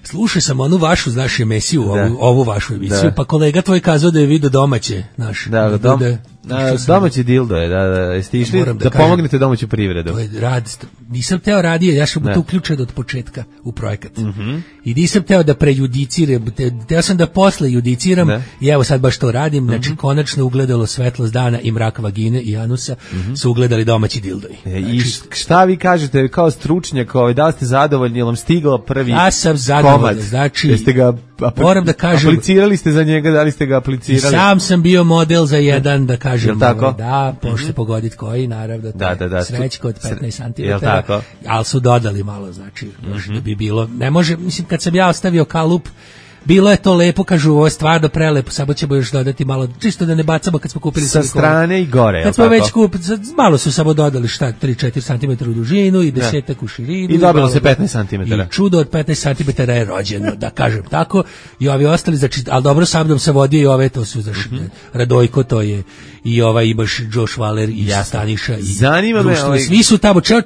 Slušaj sam onu vašu, znaš, emisiju, ovu, ovu vašu emisiju, da. Pa kolega tvoj kazao da je vidio domaće, znaš. Da, da, dom, da, da domaći dildo je, da, da, jeste išli da, da pomognete domaću privredu. To je rad, nisam teo radio, ja sam to uključen od početka u projekat. Mm-hmm. I nisam teo da prejudiciram, te, teo sam da posle judiciram, ne. I evo sad baš to radim, mm-hmm. Znači konačno ugledalo svetlost dana i mrak vagine i anusa, mm-hmm. Su ugledali domaći dildoji. E, znači, I šta vi kažete kao stručnjak, ovaj, da li ste zadovoljni, jel vam stigao prvi ja sam zadovoljan, znači, jeste ga apl- moram da kažem, aplicirali ste za njega, da li ste ga aplicirali? Sam sam bio model za jedan, da kažem, tako? Ovaj, da, možete mm-hmm. pogoditi koji, naravno, to da, da, da, srećko od petnaest centimetara, ali su dodali malo, znači, mm-hmm. Da bi bilo, ne može, mislim, kad sam ja ostavio kalup, bilo je to lepo, kažu, ovo je stvarno prelepo, samo ćemo još dodati malo, čisto da ne bacamo kad smo kupili sa strane i gore. Kad smo tako? Već kupili, malo su samo dodali šta, tri do četiri centimetra u dužinu i desetak u širinu. I dobilo se petnaest centimetara. I čudo od petnaest centimetara je rođeno, da kažem tako. I ovi ostali, znači, ali dobro sa mnom se vodio i ove, to su, znači, mm-hmm. Radojko, to je, i ovaj imaš Josh Waller i ja. Staniša i zanima me, ovaj... svi su tamo, ceo,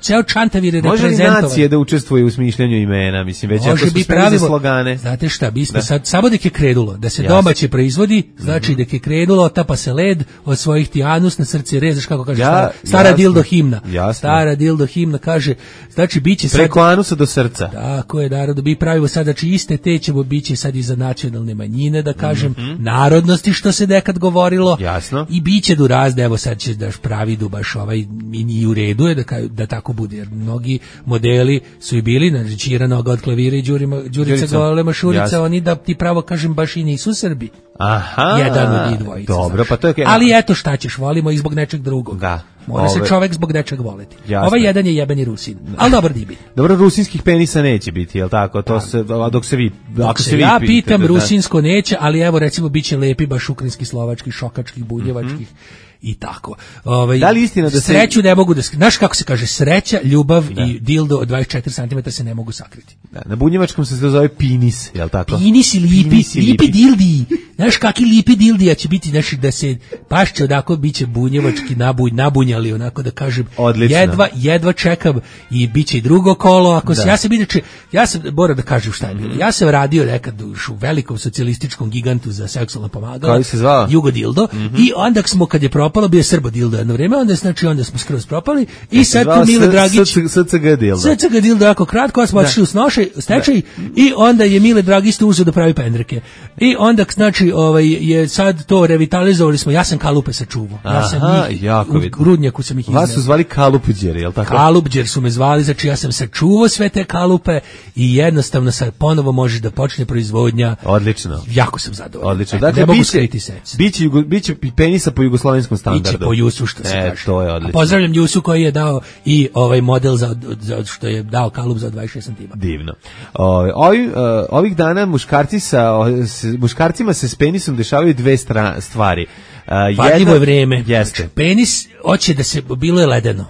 ceo Čantavir je reprezentovan. Može li nacije da učestvuje u smišljanju imena, mislim, već ako su spremni za slogane. Znate šta, mi smo sad, samo dok je krenulo, da se domaće proizvodi, znači dok je krenulo, otapa se led od svojih ti anus na srce rezaš, kako kaže, ja, stara, stara jasno, dildo himna. Jasno. Stara dildo himna kaže, znači biće sad... Preko anusa do srca. Tako je, naravno, mi pravimo sad, znači iste te ćemo biće sad i za nacionalne manjine, da kažem, mm-hmm. narodnosti, što se nekad govorilo. Jasno. I biće du razde, evo sad će daš pravi du baš ovaj, i u redu je da, da tako bude, jer mnogi modeli su i bili, znači Čira Noga od klavira i Đurima, Đurica Golema Šurica, oni da ti pravo kažem baš i nisu Srbi. Aha. Jedan od njih dvojice. Dobro, pa to je... Ali eto šta ćeš, volimo i zbog nečeg drugog. Da. Mora ove... se čovek zbog nečeg voleti. Jasne. Ovaj jedan je jebeni Rusin, ali dobar dibi. Dobro, rusinskih penisa neće biti, jel tako? To se, dok se vi... Dok se, se vi ja pitam, da, rusinsko neće, ali evo recimo biće lepi baš ukrinski, slovački, šokačkih, bunjevačkih. Mm-hmm. I tako. Ovaj, da li istina da se... Sreću ne mogu da... Znaš kako se kaže? Sreća, ljubav da. I dildo od dvadeset četiri centimetra se ne mogu sakriti. Da, na bunjevačkom se to zove pinis, je li tako? Pinis i lipi, pinis i lipi, lipi dildi. Znaš kakvi lipi dildija će biti, znaš, da se pašće odako, bit će bunjevački nabuj, nabunjali, onako da kažem. Odlično. Jedva, jedva čekam i bit će i drugo kolo. Ako se, ja sam inače, ja sam, moram da kažem šta je bilo. Ja sam radio nekad u velikom socijalističkom gigantu za seksualna pomagala. Koji se zvao? Jugo dildo. Mm-hmm. I onda smo, kad je propalo, bio Srbo dildo jedno vreme, onda, znači, onda smo skroz propali. I ja sad tu Mile Dragić... S C G dildo. S C G dildo jako kratko, smo otišli u snošaj, stečaj, i onda je Mile Dragić tu uzeo da pravi pendreke. I onda, znači, ovaj, je sad to revitalizovali smo, ja sam kalupe sačuvao. Ja sam Aha, njih, jako u grudnjaku sam ih izneo. Vas su zvali kalupđeri, je li tako? Kalupđer su me zvali, znači ja sam sačuvao sve te kalupe i jednostavno sad ponovo može da počne proizvodnja. Odlično. Jako sam zadovoljan. Odlično. Dakle, dakle, ne mogu biće, skriti se. Biće, biće penisa po jugoslovenskom standardu. Biće po Jusu, što se e, kaže. To je odlično. A pozdravljam Jusu koji je dao i ovaj model za, za što je dao kalup za dvadeset šest centimetara. Divno. O, ovi, uh, ovih dana muškarci sa, o, s, muškarcima se s penisom dešavaju dve stra, stvari. Uh, Vadljivo je vreme. Jeste. Penis hoće da se, bilo je ledeno.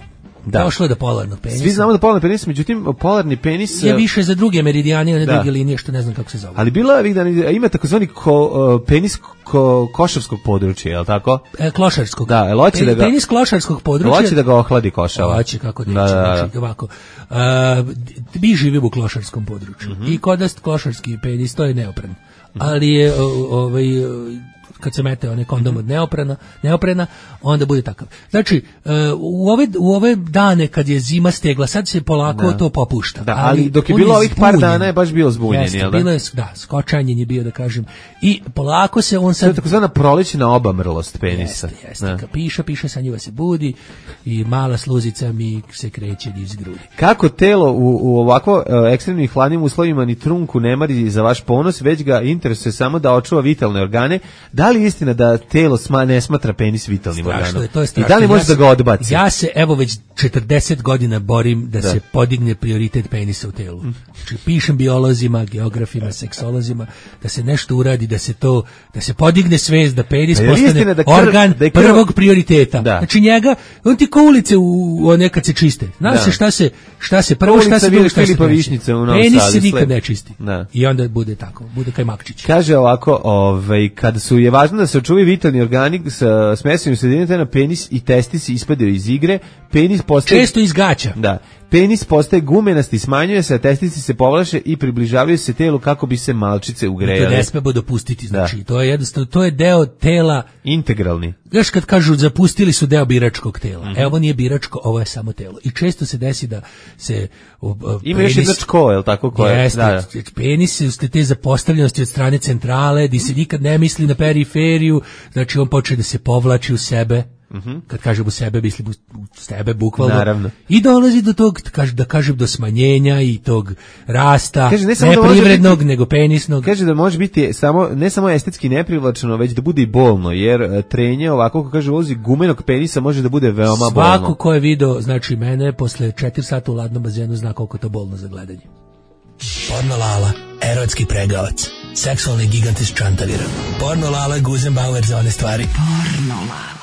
Da. Došlo je do polarnog penisa. Svi znamo da polarni penis, međutim, polarni penis... Je više za druge meridijane, one da. druge linije, što ne znam kako se zove. Ali bilo je, da ima takozvani ko, uh, penis ko, košarskog područja, je li tako? E, klošarskog. Da, el hoće da ga... Penis klošarskog područja. Hoće da ga ohladi košava. Hoće, kako neće. Da, da, da. Znači, ovako. Uh, mi živimo u klošarskom području. Mm -hmm. I kod nas klošarski penis, to je neopren. Mm -hmm. Ali je ovaj... kad se mete onaj kondom od neoprena, neoprena, onda bude takav. Znači, u ove, u ove dane kad je zima stegla, sad se polako da. to popušta. Da, ali, ali dok je bilo ovih par dana je baš bio zbunjen, jeste, jel da? Bilo je, da, skočanjen je bio, da kažem. I polako se on sad... To je takozvana prolećna obamrlost penisa. Jeste, jeste. Kad piše, piše, sa njiva se budi i mala sluzica mi se kreće iz grudi. Kako telo u, u ovako uh, ekstremnim hladnim uslovima ni trunku ne mari za vaš ponos, već ga interesuje samo da očuva vitalne organe. Da li je istina da telo sma, ne smatra penis vitalnim organom? I da li može ja da ga odbaci? Ja se, evo, već četrdeset godina borim da, da se podigne prioritet penisa u telu. Znači, pišem biolozima, geografima, seksolozima, da se nešto uradi, da se to, da se podigne svest, da penis postane da kr, organ da krv, prvog prioriteta. Da. Znači, njega, on ti ko ulice u, u nekad se čiste. Zna da. se šta se, šta se prvo, šta se drugo, šta se treće. Penis se nikad ne čisti. Da. I onda bude tako, bude kaj Makčić. Kaže ovako, ovaj, kada su je važno da se očuvi vitalni organi sa smesivim sredinama, na penis i testisi ispadaju iz igre, penis postaje... Često izgaća. Da. Penis postaje gumenasti, smanjuje se, a testisi se povlaše i približavaju se telu kako bi se malčice ugrejale. To ne smemo dopustiti, znači, da. to je jednostavno, to je deo tela... Integralni. Znaš, kad kažu zapustili su deo biračkog tela. Mm-hmm. Evo, ovo nije biračko, ovo je samo telo. I često se desi da se... Uh, Ima penis, još jedna čko, je li tako? Koje? Jeste, da, da. Penis su te zapostavljenosti od strane centrale, di se nikad ne misli na periferiju, znači on počne da se povlači u sebe. Mm-hmm. Kad kažem u sebe, mislim u sebe bukvalno. Naravno. I dolazi do tog, da kažem, do smanjenja i tog rasta, kaže, ne, ne privrednog, biti, nego penisnog. Kaže da može biti samo, ne samo estetski neprivlačeno, već da bude i bolno, jer trenje ovako, kako kaže, ulozi gumenog penisa može da bude veoma Svako bolno. Svako ko je video, znači mene, posle četiri sata u ladnom bazenu zna koliko to bolno za gledanje. Porno Lala, erotski pregavac, seksualni gigant iz Čantavira. Porno Lala, Guzenbauer za one stvari. Porno Lala.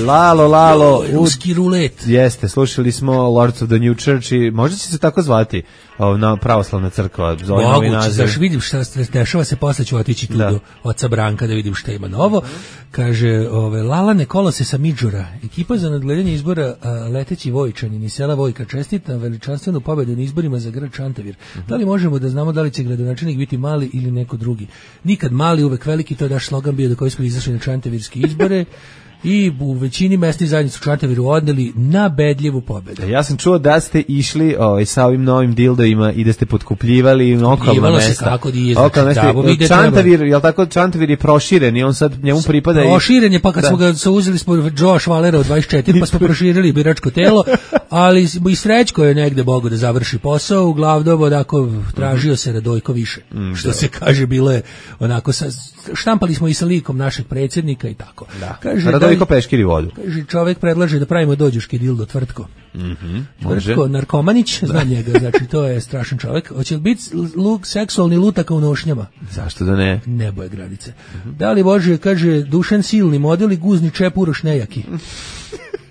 Lalo, Lalo, ruski rulet. Jeste, slušali smo Lords of the New Church i možda će se tako zvati na pravoslavna crkva. Moguće, znaš, vidim šta se dešava, se posle ću otići tu da. do oca Branka da vidim šta ima novo. Kaže, ove, Lalane kolose sa Midžura, ekipa za nadgledanje izbora a, Leteći Vojčanin iz sela Vojka čestita veličanstvenu pobedu na izborima za grad Čantavir. Uh-huh. Da li možemo da znamo da li će gradonačelnik biti mali ili neko drugi? Nikad mali, uvek veliki, to je naš slogan bio do koji smo izašli na čantavirske izbore. I u većini mesnih zajednica u Čantaviru odneli na bedljivu pobedu. Ja sam čuo da ste išli ovaj, sa ovim novim dildovima i da ste potkupljivali okolna mesta. Se kako di je, znači, da, Čantavir, jel tako, Čantavir je proširen i on sad njemu pripada i... Proširen je, pa kad da. smo ga uzeli smo Joe Švalera od dvadeset četiri, pa smo proširili biračko telo, ali i Srećko je negde Bogu da završi posao, uglavnom onako tražio se Radojko više. Mm, što da. se kaže, bilo je onako, sa, štampali smo i sa likom našeg predsjednika i tako. Da. Kaže, Radojko peškiri vodu. Kaže, čovjek predlaže da pravimo dođuški dildo Tvrtko. Mm-hmm, Tvrtko, narkomanić, znam njega, znači to je strašan čovjek. Hoće li biti luk, seksualni lutaka u nošnjama? Zašto da ne? Nebo je granice. Mm-hmm. Da li može, kaže, Dušan silni model i guzni čep Uroš nejaki.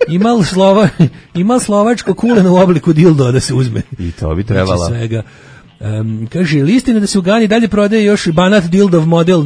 Imal, slova, imal slovačko kuleno u obliku dildo da se uzme. I to bi trebala. Znači svega. Um, kaže, listina da se u Gani dalje prodaje još banat dildov model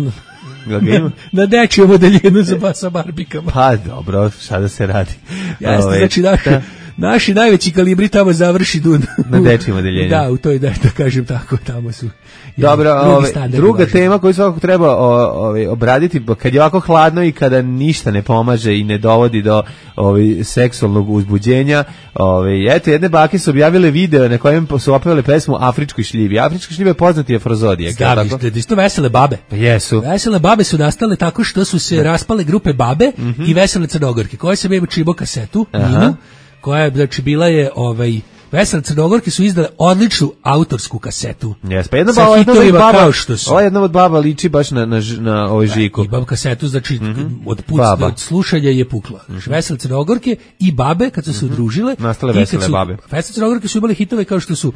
na, na dečiju modeljinu za sa barbikama. Pa dobro, šta da se radi. Jeste, Ove, znači naši, da. naši najveći kalibri tamo završi dun. Na dečiju modeljenju. Da, u toj, da, da kažem tako, tamo su. Dobro, ove, druga važno. tema koju svakako treba ove, obraditi, kad je ovako hladno i kada ništa ne pomaže i ne dovodi do ove, seksualnog uzbuđenja, ove, eto, jedne bake su objavile video na kojem su opevale pesmu Afričkoj šljivi. Afrička šljiva je poznati afrozodijak. Staviš, da, da, to vesele babe. Pa jesu. Vesele babe su nastale tako što su se da. raspale grupe babe mm-hmm. i vesele crnogorke, koje se bebe čibo kasetu, Ninu, koja je, znači, bila je ovaj Vesele Crnogorke su izdale odličnu autorsku kasetu. Jes, pa jedna baba, baba ova jedna od baba liči baš na, na, na ovaj Žiku. I baba kasetu, znači, mm-hmm. od, puc, od slušanja je pukla. Mm-hmm. Vesele Crnogorke i babe, kad su se udružile. Nastale vesele su, babe. Vesele Crnogorke su imali hitove kao što su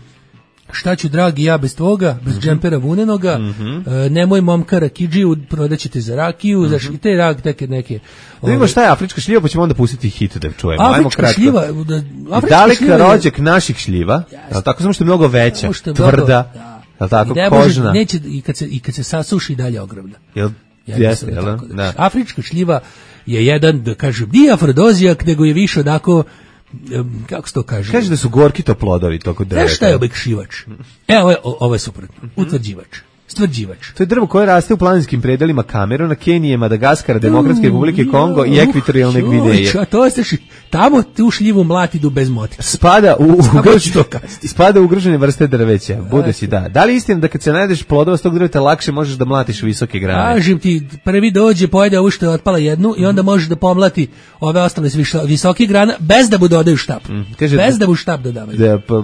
šta ću dragi ja bez tvoga, bez mm-hmm. džempera vunenoga, mm-hmm. e, nemoj momka rakidžiju, prodaćete za rakiju, mm-hmm. znaš, i te rak, neke, neke. Da vidimo šta je afrička šljiva, pa ćemo onda pustiti hit da čujemo. Afrička Ajmo šljiva, da, afrička daleka šljiva rođak je... naših šljiva, yes. tako samo što je mnogo veća, je tvrda, mnogo, da. je tako, I kožna. Može, neće, i, kad se, I kad se sasuši dalje ogromna. Jel, jeste, jel, da, da. Afrička šljiva je jedan, da kažem, nije afrodozijak, nego je više onako, um, kako se to kaže? Kaže da su gorki to plodovi toko drveta. Znaš šta je obekšivač? E, ovo je, ovo je suprotno. Utvrđivač. Stvrđivač. To je drvo koje raste u planinskim predelima Kameruna, Kenije, Madagaskara, Demokratske republike Kongo i ekvatorijalne Gvineje. A to je tamo tu šljivu mlatidu bez motika. Spada u ugrožene spada u ugrožene vrste drveća. Bude si da. Da li je istina da kad se najdeš plodova s tog drveta lakše možeš da mlatiš visoke grane? Kažem ti, prvi dođe, pojede ovu što je otpala jednu i onda možeš da pomlati ove ostale visoke grane bez da mu dodaju štap. Mm. Kaže, bez da mu štap dodavaju. Da, pa,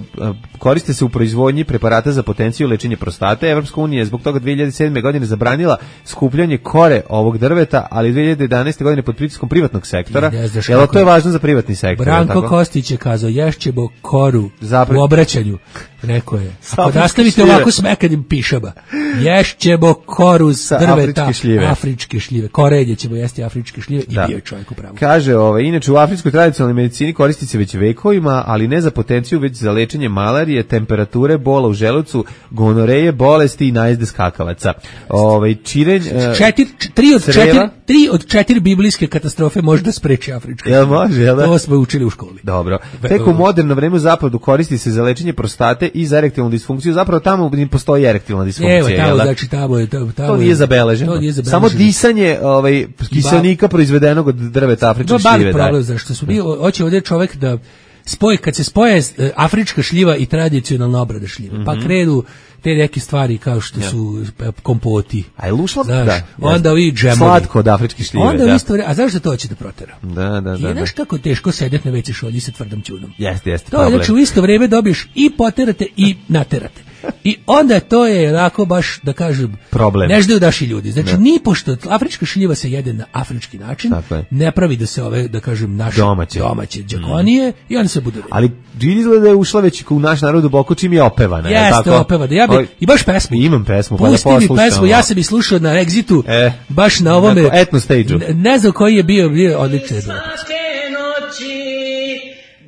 koriste se u proizvodnji preparata za potenciju i lečenje prostate. Evropska unija je zbog toga dve hiljade sedme. godine zabranila skupljanje kore ovog drveta, ali dve hiljade jedanaeste. godine pod pritiskom privatnog sektora. Jel to je važno za privatni sektor? Branko Kostić je kazao, ješćemo koru Zapre... u obraćanju. Rekao je, ako nastavite ovako smekanim pišama, ješćemo koru s drveta, afričke šljive. afričke šljive. Korenje ćemo jesti afričke šljive da. I bio je čovjek u pravu. Kaže, ove, inače u afričkoj tradicionalnoj medicini koristi se već vekovima, ali ne za potenciju, već za lečenje malarije, temperature, bola u želucu, gonoreje, bolesti i najezde skakavaca. Ove, čirenj, četir, tri, od četiri, tri od četiri biblijske katastrofe može da spreči afrička. Jel može, jel da? To smo učili u školi. Dobro. Tek u moderno vreme u zapadu koristi se za lečenje prostate i za erektilnu disfunkciju, zapravo tamo ne postoji erektilna disfunkcija. Evo, tamo, znači, tamo je, tamo, to nije zabeleženo. To nije zabeleženo. Samo disanje ovaj, kiselnika ba, proizvedenog od drveta afričke šljive. To je problem, zašto su bio, hoće ovdje čovjek da spoji, kad se spoje afrička šljiva i tradicionalna obrada šljive, mm-hmm. pa krenu te neke stvari kao što ja. su kompoti. A je lušla? Znaš, da. Onda i džemovi. Slatko od afričke šljive. Onda da. isto, a znaš da to hoće da protera? Da, da, da. I znaš kako teško sedeti na veći šolji sa tvrdom ćunom. Jeste, jeste. To je, znači, u isto vrijeme dobiješ i poterate i naterate. I onda to je onako baš, da kažem, problem. Ne ždaju daši ljudi. Znači, ne. Ni pošto afrička šljiva se jede na afrički način, ne pravi da se ove, da kažem, naše domaće, domaće džakonije mm. i oni se budu. Ali izgleda da je ušla već u naš narod duboko čim je opevana. Jeste, opevana. Ja bi, i baš pesmu. Imam pesmu, pa pusti da poslušam. Pusti mi pesmu, ja sam i slušao na Exitu, e, baš na ovome. Na etno stage-u. Ne, ne znam koji je bio, bio odličan. Svake noći,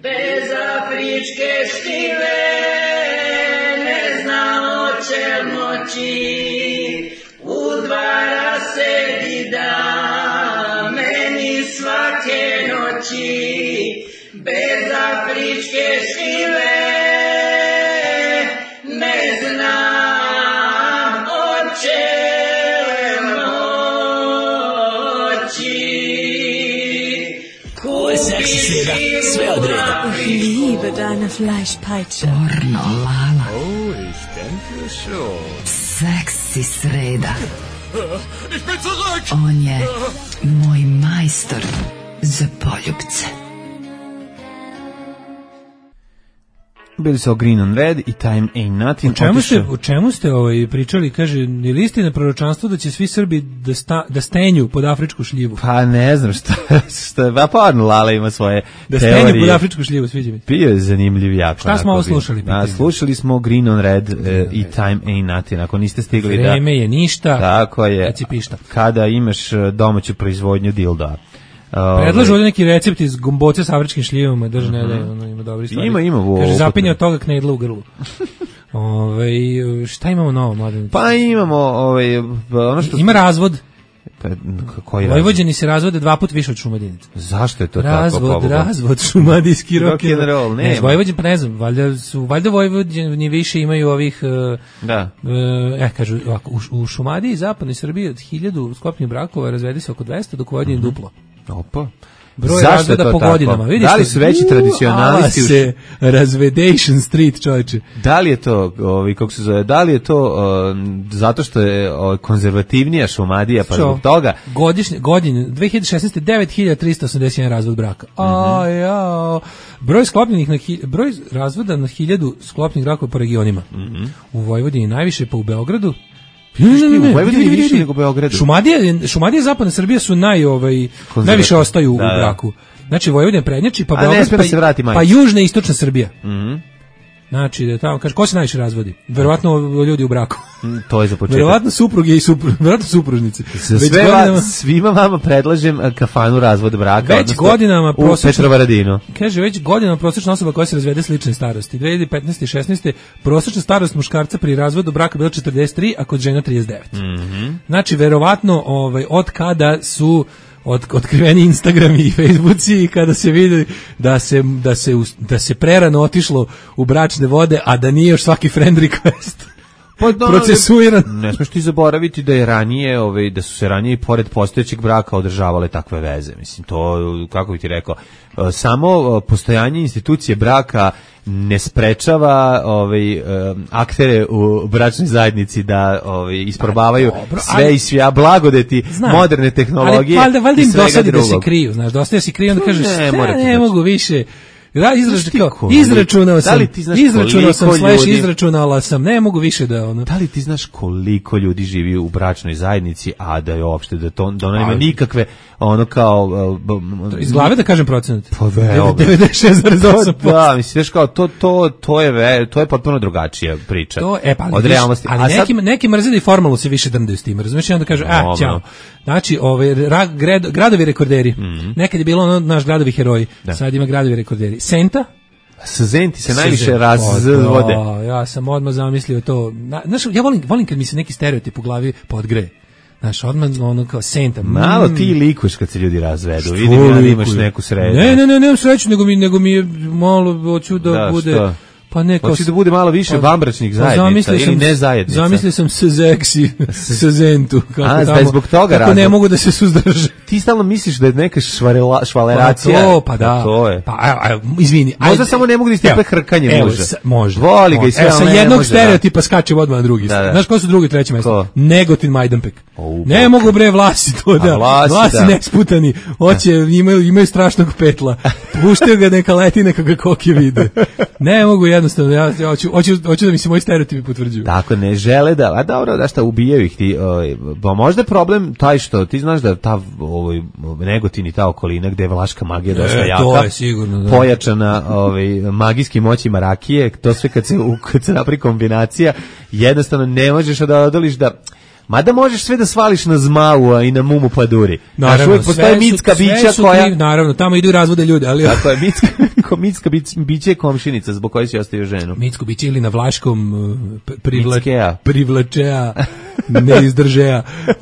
bez afričke šljive, ne znam o čem moći, udvara se i da, meni svake noći, bez afričke šljive, ne znam o čem moći. Ovo je seksi sreda, sve od reda. Ich liebe deine Fleischpeitsche. Pornolala. Oh, ich denke schon. Seksi sreda. Ich bin zurück! On je moj majstor za poljubce. Bili su o Green on Red i Time Ain't Nothing. U čemu ste, u čemu ste ovaj, pričali, kaže, je li istina proročanstvo da će svi Srbi da, sta, da stenju pod afričku šljivu? Pa ne znam šta, šta pa parno Lala ima svoje da teorije. Da stenju pod afričku šljivu, sviđa mi. Bio je zanimljiv jako. Šta smo ovo slušali? A, slušali smo Green on Red uh, i Time Ain't Nothing. Ako niste stigli Vreme da... Vreme je ništa, tako je, kada imaš domaću proizvodnju dilda. Predlažu ovdje neki recept iz gomboce s afričkim šljivama, drži ne da je, ono ima dobri stvari. Ima, ima. Vo, kaže, zapinje od toga knedla u grlu. Ove, šta imamo novo, mladen? Pa imamo, ove, ono što... Ima razvod. Pa, koji razvod? Vojvođani se razvode dva put više od Šumadinaca. Zašto je to razvod, tako? Razvod, razvod, šumadijski rock and roll. Ne, ne Vojvođani, pa ne znam, valjda, su, valjda Vojvođani više imaju ovih... Da. E, kažu, ovako, u, u Šumadiji, zapadnoj Srbiji, od hiljadu sklopnih brakova razvedi se oko dvesta, dok u Vojvodini mm-hmm. duplo. Opa. Broj razvoda po godinama. Vidiš, da li su veći tradicionalisti? Se razvedation street, čovječe. Da li je to, ovi, kako se zove, da li je to um, zato što je o, konzervativnija Šumadija, pa zbog toga? Godišnje, godine, dve hiljade šesnaeste. devet hiljada trista osamdeset jedan razvod braka. Mm -hmm. A, ja. Broj sklopljenih na hi, broj razvoda na hiljadu sklopnih brakova po regionima. Mm -hmm. U Vojvodini najviše, pa u Beogradu. Ne, ne, ne, u Vojvodini više nego u Beogradu. Šumadija, Šumadija i zapadna Srbija su naj, ovaj, najviše ostaju da, u braku. Znači Vojvodina prednjači, pa Beograd, pa, pa južna i istočna Srbija. Mhm. Znači, da tamo kaže, ko se najviše razvodi? Verovatno ljudi u braku. To je za početak. Verovatno supruge i supružnici. Verovatno supružnici. Za sve godinama, va, svima vama predlažem kafanu razvod braka. Već godinama u Petrovaradinu. Kaže, već godinama prosječna osoba koja se razvede slične starosti. dve hiljade petnaeste i šesnaeste prosječna starost muškarca pri razvodu braka bila četrdeset tri, a kod žena trideset devet. Mm-hmm. Znači, verovatno, ovaj, od kada su Od, otkriveni Instagram i Facebooci i kada se vidi da se, da, se, da se prerano otišlo u bračne vode, a da nije još svaki friend request pa, da, procesuiran. Ne smiješ ti zaboraviti da je ranije, ovaj, da su se ranije pored postojećeg braka održavale takve veze. Mislim, to, kako bi ti rekao, samo postojanje institucije braka ne sprečava ovaj, aktere u bračnoj zajednici da ovaj, isprobavaju dobro, sve ali, i svija blagodeti znam, moderne tehnologije. Ali valjda, valjda im dosadi drugog. Da se kriju, znaš, dosta da se kriju, onda kažeš, ne, ne, ne mogu više. Da, izračunao, koliko, izračunao sam, da izračunao sam, slash, ljudi, izračunala sam, ne mogu više da ono. Da li ti znaš koliko ljudi živi u bračnoj zajednici, a da je uopšte, da to, da ono nema nikakve, ono kao... Uh, iz glave da kažem procenat? Pa veoma. devedeset šest zarez osam posto. Da, misliš kao, to, to, to je ve, to je potpuno drugačija priča. To, e, pa, od viš, realnosti. Ali a neki, sad, neki mrze da i formalno se više drndaju s tim, razumiješ, i onda kaže, a, ćao. Znači, ove, ra, grad, gradovi rekorderi, mm-hmm. nekad je bilo ono, naš gradovi heroji, da. Sad ima gradovi rekorderi. Senta, sa Zenti se najviše razvode. Da, ja sam odmah zamislio to. Znaš, ja volim, volim kad mi se neki stereotip u glavi podgreje. Znaš, odmah ono kao Senta. Malo mm. ti likuješ kad se ljudi razvedu. Vidim ja da imaš neku sreću. Ne, ne, ne, nemam sreću, nego mi, nego mi je malo, hoću da, da bude... Što? Pa ne, hoće da bude malo više vanbračnih zajednica ili ne zajednica. Zamislio sam sezeksi, sezentu. A, da je zbog toga kako ne mogu da se suzdrže. Ti stalno misliš da je neka švarela, švaleracija. Pa to, pa da. To je. Pa, a, a, izvini. Možda samo ne mogu da istepe hrkanje evo, muža. Sa, može. Voli ga i sve, evo, sa jednog može, stereotipa da. Skače odmah na drugi. Da, da. Znaš ko su drugi i treći mjesto? Negotin Majdanpek. O, ne mogu bre vlasi to da. Vlasi, vlasi da. Nesputani. Hoće, imaju, imaju strašnog petla. Puštaju ga neka leti, neka ga koke vide. Ne mogu jednostavno, ja, ja hoću, hoću, hoću da mi se moji stereotipi potvrđuju. Tako, ne žele da, a dobro, da šta, ubijaju ih ti, ovaj, pa možda je problem taj što, ti znaš da ta, ovaj, Negotin i ta okolina gde je vlaška magija dosta e, jaka, to je sigurno, da. Pojačana ovaj, magijskim moćima rakije, to sve kad se, kad se napravi kombinacija, jednostavno ne možeš da odoliš da... Mada možeš sve da svališ na zmavu i na mumu paduri. Naravno, uvijek postoje mitska bića koja... Kriv, naravno, tamo idu razvode ljude, ali... Tako je, mitska, mitska biće je komšinica zbog koje si ostavio ženu. Mitsko biće ili na vlaškom privla, privlačeja, ne izdržeja. Uh,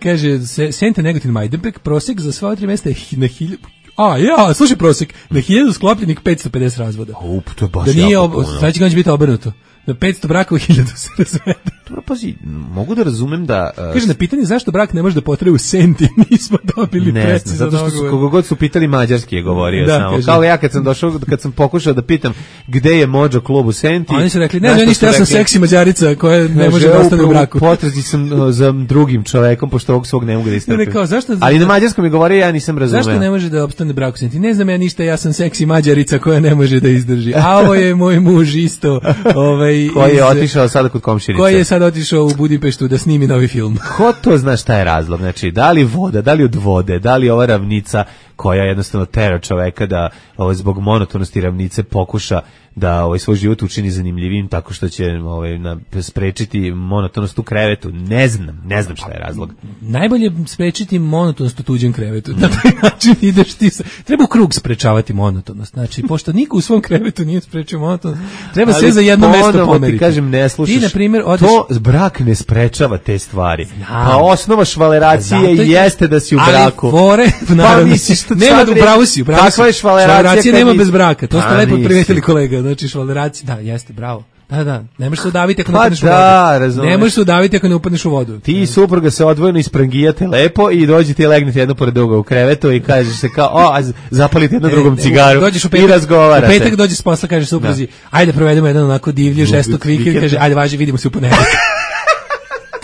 kaže, Senta Negotin Majdanpek, prosjek za sva tri mjesta je na hiljadu... A, ja, slušaj prosjek, na hiljadu sklopljenih petsto pedeset razvoda. Up, to je baš da nije jako ob... puno. Sad će biti obrnuto. Na petsto braka u hiljadu se razvede. Dobro, pazi, mogu da razumem da... Uh, kaže, na pitanje zašto brak ne može da potraje u Senti, nismo dobili ne precizan znam, zato što su, kogo god su pitali mađarski je govorio da, samo. Kaže. Kao ja kad sam došao, kad sam pokušao da pitam gde je Mođo klub u Senti... Oni su rekli, ne znam ništa, ja sam seksi mađarica koja ne može da ostane u braku. Potrazi sam uh, za drugim čovekom, pošto ovog svog ne mogu da istrpim. Ne, kao, zašto, ali na mađarskom je govorio, ja nisam razumeo. Zašto ne može da opstane brak u Senti? Ne znam ja ništa, ja sam seksi mađarica koja ne može da izdrži. A ovo je moj muž isto. Ovaj, koji je otišao sada kod komšinice. Koji je sad otišao u Budimpeštu da snimi novi film. Ko to zna šta je razlog? Znači, da li voda, da li od vode, da li ova ravnica koja jednostavno tera čoveka da ovaj, zbog monotonosti ravnice pokuša da ovaj svoj život učini zanimljivim tako što će ovaj na sprečiti monotonost u krevetu. Ne znam, ne znam šta je razlog. Najbolje sprečiti monotonost u tuđem krevetu. Na taj način ideš ti sa... Treba u krug sprečavati monotonost. Znači, pošto niko u svom krevetu nije sprečio monotonost, treba sve za jedno mesto pomeriti. Ti kažem, ne slušaš. Ti, na primjer, odeš... To brak ne sprečava te stvari. Znam. Pa osnova švaleracije je... jeste da si u braku. Ali fore, naravno, pa, nema u bravu si, u bravu si. Takva je švaleracija. Švaleracija nema bez braka. To ste lepo primijetili, kolega. Znači, švaleracija, da, jeste, bravo. Da, da, ne možeš se udaviti ako ne upadneš da, u vodu. Razumeš. Ne možeš se udaviti ako ne upadneš u vodu. Ti i supruga se odvojeno isprangijate lepo i dođete i legnete jedno pored druga u krevetu i kažeš se kao, o, a zapalite jedno drugom cigaru dođeš u petak, i razgovarate. U petak dođeš s posla, kažeš supruzi, da. Ajde provedemo jedan onako divlji, žestok vikend, kaže, ajde važi, vidimo se u ponedeljak.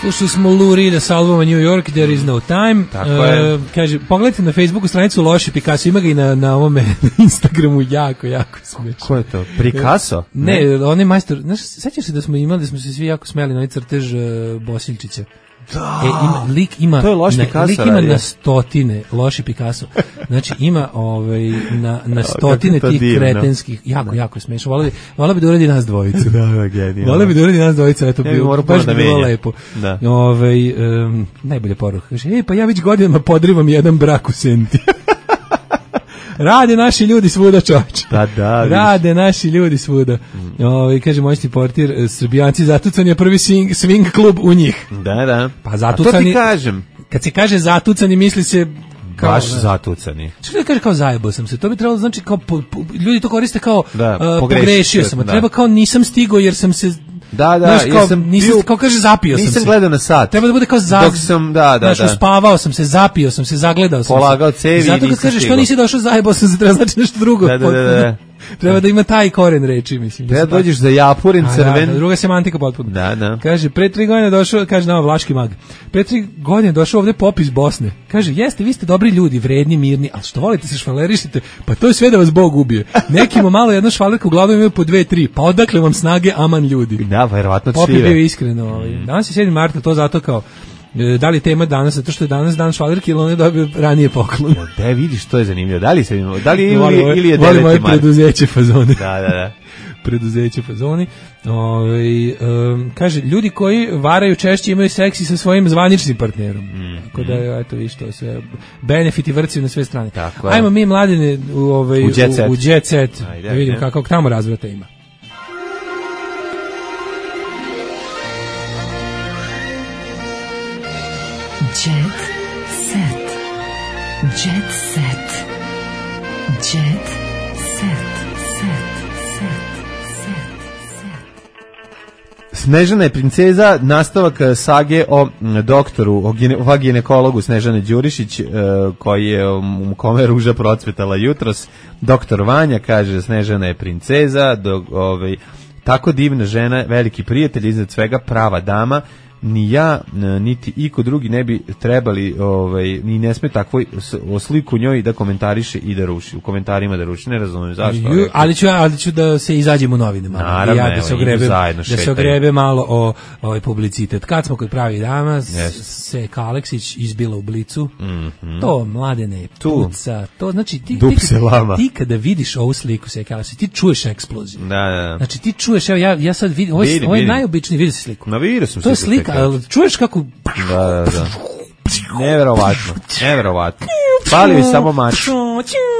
Slušali smo Lou Reeda s albuma New York, There is no time. Tako je. Uh, kaže, pogledajte na Facebooku stranicu Loši Picasso, ima ga i na, na ovome Instagramu, jako, jako smiješno. Ko je to? Picasso? Ne, ne on je majstor. Znaš, sećaš se da smo imali, da smo se svi jako smeli na ovaj crtež uh, Bosiljčića? Da. E, ima, lik ima, to je loš na, Picasso lik ima radio. na stotine, loši Picasso, znači ima ovaj, na, na stotine to tih divno. kretenskih, jako, jako je smešno, volio bi, volio bi da uradi nas dvojicu. Da, da, genijalno. Volio bi da uradi nas dvojicu, eto, Ja bi bio, morao baš da bi bilo menja. lepo. Da. Ovaj, um, najbolje poruka, kaže, ej, pa ja već godinama podrivam jedan brak u Senti. Rade naši ljudi svuda, čovječe. Da, da. Rade naši ljudi svuda. Mm. Ovaj kaže moćni portir, Srbijanci zatucan je prvi swing, swing klub u njih. Da, da. Pa zatucani. A to ti kažem. Kad se kaže zatucani misli se kao, baš zatucani. Što da kaže kao zajebao sam se? To bi trebalo znači kao po, po, ljudi to koriste kao da, uh, pogrešio, pogrešio sam. Da. Treba kao nisam stigao jer sam se Da, da, znaš, kao, ja sam nisam, bio, kao kaže zapio sam se. Nisam gledao na sat. Treba da bude kao za, dok sam, da, da, znaš, da. uspavao sam se, zapio sam se, zagledao sam polagao se. cevi i zato kad kažeš što nisi došao zajebao sam se, treba znači nešto drugo. Da, da, da, da. Treba da ima taj koren reči, mislim. Treba da dođeš za japurin crven. Da, da, druga semantika potpuno. Da, da. Kaže, pre tri godine došao, kaže nama Vlaški mag, pre tri godine došao ovde pop iz Bosne. Kaže, jeste, vi ste dobri ljudi, vredni, mirni, ali što volite se švalerišite, pa to je sve da vas Bog ubije. Nekima malo jedna švalerka u glavu imaju po dve, tri, pa odakle vam snage, aman ljudi. Da, verovatno Pop je cvive. bio iskreno. Ovaj. Danas je sedmi marta, to zato kao, da li je tema danas, zato što je danas dan švalerke ili on je dobio ranije poklon. Da, vidiš, to je zanimljivo. Da li se da li je ili, Volim, ili je volim deveti moje mart? preduzeće fazone. Da, da, da. Preduzeće fazoni. Ovaj um, kaže, ljudi koji varaju češće imaju seksi sa svojim zvaničnim partnerom. Mm, Tako da, mm. eto, vi što sve benefiti vrci na sve strane. Tako je. Ajmo mi mladine u, ovaj, u jet set. U, u jet set. Ajde, da vidim ajde. kakvog tamo razvrata ima. Jet set. Jet set. Jet set. Set. Set. Snežana je princeza, nastavak sage o doktoru, o, gine, o ginekologu Snežane Đurišić, e, koji je, u kome je ruža procvetala jutros. Doktor Vanja kaže, Snežana je princeza, do, ovaj, tako divna žena, veliki prijatelj, iznad svega prava dama. Ni ja, niti iko drugi ne bi trebali, ovaj, ni ne sme takvoj o sliku njoj da komentariše i da ruši. U komentarima da ruši, ne razumijem zašto. Ju, ali, ću, ali ću da se izađem u novine malo. Naravno, ja, da se evo, ogrebe, zajedno da se šetaju. ogrebe malo o ovaj publicitet. Kad smo kod pravi dama, Yes. se Aleksić izbila u Blicu. Mm-hmm. To, mladene, Tu. puca. To, znači, ti, Dup ti, se lama. ti kada vidiš ovu sliku se Aleksić, ti čuješ eksploziju. Da, da, da. Znači, ti čuješ, evo, ja, ja sad vidim, ovo je, Vidim, ovo je vidim. najobičniji, vidi se sliku. Na vidio sam To je sliku slika, te ali čuješ kako... Da, da, da. Neverovatno, neverovatno. Pali mi samo mač.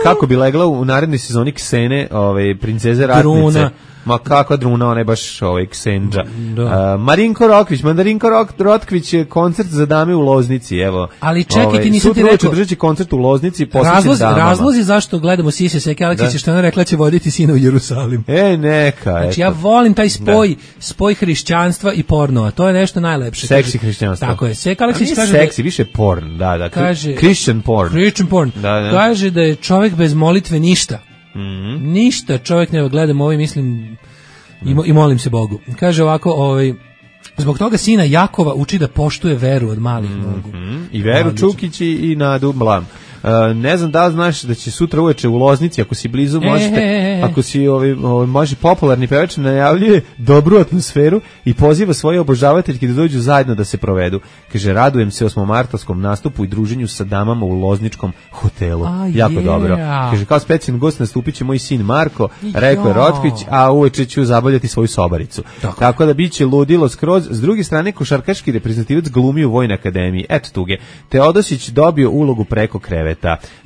Kako bi legla u narednoj sezoni Ksene, ovaj, princeze ratnice. Druna. Ma kakva druna, ona je baš ovaj, Ksenđa. Da. Uh, Marinko Rokvić, Mandarinko Rok, Rotkvić je koncert za dame u Loznici, evo. Ali čekaj, ti nisam ti sutra rekao- održat će koncert u Loznici, posvećen Razlozi, damama. razlozi zašto gledamo Sise Seke Aleksića, Da. što je ona rekla će voditi sina u Jerusalim. E, neka, Znači eto. ja volim taj spoj, spoj hrišćanstva i pornova. To je nešto najlepše. Seksi Kaže- hrišćanstvo. Tako je. Seka A Aleksić nije kaže seksi, više porn, da, da. Kaže- Christian porn. Christian porn. Da, da. Kaže da je čovjek bez molitve ništa. Mhm. Ništa čovjek ne gledam ovo i mislim i, mo- i molim se Bogu. Kaže ovako, ovaj zbog toga sina Jakova uči da poštuje veru od malih nogu. Mm, I Veru Odlično. Čukić i, i Nadu Blam. Uh, ne znam da li znaš da će sutra uveče u Loznici, ako si blizu, možete, E, e, e. ako si ovaj, ovaj, može popularni pevač, najavljuje dobru atmosferu i poziva svoje obožavateljke da dođu zajedno da se provedu. Kaže, radujem se osmomartovskom nastupu i druženju sa damama u Lozničkom hotelu. A, jako yeah. dobro. Kaže, kao specijalni gost nastupit će moj sin Marko, rekao je Rotkvić, a uveče ću zabavljati svoju sobaricu. Tako. Tako da biće ludilo skroz. S druge strane, košarkaški reprezentativac glumi u Vojnoj akademiji. Eto tuge. Teodosić dobio ulogu preko kreveta.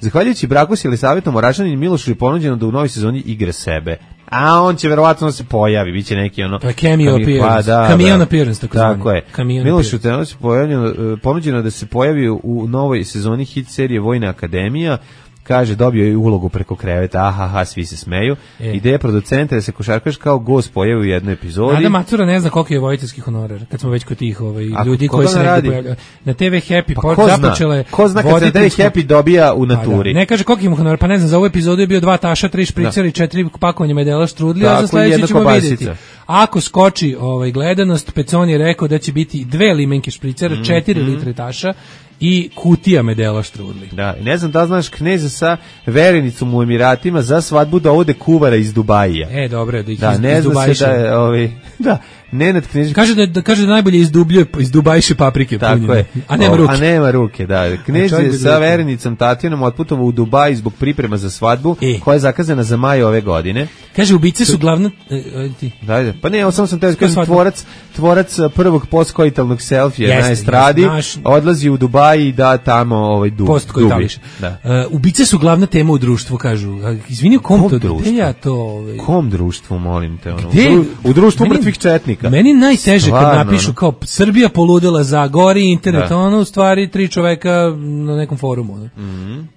Zahvaljujući braku s Jelisavetom Orašanin, Milošu je ponuđeno da u novoj sezoni igra sebe. A on će verovatno da se pojavi, biće neki ono... To je cameo kami- appearance. Pa, da, Camion da. appearance, tako Tako zvani. je. Camion Milošu Teodosić je ponuđeno da se pojavi u novoj sezoni hit serije Vojna akademija. Kaže, dobio je ulogu preko kreveta, ahaha, svi se smeju. E. Ideja producenta je da se košarkaš kao gost pojavi u jednoj epizodi. Nada Macura ne zna koliko je vojiteljski honorar, kad smo već kod tih ovaj, A ljudi koga koji se negdje radi? pojavljaju. Na te ve Happy Pa Port ko zna? započela je Ko zna kad se na te ve voditeljsku- Happy dobija u Pa naturi? da. Ne kaže koliko ima honorar, pa ne znam, za ovu epizodu je bio dva taša, tri špricera i četiri pakovanja medela štrudli, a Tako, za i sledeći jedna ćemo kobasica. vidjeti. Ako skoči ovaj, gledanost, Pecon je rekao da će biti dve limenke špricera, Mhm. četiri litre taša i kutija medela štrudli. Da, ne znam da znaš, kneza sa verenicom u Emiratima za svadbu dovode kuvara iz Dubajija. E, dobro, da ih da, iz, ne iz zna se da je, ovi, da, Nenad Knežević. Kaže da, da, kaže da najbolje izdubljuje, izdubajše paprike punjene. Je. A nema ruke. A nema ruke, da. Knez je sa verenicom Tatjanom otputovao u Dubaj zbog priprema za svadbu, e. koja je zakazana za maj ove godine. Kaže, ubice su glavna... E, ti. Da, pa ne, samo sam te kažem, tvorac, tvorac prvog postkoitalnog selfija na estradi naš... odlazi u Dubaj i da tamo ovaj dub, dubi. Da. Uh, ubice su glavna tema u društvu, kažu. Izvini, kom, kom to društvu? Ja to, ovaj... Kom društvu, molim te? Ono? Gde? U, u društvu meni, mrtvih četnika. Meni najteže Stvarno, kad napišu kao Srbija poludela za gori internet, da. Ono u stvari tri čoveka na nekom forumu. Ne? Mm-hmm.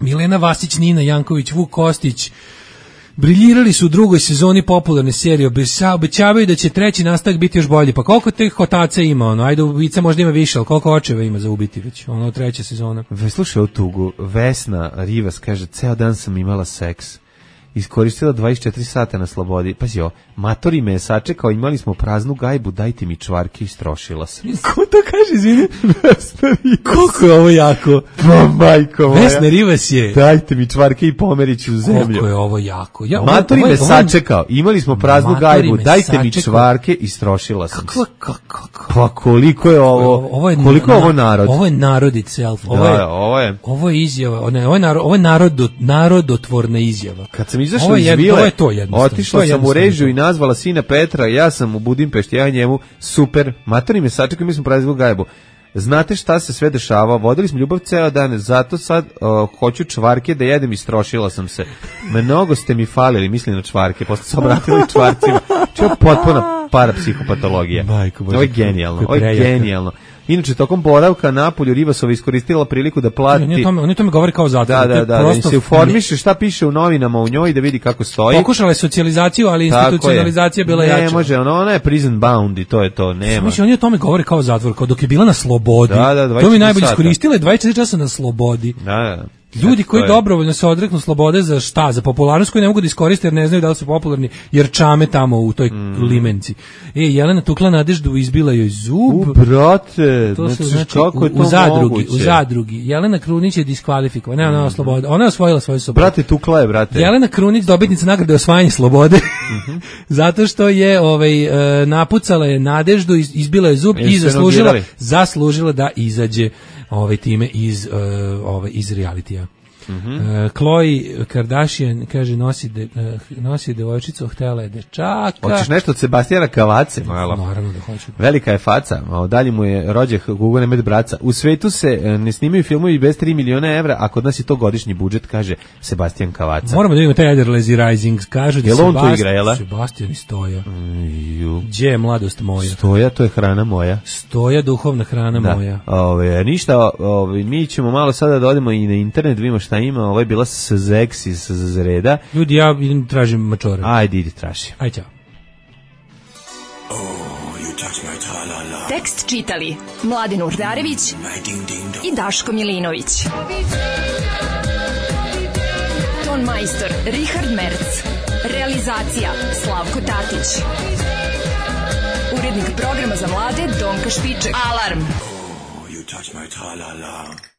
Milena Vasić, Nina Janković, Vuk Kostić, briljirali su u drugoj sezoni popularne serije, obećavaju da će treći nastavak biti još bolji. Pa koliko teh hotaca ima, ono, ajde ubica možda ima više, ali koliko očeva ima za ubiti već, ono, treća sezona. Slušaj o tugu, Vesna Rivas kaže, ceo dan sam imala seks. Iskoristila dvadeset četiri sata na slobodi. Pazi ovo, matori me je sačekao, imali smo praznu gajbu, dajte mi čvarke, istrošila sam. Ko to kaže, izvini? Vesna Rivas. Koliko je ovo jako? Pa, majko moja. Vesna Rivas je. Dajte mi čvarke i pomeriću u zemlju. Koliko je ovo jako? Ja, matori me sačekao, imali smo praznu gajbu, dajte mi čvarke, istrošila sam. Kako, kako, kako? Pa koliko je ovo, ovo je, koliko je ovo narod? Ovo je narod itself. Ovo da, je, ovo je. Ovo je izjava, ne, ovo je, narod, ovo je narod, narodotvorna izjava. Kad sam izašao iz vile, otišla sam u režiju i nazvala sina Petra, ja sam u Budimpešti, ja njemu, super, matori me sačekao, mi smo praznu gajbu. Znate šta se sve dešava, vodili smo ljubav ceo dan, zato sad uh, hoću čvarke da jedem, istrošila sam se. Mnogo ste mi falili, mislim na čvarke, posle se obratili čvarcima. Čeo potpuna parapsihopatologija. Ovo je genijalno, ovo je genijalno. Inače, tokom boravka na polju Rivasova iskoristila priliku da plati... Oni tome, oni tome govori kao zatvor. Da, da, da, da se uformiše šta piše u novinama u njoj da vidi kako stoji. Pokušala je socijalizaciju, ali institucionalizacija je bila jača. Ne može, ona, ona je prison bound i to je to, nema. Mislim, oni o tome govori kao zatvor, kao dok je bila na slobodi. Da, da, to mi najbolje iskoristila je dvadeset četiri časa na slobodi. Da, da. Ljudi koji dobrovoljno se odreknu slobode za šta? Za popularnost koju ne mogu da iskoriste jer ne znaju da li su popularni, jer čame tamo u toj mm. limenci. E, Jelena tukla Nadeždu, izbila joj zub. U, brate, to su, znači, kako je to u, u zadrugi, moguće? U zadrugi. Jelena Krunić je diskvalifikovana, ne, ona je slobode. Ona je osvojila svoju slobodu. Brate, tukla je, brate. Jelena Krunić, dobitnica nagrade osvajanje slobode, mm-hmm. zato što je ovaj, e, napucala je Nadeždu, izbila je zub i, i zaslužila, zaslužila da izađe ovaj time iz uh, ovaj iz realitija. Mm-hmm. Uh, Khloe Kardashian kaže nosi de, uh, nosi devojčicu, htela je dečaka. Hoćeš nešto od Sebastijana Kavace malo? Naravno da hoću. Velika je faca, a dalje mu je rođak Gugo Nemet braca. U svetu se uh, ne snimaju filmovi bez tri miliona evra, a kod nas je to godišnji budžet, kaže Sebastijan Kavaca. Moramo da vidimo taj Eder Lazy Rising, kaže da Sebastian Sebastijan i Stoja. Mm, Gdje je mladost moja? Stoja, to je hrana moja. Stoja, duhovna hrana da. moja. Ove, ništa, ove, mi ćemo malo sada da odemo i na internet, vidimo šta ima. Ovo je bila Seksi s Zreda. Ljudi, ja idem tražim mačore. Ajde, idi traži. Ajde, ćao. Oh, tekst čitali Mladen Urdarević i Daško Milinović. Ton majstor Richard Merc. Realizacija Slavko Tatić. Urednik programa za mlade Donka Špiček. Alarm! Oh, you touch my tra-la-la.